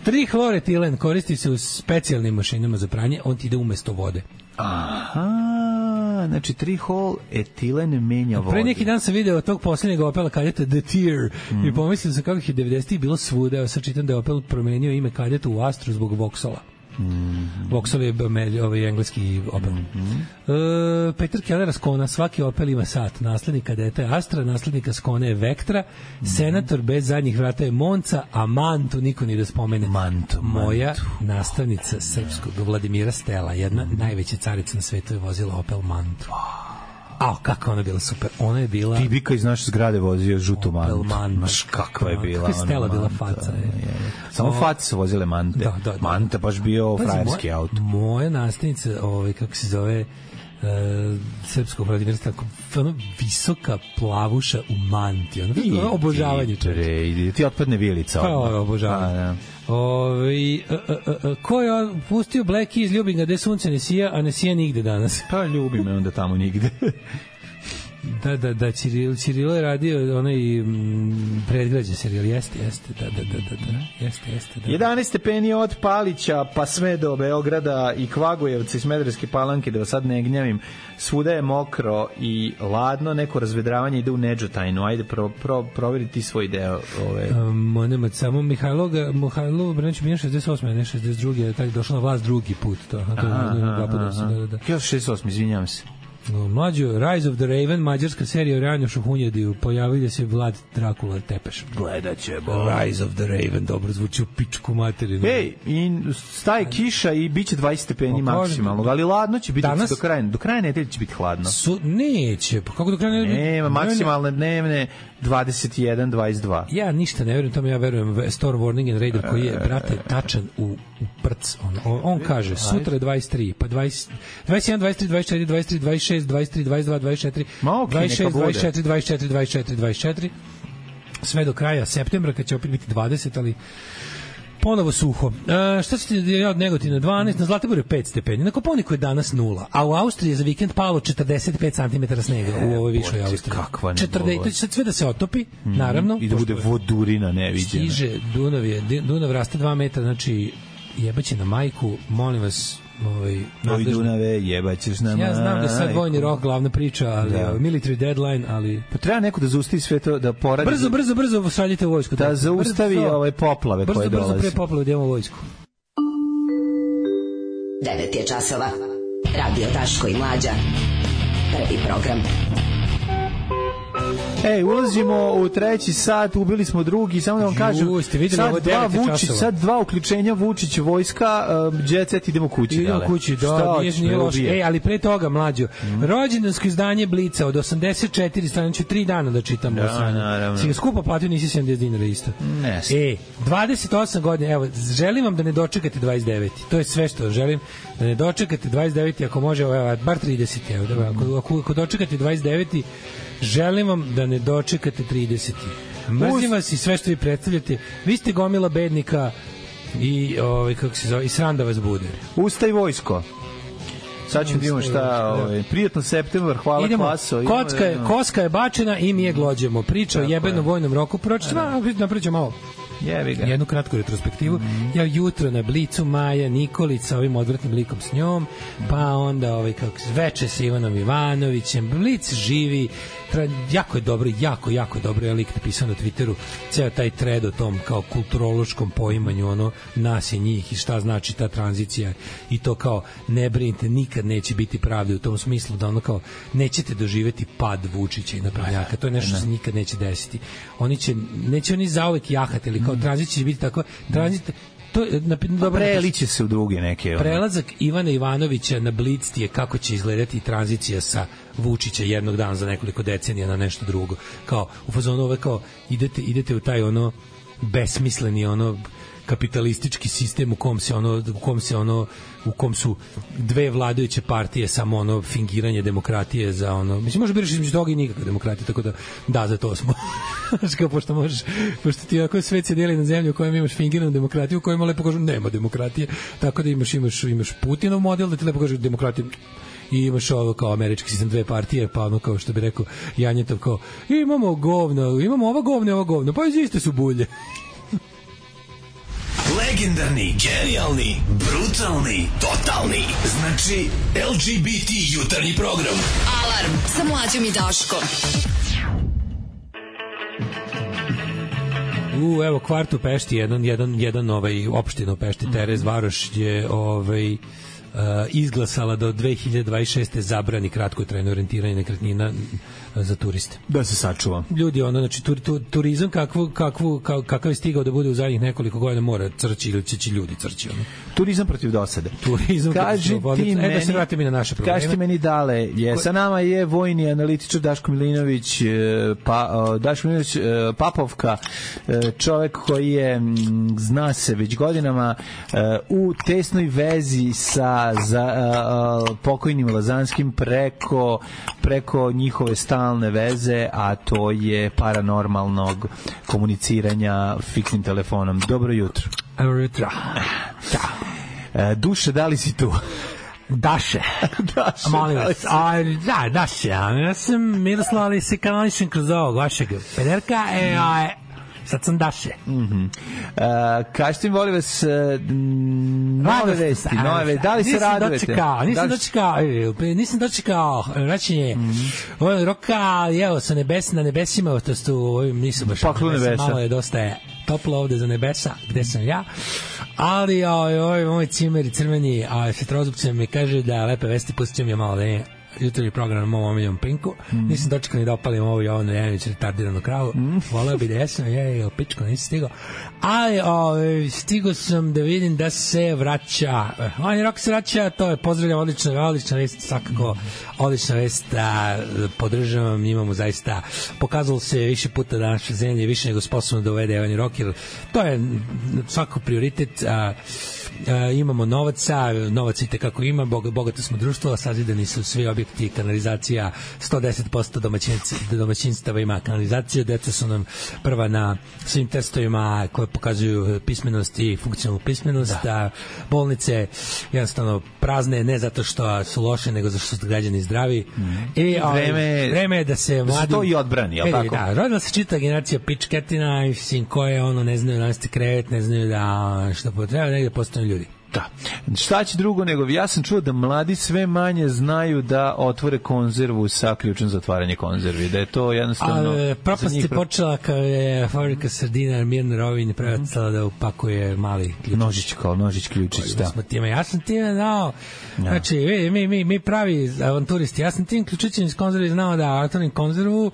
3-hloretilen koristi se u specijalnim mašinama za pranje, on ti ide umesto vode. Aha, znači 3-hloretilen menja vodu. Pre neki dan sam video tog posljednjeg Opela kadeta The Tear i pomislio sam kako je 90-ih bilo svuda. Evo sad čitam da je Opel promenio ime kadeta u Astru zbog Vauxhalla. Vauxhall je engleski Opel. Peter Keller Askona, svaki Opel ima sat. Naslednik kadeta je Astra, naslednika Askone je Vectra, senator bez zadnjih vrata je Monca, a Mantu niko ni da spomene. Moja nastavnica srpskog Vladimira Stela, jedna najveća carica na svetu, je vozila Opel Mantu. kako ona bila super. Ona je bila... Bibika iz naše zgrade vozio žutu mantu. Znaš kakva je bila. Kako je Stela bila faca. Samo faci su vozile mante. Da. Manta baš bio frajerski auto. Moja nastavnica, kako se zove, srpskog radioniverstva, ono visoka plavuša u manti, ono obožavanje čovječe. Ti otpadne vilica. Pa obožavanje. Ko je pustio Black Keys, ljubim ga, gde sunce ne sija, a ne sija nigde danas. Pa ljubi me onda tamo nigde. Da, Cirilo je radio onaj predgrađe serijal, jeste, da. 11 stepeni od Palića pa sve do Beograda i Kvagujevca i Smederevske Palanke, da vas sad ne gnjavim, svuda je mokro i ladno, neko razvedravanje ide u Nedžotajnu, ajde proveriti svoj deo. Nema samo Mihajlo Branić bio 68. ne 62. tako došla na vlast drugi put, to je da. 68, izvinjam se. Mlađo, Rise of the Raven, mađarska serija o ranju Šuhunjadiju, pojavio se Vlad Drakula Tepeš. Gledat ćemo. Rise of the Raven, dobro zvuči u pičku materinu. Ej, i staje kiša i bit će 20 stepeni maksimalno, ali ladno će biti danas, do kraja nedelje će biti hladno. Neće, pa kako do kraja nedelje? Nema, maksimalne dnevne 21, 22. Ja ništa ne verujem tome, ja verujem Storm Warning and Raider koji je, brate, tačan u prc. On kaže, sutra je 23, pa 20, 21, 23, 24, 23, 26, 23, 22, 24, 26, 24, 24, 24, 24, sve do kraja septembra, kad će opet biti 20, ali ponovo suho. Šta se ti od Negotina 12, na Zlatiboru je 5 stepeni, na Kopaoniku je danas 0, a u Austriji je za vikend palo 45 cm snega u ovoj višoj Austriji. To će sad sve da se otopi, naravno. I da bude vodurina neviđena. Stiže Dunav raste 2 metra, znači jebaće na majku, molim vas, Oj Dunave, jebaćeš na majku. Ja znam da je sad vojni rok glavna priča, ali military deadline, ali... Pa treba neko da zaustavi sve to, da poradi... Brzo šaljite u vojsku. Da zaustavi ove poplave koje dolaze. Brzo pre poplave da imamo vojsku. 9 je časova. Radio Daško i Mlađa. Prvi program. Ulazimo u treći sat, ubili smo drugi, samo da vam kažem, sad dva uključenja Vučić vojska, Jet Set, idemo kući. Idemo kući, da, nije loše. Ali pre toga, Mlađo, rođendansko izdanje Blica od 84 strane, ću 3 dana da čitam. Da, naravno. Si ga skupo platio, nisi 70 dinara isto. 28 godina, evo, želim vam da ne dočekate 29. To je sve što želim, da ne dočekate 29. Ako može, bar 30. Evo, ako dočekate 29. želim vam da ne dočekate 30. Mrzim vas i sve što vi predstavljate. Vi ste gomila bednika i kako se zove, i sram da vas bude. Ustaj vojsko. Sad ćemo vidimo šta, prijatno septembar, hvala klaso. Koska je bačena i mi je glođemo. Priča o jebenom vojnom roku. Napravit ćemo malo jednu kratku retrospektivu. Ja jutro na Blicu Maja Nikolić sa ovim odvratnim likom s njom, pa onda veče sa Ivanom Ivanovićem. Blic živi, jako je dobro, jako dobro je lik napisao na Twitteru, ceo taj thread o tom kao kulturološkom poimanju nas i njih i šta znači ta tranzicija i to kao ne brinite, nikad neće biti pravde u tom smislu da kao nećete doživeti pad Vučića i naprednjaka, to je nešto što se nikad neće desiti. Neće oni zauvek jahati, ali kao tranzicija će biti tako, preliće se u druge neke. Prelazak Ivana Ivanovića na Blic je kako će izgledati tranzicija sa Vučića jednog dana za nekoliko decenija na nešto drugo. Kao u fazonu kao idete u taj besmisleni kapitalistički sistem u kom su dve vladajuće partije samo fingiranje demokratije za mislim može biraš između toga i nikakve demokratije, tako da za to smo. Znači kao pošto ti ako svet se deli na zemlju u kojem imaš fingiranu demokratiju, u kojem lepo kažu nema demokratije, tako da imaš Putinov model da ti lepo kažu demokratiju i imaš ovo kao američki sistem, dve partije, pa kao što bi rekao Janjetov, kao imamo govno, imamo ova govno i ova govno, pa iste su bulje. Legendarni, genijalni, brutalni, totalni. Znači, LGBT jutarnji program. Alarm sa Mlađom i Daškom. Evo kvart u Pešti, jedan opština u Pešti, Terez Varoš je izglasala da od 2026. zabrani kratkotrajno orijentiranje nekretnina za turiste. Da se sačuva. Ljudi, znači turizam kakav je stigao da bude u zadnjih nekoliko godina mora crći ili će ljudi crći. Turizam protiv dosade. Kaži ti meni, da se vratimo i na naše probleme. Kaži ti meni dale, sa nama je vojni analitičar Daško Milinović, Daško Milinović Papovka, čovek koji je, zna se već godinama, u tesnoj vezi sa pokojnim Lazanskim preko njihove stalne veze, a to je paranormalnog komuniciranja fiksnim telefonom. Dobro jutro. Dobro jutro. Duše, da li si tu? Daše. Molim vas. Daše. Ja sam Miroslav, ali se kanališem kroz ovog vašeg pederka. Sad sam Daše. Kažete mi, molim vas, nove vesti, da li se radujete? Nisam dočekao vraćanje roka, evo, sa na nebesima, to su, nisu baš malo je dosta toplo ovde za nebesa, gde sam ja, ali moj cimer i crveni svetrozupce mi kaže da lepe vesti, pustit će mi malo da je jutarnji program na mom omiljom Pinku. Nisam dočekao ni da opalim ovo Jovanu Janović retardiranu kravu. Voleo bi da jesam, pičko, nisam stigao. Ali stigao sam da vidim da se vraća. Rok se vraća, to je, pozdravljam, odlična vest, svakako odlična vest, podržavam, imamo zaista, pokazalo se više puta da naša zemlja je više nego sposobno da uvede Evani Rok, jer to je svakako prioritet. Imamo novaca i tekako ima, bogato smo društvo, sazidani su svi objekti, kanalizacija, 110% domaćinstava ima kanalizaciju, deca su nam prva na svim testovima koje pokazuju pismenost i funkcionalnu pismenost, bolnice jednostavno prazne, ne zato što su loše, nego zato što su građani zdravi. I vreme je da se mladi... Da se to i odbrani, jel tako? Da, rodila se čita generacija pičketina, koje ne znaju nasti krevet, ne znaju da što potreba, negde postane ljudi. Da. Šta će drugo nego, ja sam čuo da mladi sve manje znaju da otvore konzervu sa ključem za otvaranje konzervi, da je to jednostavno... Propast je počela kao je fabrika sardina Mirna Rovin prevetala da upakuje mali ključić. Nožić ključić, da. Ja sam time dao, znači, mi pravi avanturisti, ja sam tim ključićem iz konzervi znao da otvorim konzervu,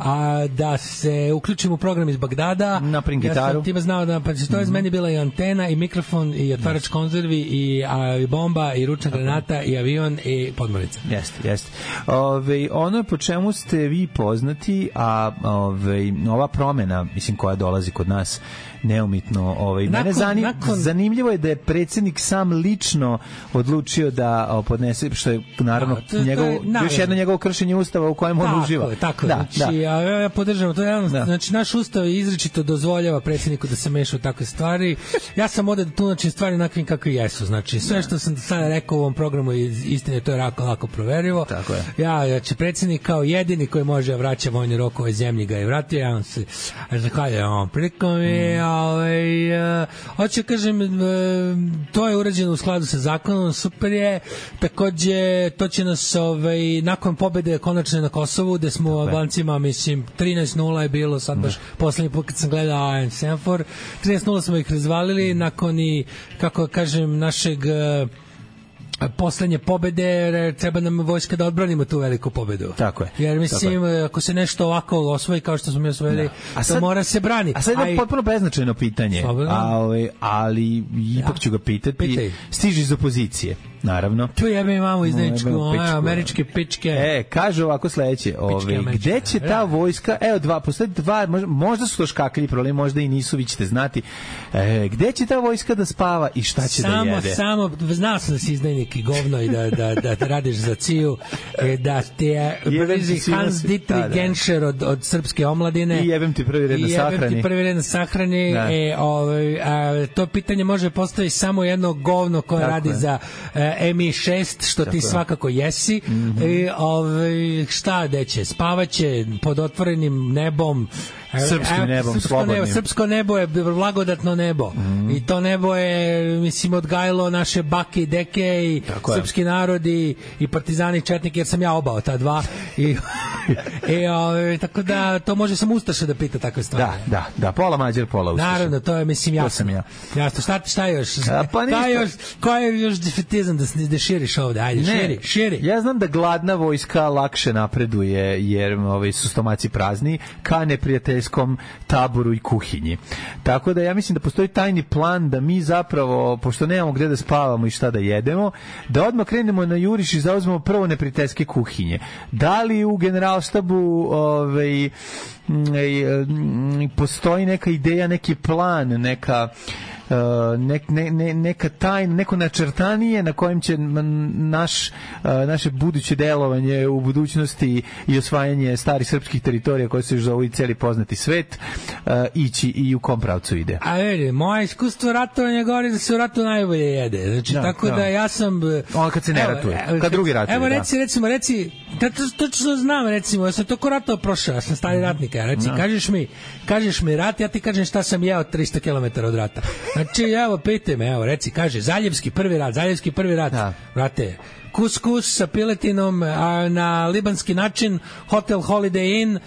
a da se uključim u program iz Bagdada. Naprim gitaru. Ja sam time znao da, pa to je meni bila i antena, i mikrofon, i otvarač konzervi, i bomba, i ručna granata, i avion, i podmornica. Jeste. Ono po čemu ste vi poznati, a ova promena, mislim, koja dolazi kod nas neumitno, mene zanimljivo je da je predsjednik sam lično odlučio da podnese, što je naravno još jedno njegovo kršenje ustava u kojem on uživa. Tako je. Znači, ja podržavam to. Znači, naš ustav izričito dozvoljava predsjedniku da se meša u takve stvari. Ja sam ovde da tumačim stvari onakvim kakve jesu. Znači, sve što sam sada rekao u ovom programu istine, to je lako proverivo. Tako je. Znači, predsjednik kao jedini koji može vraća vojni rok ove zemlji ga je vratio. Ja vam se zahvaljujem ovom prilikom hoću kažem, to je urađeno u skladu sa zakonom, super je. Takođe, to će nas nakon pobede konačne na Kosovu, gde smo Albancima, mislim, 13-0 je bilo, sad baš poslednji put kad sam gledao Semafor, 13-0 smo ih razvalili nakon i, kako kažem, našeg poslednje pobede, treba nam vojska da odbranimo tu veliku pobedu. Tako je. Jer mislim, ako se nešto ovako osvoji kao što smo mi osvojili, to mora se brani. A sad je potpuno beznačajno pitanje, ali ipak ću ga pitati. Stiže iz opozicije, naravno. Tu jebe imamo izdaničku, američke pičke. Kaže ovako sledeće, gde će ta vojska, postoje dva, možda su to škaklji problemi, možda i nisu, vi ćete znati, gde će ta vojska da spava i šta će da jede? Znao sam da si izdajnik i govno i da radiš za ciju, da te brzi Hans Dietrich Genscher od srpske omladine i jebem ti prvi red na sahrani. To pitanje može postaviti samo jedno govno koje radi za MI6, što ti svakako jesi. Šta deće? Spavaće pod otvorenim nebom, srpskim nebom, slobodnim. Srpsko nebo je blagodatno nebo. I to nebo je, mislim, odgajilo naše bake i deke i srpski narod i partizani i četnike, jer sam ja obao ta dva. Tako da to može samo Ustaša da pita takve stvari. Da, pola Mađar, pola Ustaša. Naravno, to je, mislim, jasno. To sam ja. Jasno, šta još? Koja je još defetizam da širiš ovde? Ajde, širi. Ja znam da gladna vojska lakše napreduje, jer su stomaci prazni, ka neprijateljskom taboru i kuhinji. Tako da ja mislim da postoji tajni plan da mi zapravo, pošto nemamo gde da spavamo i šta da jedemo, da odmah krenemo na juriš i zauzmemo prvo neprijateljske kuhinje. Da li u generalštabu postoji neka ideja, neki plan, neka tajna, neko načrtanije na kojem će naše buduće delovanje u budućnosti i osvajanje starih srpskih teritorija koje se zovu i celi poznati svet ići i u kom pravcu ide. A vidi, moje iskustvo ratovanja govori da se u ratu najbolje jede. Znači, tako da ja sam... Ono kad se ne ratuje, kad drugi ratuje. Evo, reci, to znam, recimo, ja sam to ko ratova prošao, ja sam stari ratnik, reci, kažeš mi rat, ja ti kažem šta sam jeo 300 km od rata. Znači, evo, pitaj me, evo, reci, kaže, Zaljevski prvi rat, vrate, kuskus sa piletinom na libanski način, Hotel Holiday Inn,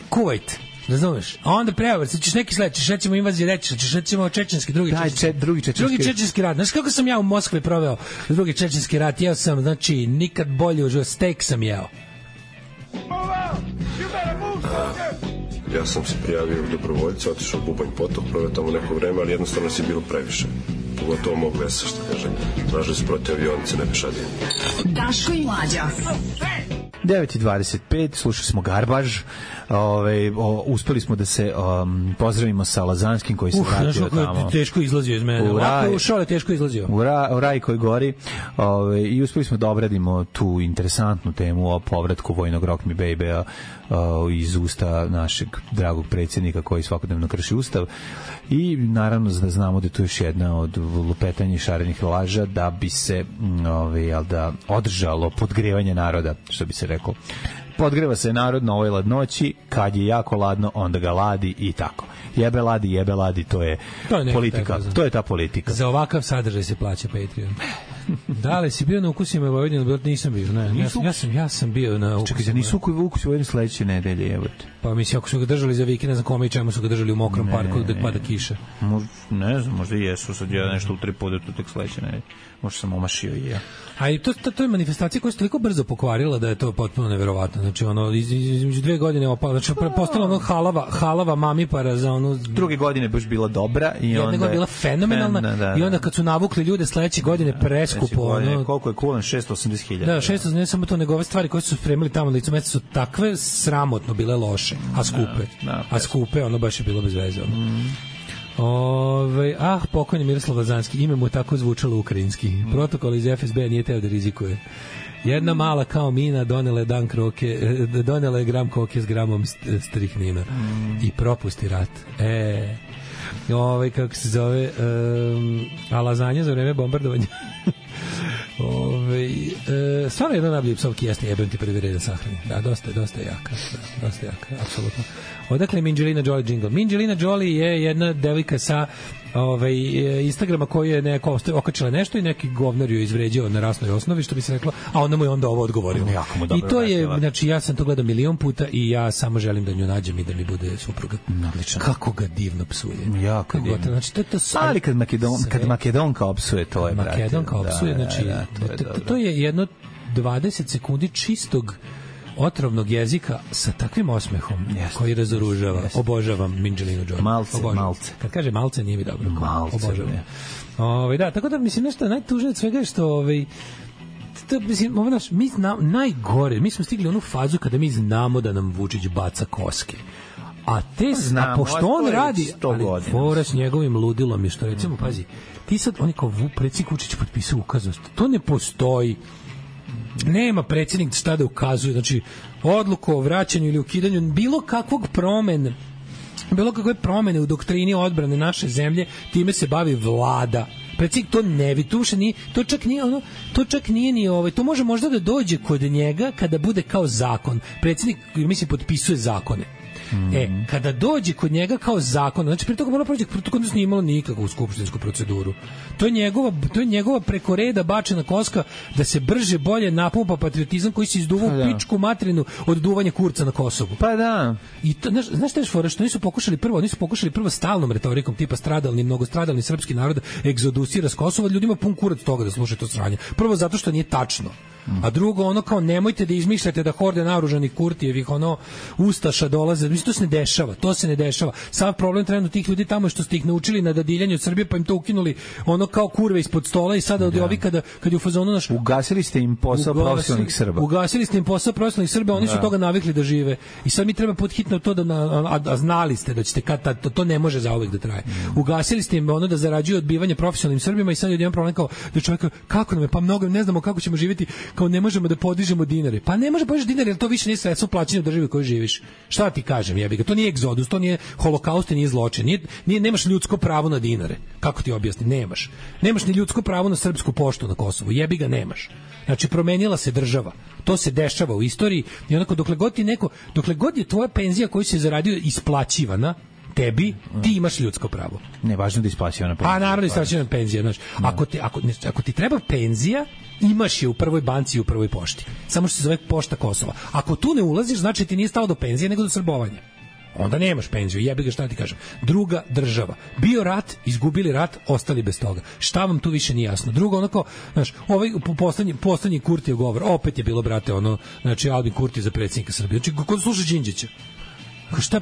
Kuvajt, razumeš? A onda prevrst, ćeš neki sled, ćeš recimo invazije reći, ćeš recimo čečenski, drugi čečenski rat. Znaš kako sam ja u Moskvi proveo drugi čečenski rat? Jeo sam, znači, nikad bolje uživo, steak sam jeo. Ja sam se prijavio u dobrovoljca, otišao u Bubanj potok, proveo tamo neko vreme, ali jednostavno si bilo previše. Pogotovo mog vesa, što kažem. Tražili su protiv avionice, ne pešadije. Daško i Mlađa. 9:25, slušali smo Garbaž. Uspeli smo da se pozdravimo sa Lazanskim koji se vratio tamo. Teško izlazio iz mene. Ovako ušao je teško izlazio. U raj koji gori. I uspeli smo da obradimo tu interesantnu temu o povratku vojnog Rock Me Baby-a iz usta našeg dragog predsjednika koji svakodnevno krši ustav. I naravno da znamo da je to još jedna od lupetanja i šarenih laža da bi se održalo podgrevanje naroda, što bi se reklo. Podgreva se narod na ovoj ladnoći, kad je jako ladno, onda ga ladi i tako. Jebe ladi, to je politika. To je ta politika. Za ovakav sadržaj se plaća Patreon. Da li si bio na ukusima Vojvodine? Nisam bio, ne. Ja sam bio na ukusima. Čekaj, nisu ukus Vojvodine sledeće nedelje, jebote. Pa mislim, ako su ga držali za vikend, ne znam kome i čemu su ga držali u mokrom parku dok pada kiša. Ne znam, možda i jesu, sad ja nešto u 3 podetu tek sledeće nedelje. Možda sam omašio i ja. A i to je manifestacija koja se toliko brzo pokvarila da je to potpuno neverovatno. Znači, između 2 godine znači, postala ono halava mamipara za ono... Druge godine baš bila dobra i onda... Jedna je bila fenomenalna i onda kad su navukli ljude sledeće godine preskupo... Koliko je kulan? 680.000. Da, 680, ne samo to, nego ove stvari koje su spremili tamo na licu mesta su takve sramotno bile loše, a skupe. Ono baš je bilo bez veze. Pokojni Miroslav Lazanski, ime mu tako zvučalo ukrajinski. Protokol iz FSB nije teo da rizikuje. Jedna mala kao mina donela je gram koke s gramom strihnina i propusti rat. Kako se zove, a lazanja za vreme bombardovanja. Stvarno jedna najbolji psovki jeste jebem ti prvi red da sahrani. Da, dosta je jaka. Dosta jaka, apsolutno. Odakle je Minđelina Jolie jingle? Minđelina Jolie je jedna devojka sa Instagrama koji je neko okačila nešto i neki govnar ju izvređao na rasnoj osnovi, što bi se reklo, a onda mu je onda ovo odgovorilo. I to je, znači, ja sam to gledao milion puta i ja samo želim da nju nađem i da mi bude supruga. Odlično. Kako ga divno psuje. Jako divno. Znači, to ali kad Makedonka opsuje, to je, brate. Makedonka opsuje, znači, to je jedno 20 sekundi čistog otrovnog jezika sa takvim osmehom koji razoružava. Obožavam Minđelinu Jolie. Malce. Kad kaže malce, nije mi dobro. Obožavam. Da, tako da, mislim, nešto najtužnije od svega je što mislim, mi najgore, mi smo stigli u onu fazu kada mi znamo da nam Vučić baca koske. A pošto on radi, ali fora s njegovim ludilom je što, recimo, pazi, ti sad, on je kao predsjednik Vučić potpisao ukaznost. To ne postoji. Nema predsjednik šta da ukazuje, znači odluku o vraćanju ili ukidanju bilo kakve promene u doktrini odbrane naše zemlje, time se bavi vlada. Predsjednik to ne vidi, to čak nije ni to može možda da dođe kod njega kada bude kao zakon. Predsjednik, mislim, potpisuje zakone. Kada dođe kod njega kao zakon, znači pre toga mora proći, to nije imalo nikakvu skupštinsku proceduru. To je njegova preko reda bačena koska da se brže bolje napumpa patriotizam koji se izduva u pičku materinu od duvanja Kurca na Kosovu. Pa da. I to, znaš šta je fora, što nisu pokušali prvo stalnom retorikom tipa mnogostradalni srpski narod egzodusira s Kosova, ljudima pun kurac toga da slušaju to sranje. Prvo zato što nije tačno. A drugo, ono kao nemojte da izmišljate da horde naoružanih Kurtijevih ustaša dolaze. Mislim, to se ne dešava. Sav problem trenutno tih ljudi tamo je što ste ih naučili na dadiljanje od Srbije, pa im to ukinuli kao kurve ispod stola i sada od ovi kad je u fazonu naš... Ugasili ste im posao profesionalnih Srba. Ugasili ste im posao profesionalnih Srba, oni su toga navikli da žive. I sad mi treba podhitno to a znali ste da ćete to ne može zauvek da traje. Ugasili ste im da zarađuju odbivanje profesionalnim Srbima i sad je jedan problem kao da čovjek kako nam je, pa mnogo ne znamo kako ćemo živjeti, kao ne možemo da podižemo dinare. Pa ne može podižeš dinare, jer to više nije sredstvo plaćanja u državi u kojoj živiš. Šta ti kažem, jebi ga, to nije egzodus, to nije holokaust, nije zločin, nemaš ljudsko pravo na dinare. Kako ti objasnim? Nemaš ni ljudsko pravo na srpsku poštu na Kosovu, jebi ga, nemaš. Znači, promenila se država. To se dešava u istoriji i onako dokle god je tvoja penzija koju si zaradio isplaćivana tebi, ti imaš ljudsko pravo. Ne, važno da isplaćivana penzija. A naravno isplaćivana penzija, znaš. Ako ti treba penzija, imaš je u prvoj banci i u prvoj pošti. Samo što se zove Pošta Kosova. Ako tu ne ulaziš, znači ti nije stalo do penzije, nego do srbovanja. Onda nemaš penziju, jebi ga, šta ti kažem. Druga država. Bio rat, izgubili rat, ostali bez toga. Šta vam tu više nije jasno? Drugo, znaš, poslednji Kurtijev govor, opet je bilo, brate, znači Albin Kurti za predsjednika Srbije. Znači, kod sluša Đinđića. Šta je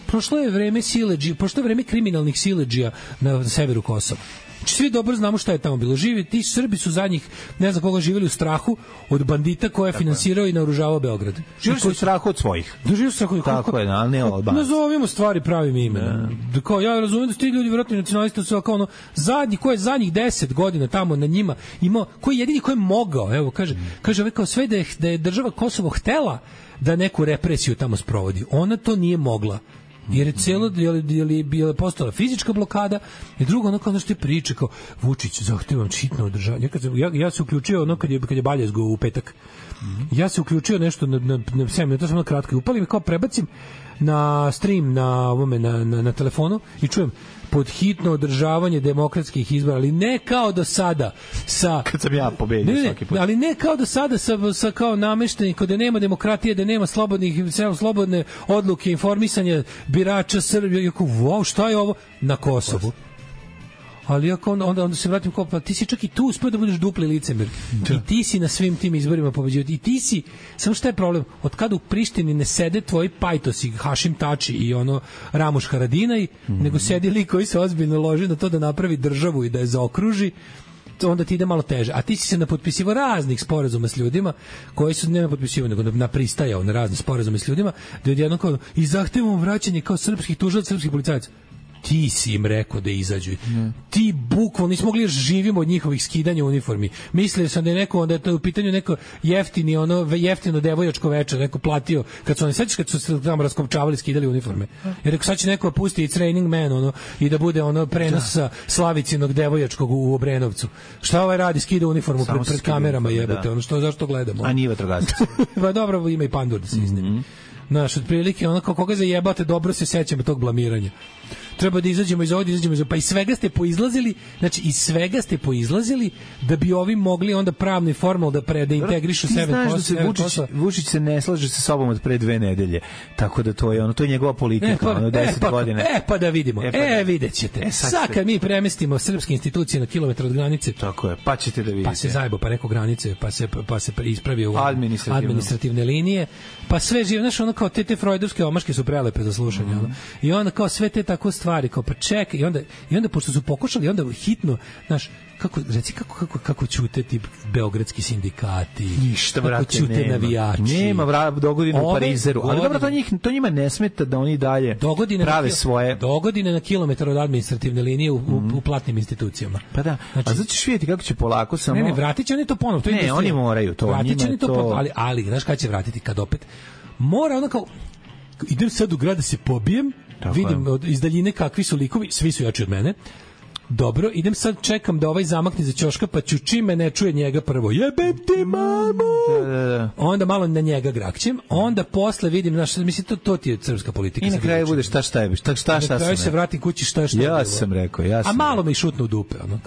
prošlo je vreme siledžija, prošlo je vreme kriminalnih siledžija na severu Kosova. Svi dobro znamo šta je tamo bilo. Ti Srbi su zadnjih, ne znam koga, živjeli u strahu od bandita koje je finansirao i naoružavao Beograd. Živjeli su u strahu od svojih. Tako je, ali ne Albanci. Nazovimo stvari pravim imenom. Kao, ja razumijem da su ti ljudi vjerojatno nacionalisti, su kao zadnjih 10 godina tamo na njima imao, koji jedini ko je mogao, evo, kaže kao sve da je država Kosovo htela da neku represiju tamo sprovodi. Ona to nije mogla. Jer je postala fizička blokada i drugo, kao što je priče, kao Vučić, zahtevam hitno održavanje. Ja se uključio kad je Baljezgo u petak. Ja se uključio nešto na 7 minuta, samo kratko i upalim i kao prebacim na stream na telefonu i čujem pod hitno održavanje demokratskih izbora, ali ne kao do sada kad sam ja pobedio svaki put. Ali ne kao do sada sa kao nameštenim, kada nema demokratije, da nema slobodne odluke, informisanja birača Srbije. Wow, šta je ovo na Kosovu? Ali onda se vratim kao, pa ti si čak i tu uspio da budeš dupli licemer. I ti si na svim tim izborima pobeđio. I ti si, samo šta je problem? Od kada u Prištini ne sede tvoji pajtosi, Hašim Tači i Ramuš Haradinaj, nego sedi lik koji se ozbiljno loži na to da napravi državu i da je zaokruži, onda ti ide malo teže. A ti si se napotpisivao raznih sporazuma s ljudima koji su ne napotpisivao, nego napristajao na razne sporazume s ljudima, da odjednom kao i zahtevamo vraćanje kao srpskih tužilaca, srpskih policajaca. Ti si im rekao da izađu. Ti bukvalno nismo mogli živimo od njihovih skidanja uniformi. Mislili sam da je neko, da je to u pitanju neko jeftino devojačko večer, neko platio, kad su se tamo raskopčavali, skidali uniforme. Jer rekao, sad će neko pusti i Training Man, i da bude prenos sa Slavicinog devojačkog u Obrenovcu. Šta ovaj radi, skida uniformu pred kamerama, jebote, zašto gledamo? A nije vatrogasac. Pa dobro, ima i pandur da se iznemi. Znaš, otprilike, koga zajebate, dobro se sećamo tog blamiranja. Treba da izađemo iz ovdje, pa iz svega ste poizlazili da bi ovi mogli onda pravno i formalno da integrišu sebe. Ti znaš da Vučić se ne slaže sa sobom od pre 2 nedelje, tako da to je njegova politika, 10 godina. Pa da vidimo, vidjet ćete. Sad kad mi premestimo srpske institucije na kilometar od granice, tako je, pa ćete da vidite. Pa se zajebo, pa preko granice, pa se ispravi u administrativne linije, pa sve žive, znaš, kao te freudovske omaške su prelepe za slušanje, i onda kao sve te tako stvari, kao pa čekaj, i onda pošto su pokušali, onda hitno, znaš, kako ćute ti beogradski sindikati, ništa, kako ćute navijači, nema dogodine u Parizeru, ali dobro, to njima ne smeta da oni dalje prave svoje dogodine na kilometar od administrativne linije u platnim institucijama. Pa da, znači, a zato ćeš vidjeti kako će polako samo... Ne, vratit će oni to ponovno. Ne, oni moraju to. Vratit će oni to ponovno, ali znaš kada će vratiti, kad opet mora kao idem sad u grad da se pobijem, vidim iz daljine kakvi su likovi, svi su jači od mene. dobro, idem sad, čekam da ovaj zamakne za ćoška, pa ću čime ne čuje njega prvo, jebem ti mamu, onda malo na njega grakćem, onda posle vidim, znaš, mislim, to ti je srpska politika. I na kraju bude šta na kraju se vratim kući šta ja sam rekao. A malo mi šutnu u dupe, ono,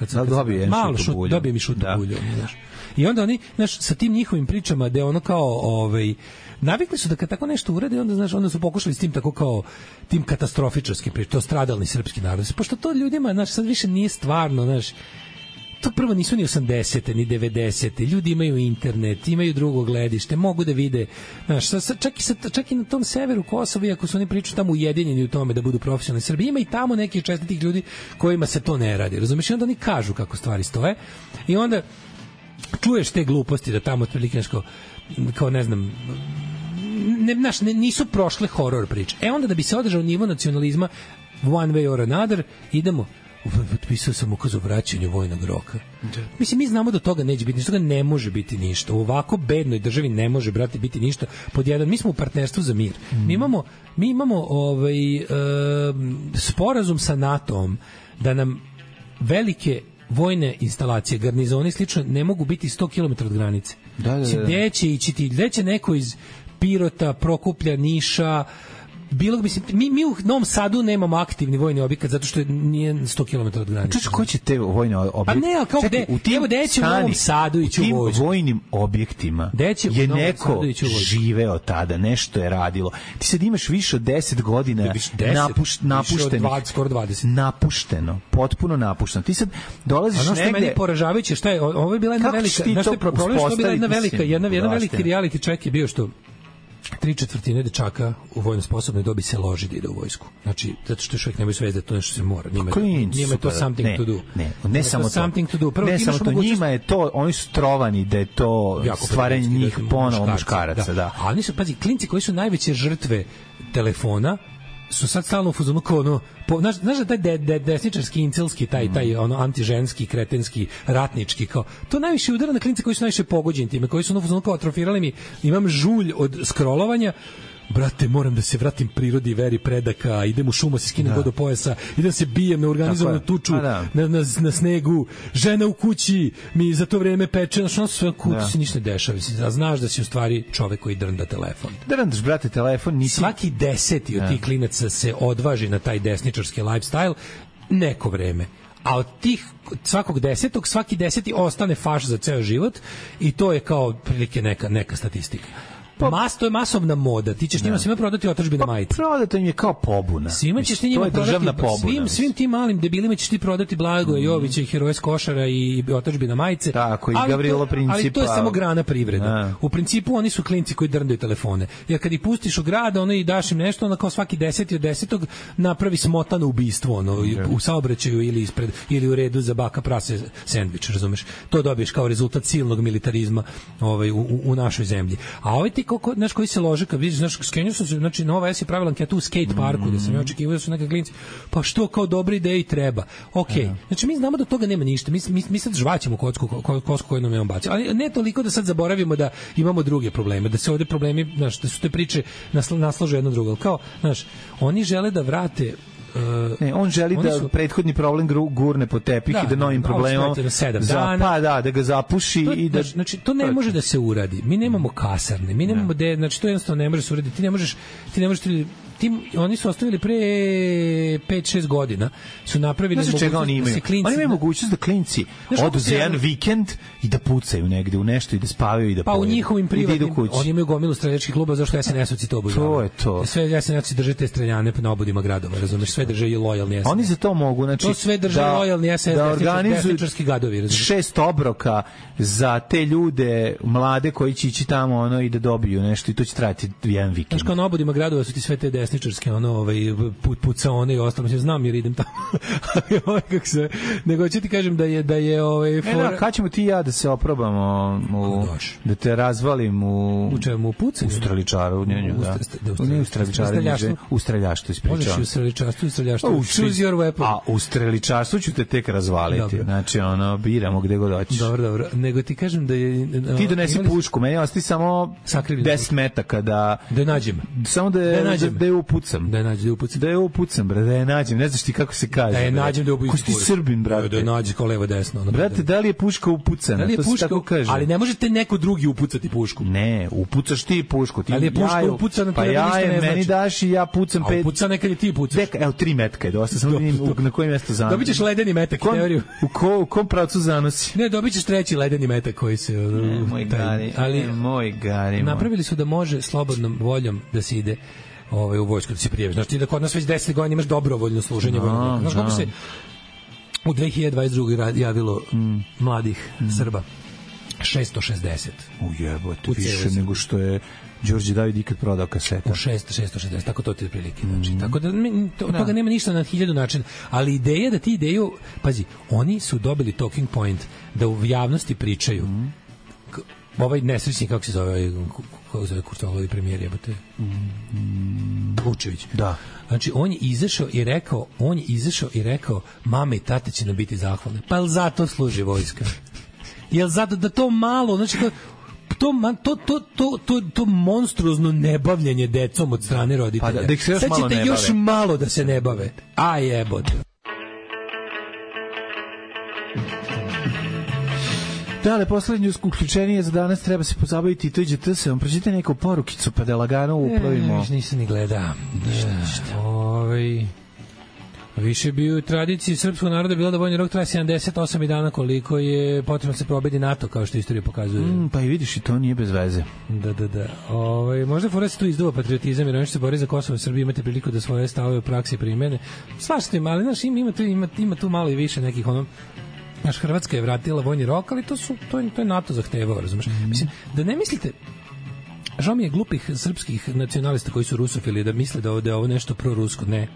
malo dobije mi šutnu bulju, znaš. I onda oni, znaš, sa tim njihovim pričama da je ono kao, navikli su da kad tako nešto urade, onda, znaš, onda su pokušali s tim tako kao tim katastrofičarskim pričama, to stradalni srpski narod. Pošto to ljudima, znaš, sad više nije stvarno, znaš, to prvo nisu ni 80. ni 90. Ljudi imaju internet, imaju drugo gledište, mogu da vide, znaš, čak i na tom severu Kosova, iako su oni pričaju tamo ujedinjeni u tome da budu profesionalni Srbi, ima i tamo nekih čestitih ljudi kojima se to ne radi. Razumeš? I onda oni kažu kako stvari stoje i onda čuješ te gluposti da tamo otprilike nešto kao ne znam, nisu prošle horor priče. Onda da bi se održao nivo nacionalizma one way or another, idemo, potpisao sam ukaz o vraćanju vojnog roka. Mislim, mi znamo da toga neće biti ništa, toga ne može biti ništa. U ovako bednoj državi ne može, brate, biti ništa. Pod jedan, mi smo u partnerstvu za mir. Mi imamo sporazum sa NATO-om da nam velike vojne instalacije, garnizoni i slično ne mogu biti 100 km od granice. Da. Gde će ići ti? Gde će neko iz Pirota, Prokuplja, Niša, bilo, mislim, mi u Novom Sadu nemamo aktivni vojni objekat zato što nije 100 km od granice. Čuči, ko će te vojne objekte? Pa ne, ali kao gde? Evo, gde će u Novom Sadu ići u vojsku? U tim vojnim objektima je neko živeo tada, nešto je radilo. Ti sad imaš više od 10 godina napuštenih. Skoro 20. Napušteno, potpuno napušteno. Ti sad dolaziš negde... Ono što je meni poražavajuće, šta je, ovo je bila jedna velika... Znaš što je problem, što je bila jedna veliki reality check je bio što 3/4 dečaka u vojno sposobnoj dobi se loži da ide u vojsku. Znači, zato što još uvijek nemaju svest da to nešto se mora. Njima je to something to do. Ne samo to. Prvo, ne samo to, njima je to, oni su trovani da je to stvaranje njih ponovo muškaraca. Da. Ali oni su, pazi, klinci koji su najveće žrtve telefona su sad stalno u fazonu kao ono, znaš da taj desničarski, incelski, taj ono antiženski, kretenski, ratnički, kao, to najviše udara na klince koji su najviše pogođeni time, koji su u fazonu kao atrofirali mi, imam žulj od scrollovanja, brate, moram da se vratim prirodi, veri predaka, idem u šumu, se skinem do pojasa, idem se bijem na organizovanu tuču, na snegu, žena u kući mi za to vreme peče, znaš, ono sve kući se ništa ne dešava, a znaš da si u stvari čovek koji drnda telefon. Drndaš, brate, telefon, nisi... Svaki 10. od tih klinaca se odvaži na taj desničarski lifestyle neko vreme. A od tih svakog 10. svaki 10. ostane faš za ceo život i to je kao prilike neka statistika. To je masovna moda. Ti ćeš njima svima prodati otadžbina majice. Prodati im je kao pobuna. Svima ćeš ti njima prodati, svim tim malim debilima ćeš ti prodati Blagoja Jovića i Heroje s Košara i otadžbina majice. Tako, i Gavrilo Principa. Ali to je samo grana privrede. U principu oni su klinci koji drndaju telefone. Jer kad ih pustiš u grad, ono i daš im nešto, onda kao svaki 10. od 10. napravi smotano ubistvo, ono, u saobraćaju ili u redu za baka prase sendvič, razumeš? To dobiješ kao rezultat silnog militarizma u našoj zemlji. A ovaj ti znaš koji se lože kad vidiš, znaš, skenio sam se, znači Nova S je pravila anketu u skate parku, da sam ja očekivao da su neka klinci, pa što kao dobre ideje i treba. Okej. Znači mi znamo da toga nema ništa. Mi sad žvaćemo kosku koju nam je on bacio. Ali ne toliko da sad zaboravimo da imamo druge probleme, da se ovde problemi, znaš, da su te priče naslažu jedno drugo. Kao, znaš, oni žele da vrate on želi da prethodni problem gurne po tepih i da novim problemom da ga zapuši i da, znači to ne može da se uradi. Mi nemamo kasarne, mi nemamo znači to jednostavno ne može se uraditi. Ti ne možeš oni su ostavili pre 5-6 godina su napravili mogućnost da se klinci... Oni imaju mogućnost da klinci odu za jedan vikend i da pucaju negde u nešto i da spavaju i da pojedu. Pa u njihovim privatnim... Oni imaju gomilu streljačkih kluba, zašto SNS-ovci to obožavaju. To je to. Sve SNS-ovci drže te streljane na obodima gradova, razumeš? Sve drže i lojalni SNS. Oni za to mogu, znači... To sve drže lojalni SNS, desničarski gadovi, razumeš? 6 obroka za te ljude mlade koji će ići tamo i da dobiju nešto i to će trajati jedan vikend. Znaš, kao na obodima gradova su ti sve te desničarske pucaone i ostalo, mislim, znam jer idem tamo. Nego ću ti kažem da je kad ćemo ti i ja da se oprobamo da te razvalim u pucanju? U streličaru, u streljaštvu ispričavam. Možeš i u streličarstvu, choose your weapon. A u streličarstvu ću te tek razvaliti. Znači, biramo gde god hoćeš. Dobro. Nego ti kažem da je... Ti donesi pušku, meni ostavi samo 10 metaka da nađem. Samo da je upucam. Da je nađem, da je upucam. Da je upucam, bre, da je nađem. Ne znaš ti kako se kaže. Da je nađem, da je upucam. Ko si ti Srbin, brate? Da je nađem kao levo desno. Brate, da li je puška upucana? Da li je to puška, se tako kaže. ali ne možete neko drugi upucati pušku. Ne, upucaš ti pušku. Ti ali je puška jaju, upucana, pa ja je meni daš i ja pucam 5. A upucana nekad je ti pucaš. Evo 3 metka je dosta, samo vidim na kojem mjestu zanosi. Dobićeš ledeni metak, teoriju. U kom pravcu zanosi? Ne, dobićeš treći ledeni metak koji se... Moj gari. Napravili su da može slobodnom voljom da se ide u vojsku, da se prijaviš. Znači ti da kod nas već 10 godina imaš dobrovoljno služenje vojnog. Znaš kako se u 2022. javilo mladih Srba? 660. Ujebote, više nego što je Đorđe David ikad prodao kaseta. U 660, tako to ti je prilike. Znači, tako da od toga nema ništa na 1000 načina. Ali ideja da ti ideju, pazi, oni su dobili talking point da u javnosti pričaju. Ovaj nesrećni, kako se zove Kurtovovi premijer, jebote? Vučević. Da. Znači, on je izašao i rekao, mame i tate će nam biti zahvalne. Pa jel zato služi vojska? Jel zato da to malo, znači, to monstruozno nebavljanje decom od strane roditelja. Pa da ih se još sad malo ne bave. još malo da se ne bave. A jebote. Da, ali poslednje uključenje za danas treba se pozabaviti i to iđe TS-om. Pročite neku porukicu pa da lagano uplovimo. Nisam ni gleda. Više bi u tradiciji srpskog naroda bilo da vojni rok traje 78 dana, koliko je potrebno se probedi NATO, kao što istorija pokazuje. Pa i vidiš, i to nije bez veze. Da. Možda fora se tu izduva patriotizam, jer oni što se bori za Kosovo i Srbiji imate priliku da svoje stavove u praksi primene. Svašta im, ali znaš, ima tu malo i više nekih Naš Hrvatska je vratila vojni rok, ali to je NATO zahtevao, razumeš? Mislim, da ne mislite, žao mi je glupih srpskih nacionalista koji su rusofili da misle da je ovo nešto prorusko. Ne.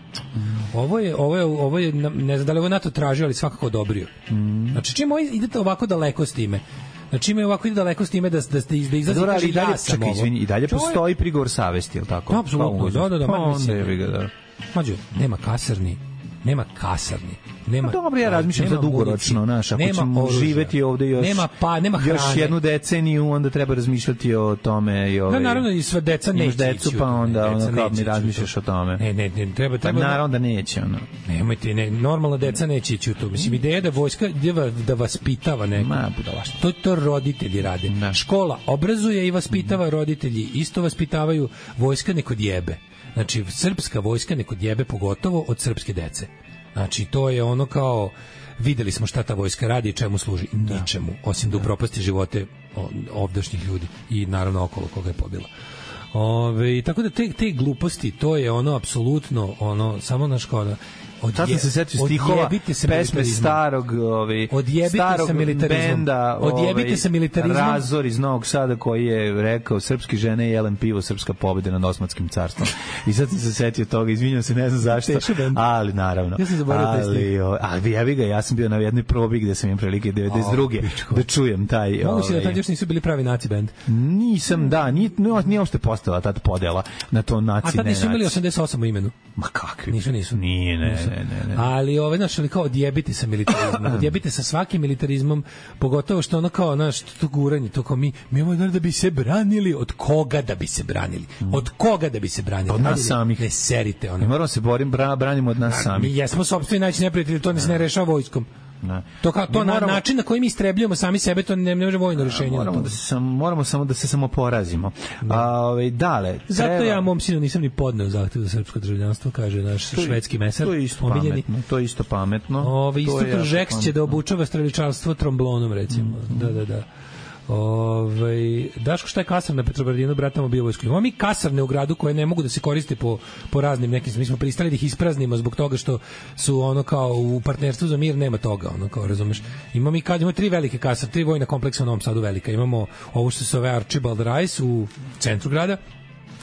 Ovo je, ne znam da li ovo NATO tražio, ali svakako odobrio. Znači, čim idete ovako daleko s time, znači ima ovako ide daleko s time da izlazi i kaže ja sam ovo. I dalje postoji prigovor savesti, je li tako? Apsolutno, da. Pa onda je ga, da. Mađo, nema kasarni. Dobro, ja razmišljam za dugoročno, naš, ako ćemo živeti ovde još jednu deceniju, onda treba razmišljati o tome. Da, naravno, i sva deca neće decu, pa onda kao mi razmišljaš o tome. Ne, treba. Naravno da neće, ono. Nemojte, normalna deca neće ići u to. Mislim, ideja da vojska da vaspitava neko. To roditelji rade. Škola obrazuje i vaspitava, roditelji isto vaspitavaju, vojska neko djebe. Znači, srpska vojska neko djebe, pogotovo od srpske dece. Znači, to je ono kao, videli smo šta ta vojska radi i čemu služi. Ničemu, osim da upropasti živote ovdašnjih ljudi i naravno okolo koga je pobila. Tako da te gluposti, to je ono apsolutno, samo naš kao Sad sam se setio stihova pesme starog benda Razor iz Novog Sada koji je rekao srpski žene jelen pivo, srpska pobjeda nad Osmanskim carstvom. I sad sam se setio toga, izvinjam se, ne znam zašto, ali naravno. Ja sam zaboravio ja sam bio na jednoj probi gde sam imam prilike 92. da čujem taj... Moguće da tad još nisu bili pravi naci bend? Nisam, da, nije uopšte postala tad podela na to naci, ne naci. A tad nisu imali 88 u imenu? Ma kakvi? Nisu. Nije, ne. Ali znači kao odjebite sa militarizmom, odjebite sa svakim militarizmom, pogotovo što ono kao to guranje, to kao mi imamo da bi se branili, od koga da bi se branili? Od nas samih. Ne serite ono. Mi moramo se branimo od nas samih. Mi jesmo sopstveni najveći neprijatelji, to ne rešava vojskom. Način na koji mi istrebljujemo sami sebe, to ne može vojno rješenje. Moramo samo da se samo porazimo. Dale. Zato ja mom sinu nisam ni podneo zahtev za srpsko državljanstvo, kaže naš švedski mesar. To je isto pametno. Isto Kržeks će da obučava streličarstvo tromblonom, recimo. Da. Daško, šta je kasarna na Petrobradinu, bratamo bio vojsku? Imamo mi kasarne u gradu koje ne mogu da se koriste po raznim nekim, mi smo pristali da ih ispraznimo zbog toga što su ono kao u partnerstvu za mir nema toga, ono kao, razumeš. Imamo 3 velike kasarne, 3 vojna kompleksa u Novom Sadu velika. Imamo ovo što se zove Archibald Rice u centru grada,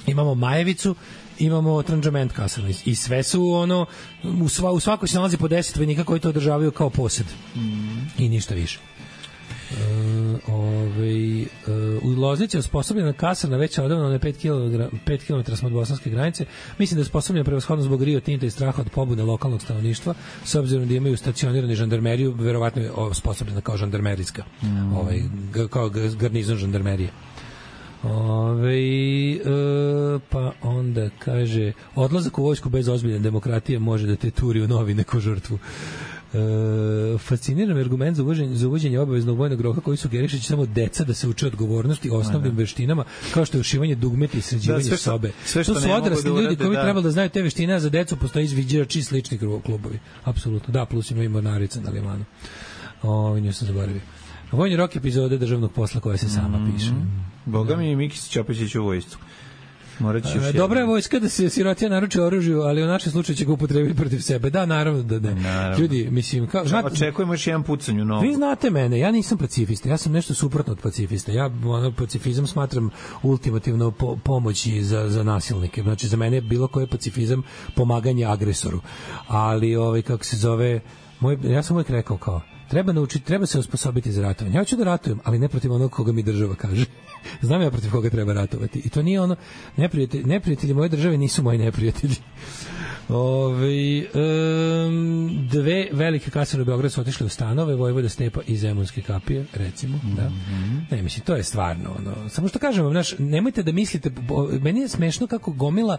imamo Majevicu, imamo Tranžament kasarnu i sve su u svakoj se nalazi po 10 vojnika koji to održavaju kao posed i ništa više. U Loznici je osposobljena kasarna veća odavno na 5 km od bosanske granice. Mislim da je osposobljena prevashodno zbog Rio Tinta i straha od pobude lokalnog stanovništva, s obzirom da imaju stacionirani žandarmeriju, verovatno je osposobljena kao žandarmerijska, kao garnizon žandarmerije. Pa onda kaže, odlazak u vojsku bez ozbiljne demokratije može da te turi u novi neku žrtvu. Fasciniran argument za uvođenje obaveznog vojnog roka koji sugeriše samo deca da se uče odgovornosti osnovnim veštinama kao što je ušivanje dugmeta i sređivanje sobe. To su odrasli ljudi koji trebali da znaju te veštine, a za decu postoji izviđači i slični klubovi. Apsolutno, da, plus ima i mornarica na limanu. Nju sam zaboravio. Vojni rok epizode državnog posla koja se sama piše. Boga mi i Mikis Ćopić u vojsku. Dobra je vojska da se sirotija naruči oružju, ali u našem slučaju će ga upotrebiti protiv sebe. Da, naravno da ne. Ljudi, mislim, očekujemo još jedan pucanj u novu. Vi znate mene, ja nisam pacifista, ja sam nešto suprotno od pacifista. Ja pacifizam smatram ultimativno pomoći za nasilnike. Znači, za mene je bilo koji pacifizam pomaganje agresoru. Ali, kako se zove, ja sam uvijek rekao kao, treba se osposobiti za ratovanje. Ja hoću da ratujem, ali ne protiv onog koga mi država kaže. Znam ja protiv koga treba ratovati. I to nije ono, neprijatelji moje države nisu moji neprijatelji. Dve velike kasarne u Beogradu su otišle u stanove, Vojvoda Stepa i Zemunske kapije, recimo. Da. Ne, mislim, to je stvarno ono. Samo što kažem vam, nemojte da mislite, meni je smešno kako gomila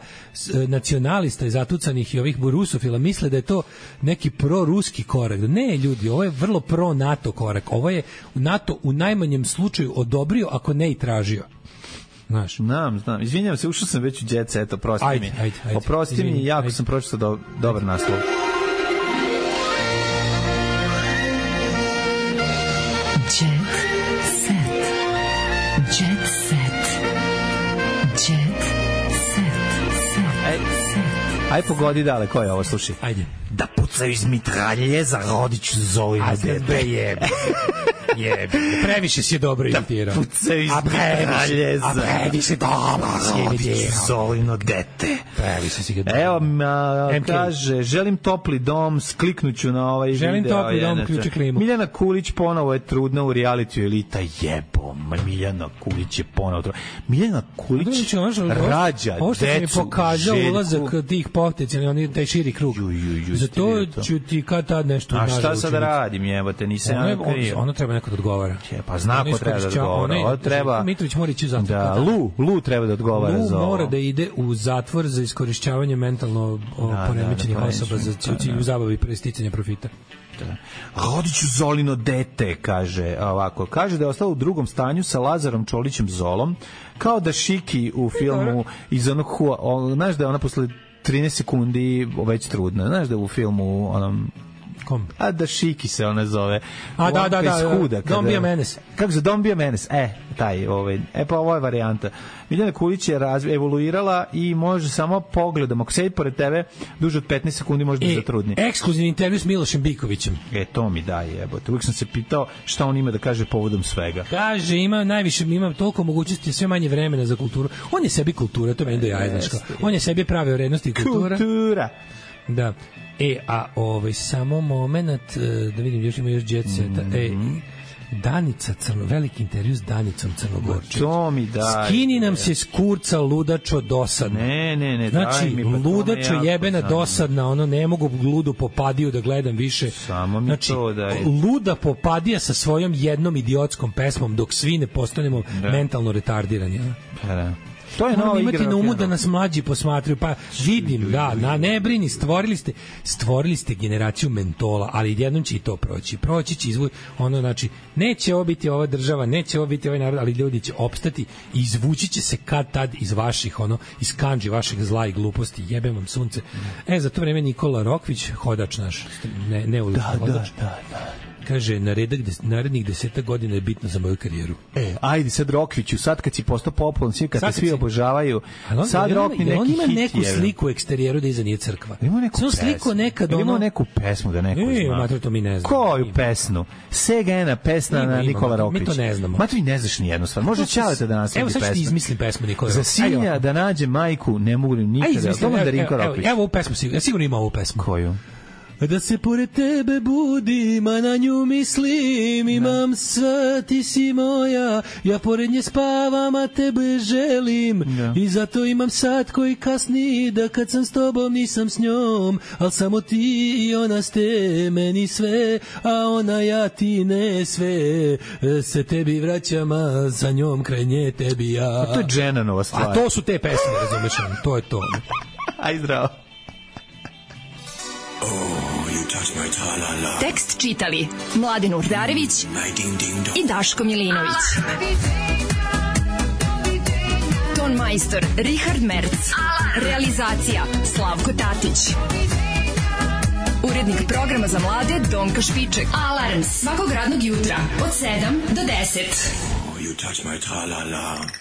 nacionalista i zatucanih i ovih rusofila misle da je to neki proruski korak. Ne, ljudi, ovo je vrlo pro-NATO korak. Ovo je NATO u najmanjem slučaju odobrio, ako ne i tražio. Znam. Izvinjam se, ušao sam već u Jet Set, oprosti mi. Ajde. Oprosti mi, jako sam pročitao dobar naslov. Jet Set. Jet Set. Jet Set. Aj pogodi dale, ko je ovo, slušaj. Ajde. Da pucaju iz mitralje za Rodiću Zolinu dete. Previše si je dobro imitirao. Pucaju iz mitralje za previše dobro si imitirao. Zolino dete. Previše si ga dobro. Evo, kaže, želim topli dom, skliknuću na ovaj želim video. Želim topli dom, ključi klimu. Miljana Kulić ponovo je trudna u realitiju Elita, jebom. Miljana Kulić je ponovo trudna. Miljana Kulić rađa decu. Ovo što mi pokazao ulazak tih potencijalnih, taj širi krug. Zato ću ti kad tad nešto nažal učiniti. A šta sad radim, jebote, nisam ja kriv. Ono treba neko da odgovara. Pa zna ko treba da odgovara. Treba Mitrović mora ići u zatvor. Da, Lu treba da odgovara za ovo. Lu mora da ide u zatvor za iskorišćavanje mentalno poremećenih osoba za cilju zabavi i presticanja profita. Rodiću Zolino dete, kaže ovako. Kaže da je ostao u drugom stanju sa Lazarom Čolićem Zolom, kao da Šiki u filmu iz onog znaš da je ona posle 13 sekundi već trudna. Znaš da je u filmu onom kom? A da Šiki se ona zove. Da. Don't be a menace. Kako se Don't be a menace? Pa ovo je varijanta. Miljana Kulić je evoluirala i može samo pogledom. Ako sedi pored tebe, duže od 15 sekundi može da zatrudni. Ekskluzivni intervju s Milošem Bikovićem. To mi daje, jebote. Uvijek sam se pitao šta on ima da kaže povodom svega. Kaže, ima toliko mogućnosti, sve manje vremena za kulturu. On je sebi kultura, to meni do jaja, znaš. On je sebi pravio vrednosti i kultura. Da. Samo moment, da vidim, još ima još Jet Seta. Danica veliki intervju s Danicom Crnogorčević. To mi da. Skini nam se s kurca ludačo dosadno. Ne. Znači, ludačo jebena dosadna, ne mogu ludu popadiju da gledam više. Samo mi to da je. Luda popadija sa svojom jednom idiotskom pesmom dok svi ne postanemo mentalno retardirani. Da. To je nova igra. Imati na umu da nas mlađi posmatraju, pa vidim, ne brini, stvorili ste generaciju mentola, ali jednom će i to proći će izvući, znači, neće ovo biti ova država, neće ovo biti ovaj narod, ali ljudi će opstati i izvući će se kad tad iz vaših, iz kandži vašeg zla i gluposti, jebem vam sunce. Za to vreme Nikola Rokvić, hodač naš, ne ulični hodač. Da. Kaže, narednih 10 godina je bitno za moju karijeru. Ajde sad Rokviću, sad kad si postao popularan, kad te svi obožavaju, sad Rokni neki hit. On ima neku sliku u eksterijeru da iza nije crkva. Ima neku pesmu da neko zna. Matro, to mi ne znam. Koju pesmu? Segena pesma na Nikola Rokvić. Mi to ne znamo. Matro, ne znaš ni jednu stvar. Može Ćaleta da nasledi pesmu. Evo sad ću ti izmislim pesmu Nikola Rokvić. Za sinja da nađe majku ne mogu nikada. Evo ovu pesmu, sigurno ima ovu pesmu. Koju? Da se pored tebe budim, a na nju mislim, imam sve, ti si moja, ja pored nje spavam, a tebe želim, i zato imam sat koji kasni, da kad sam s tobom nisam s njom, al samo ti i ona ste meni sve, a ona ja ti ne sve, se tebi vraćam, a za njom kraj nje tebi ja. To je Dženanova stvar. A to su te pesme, razumeš, to je to. Aj zdravo. Tekst čitali Mladen Urdarević i Daško Milinović. Ton majstor Richard Merc. Realizacija Slavko Tatić. Urednik programa za mlade Donka Špiček. Alarms svakog radnog jutra od 7 do 10. You touch my tra-la-la.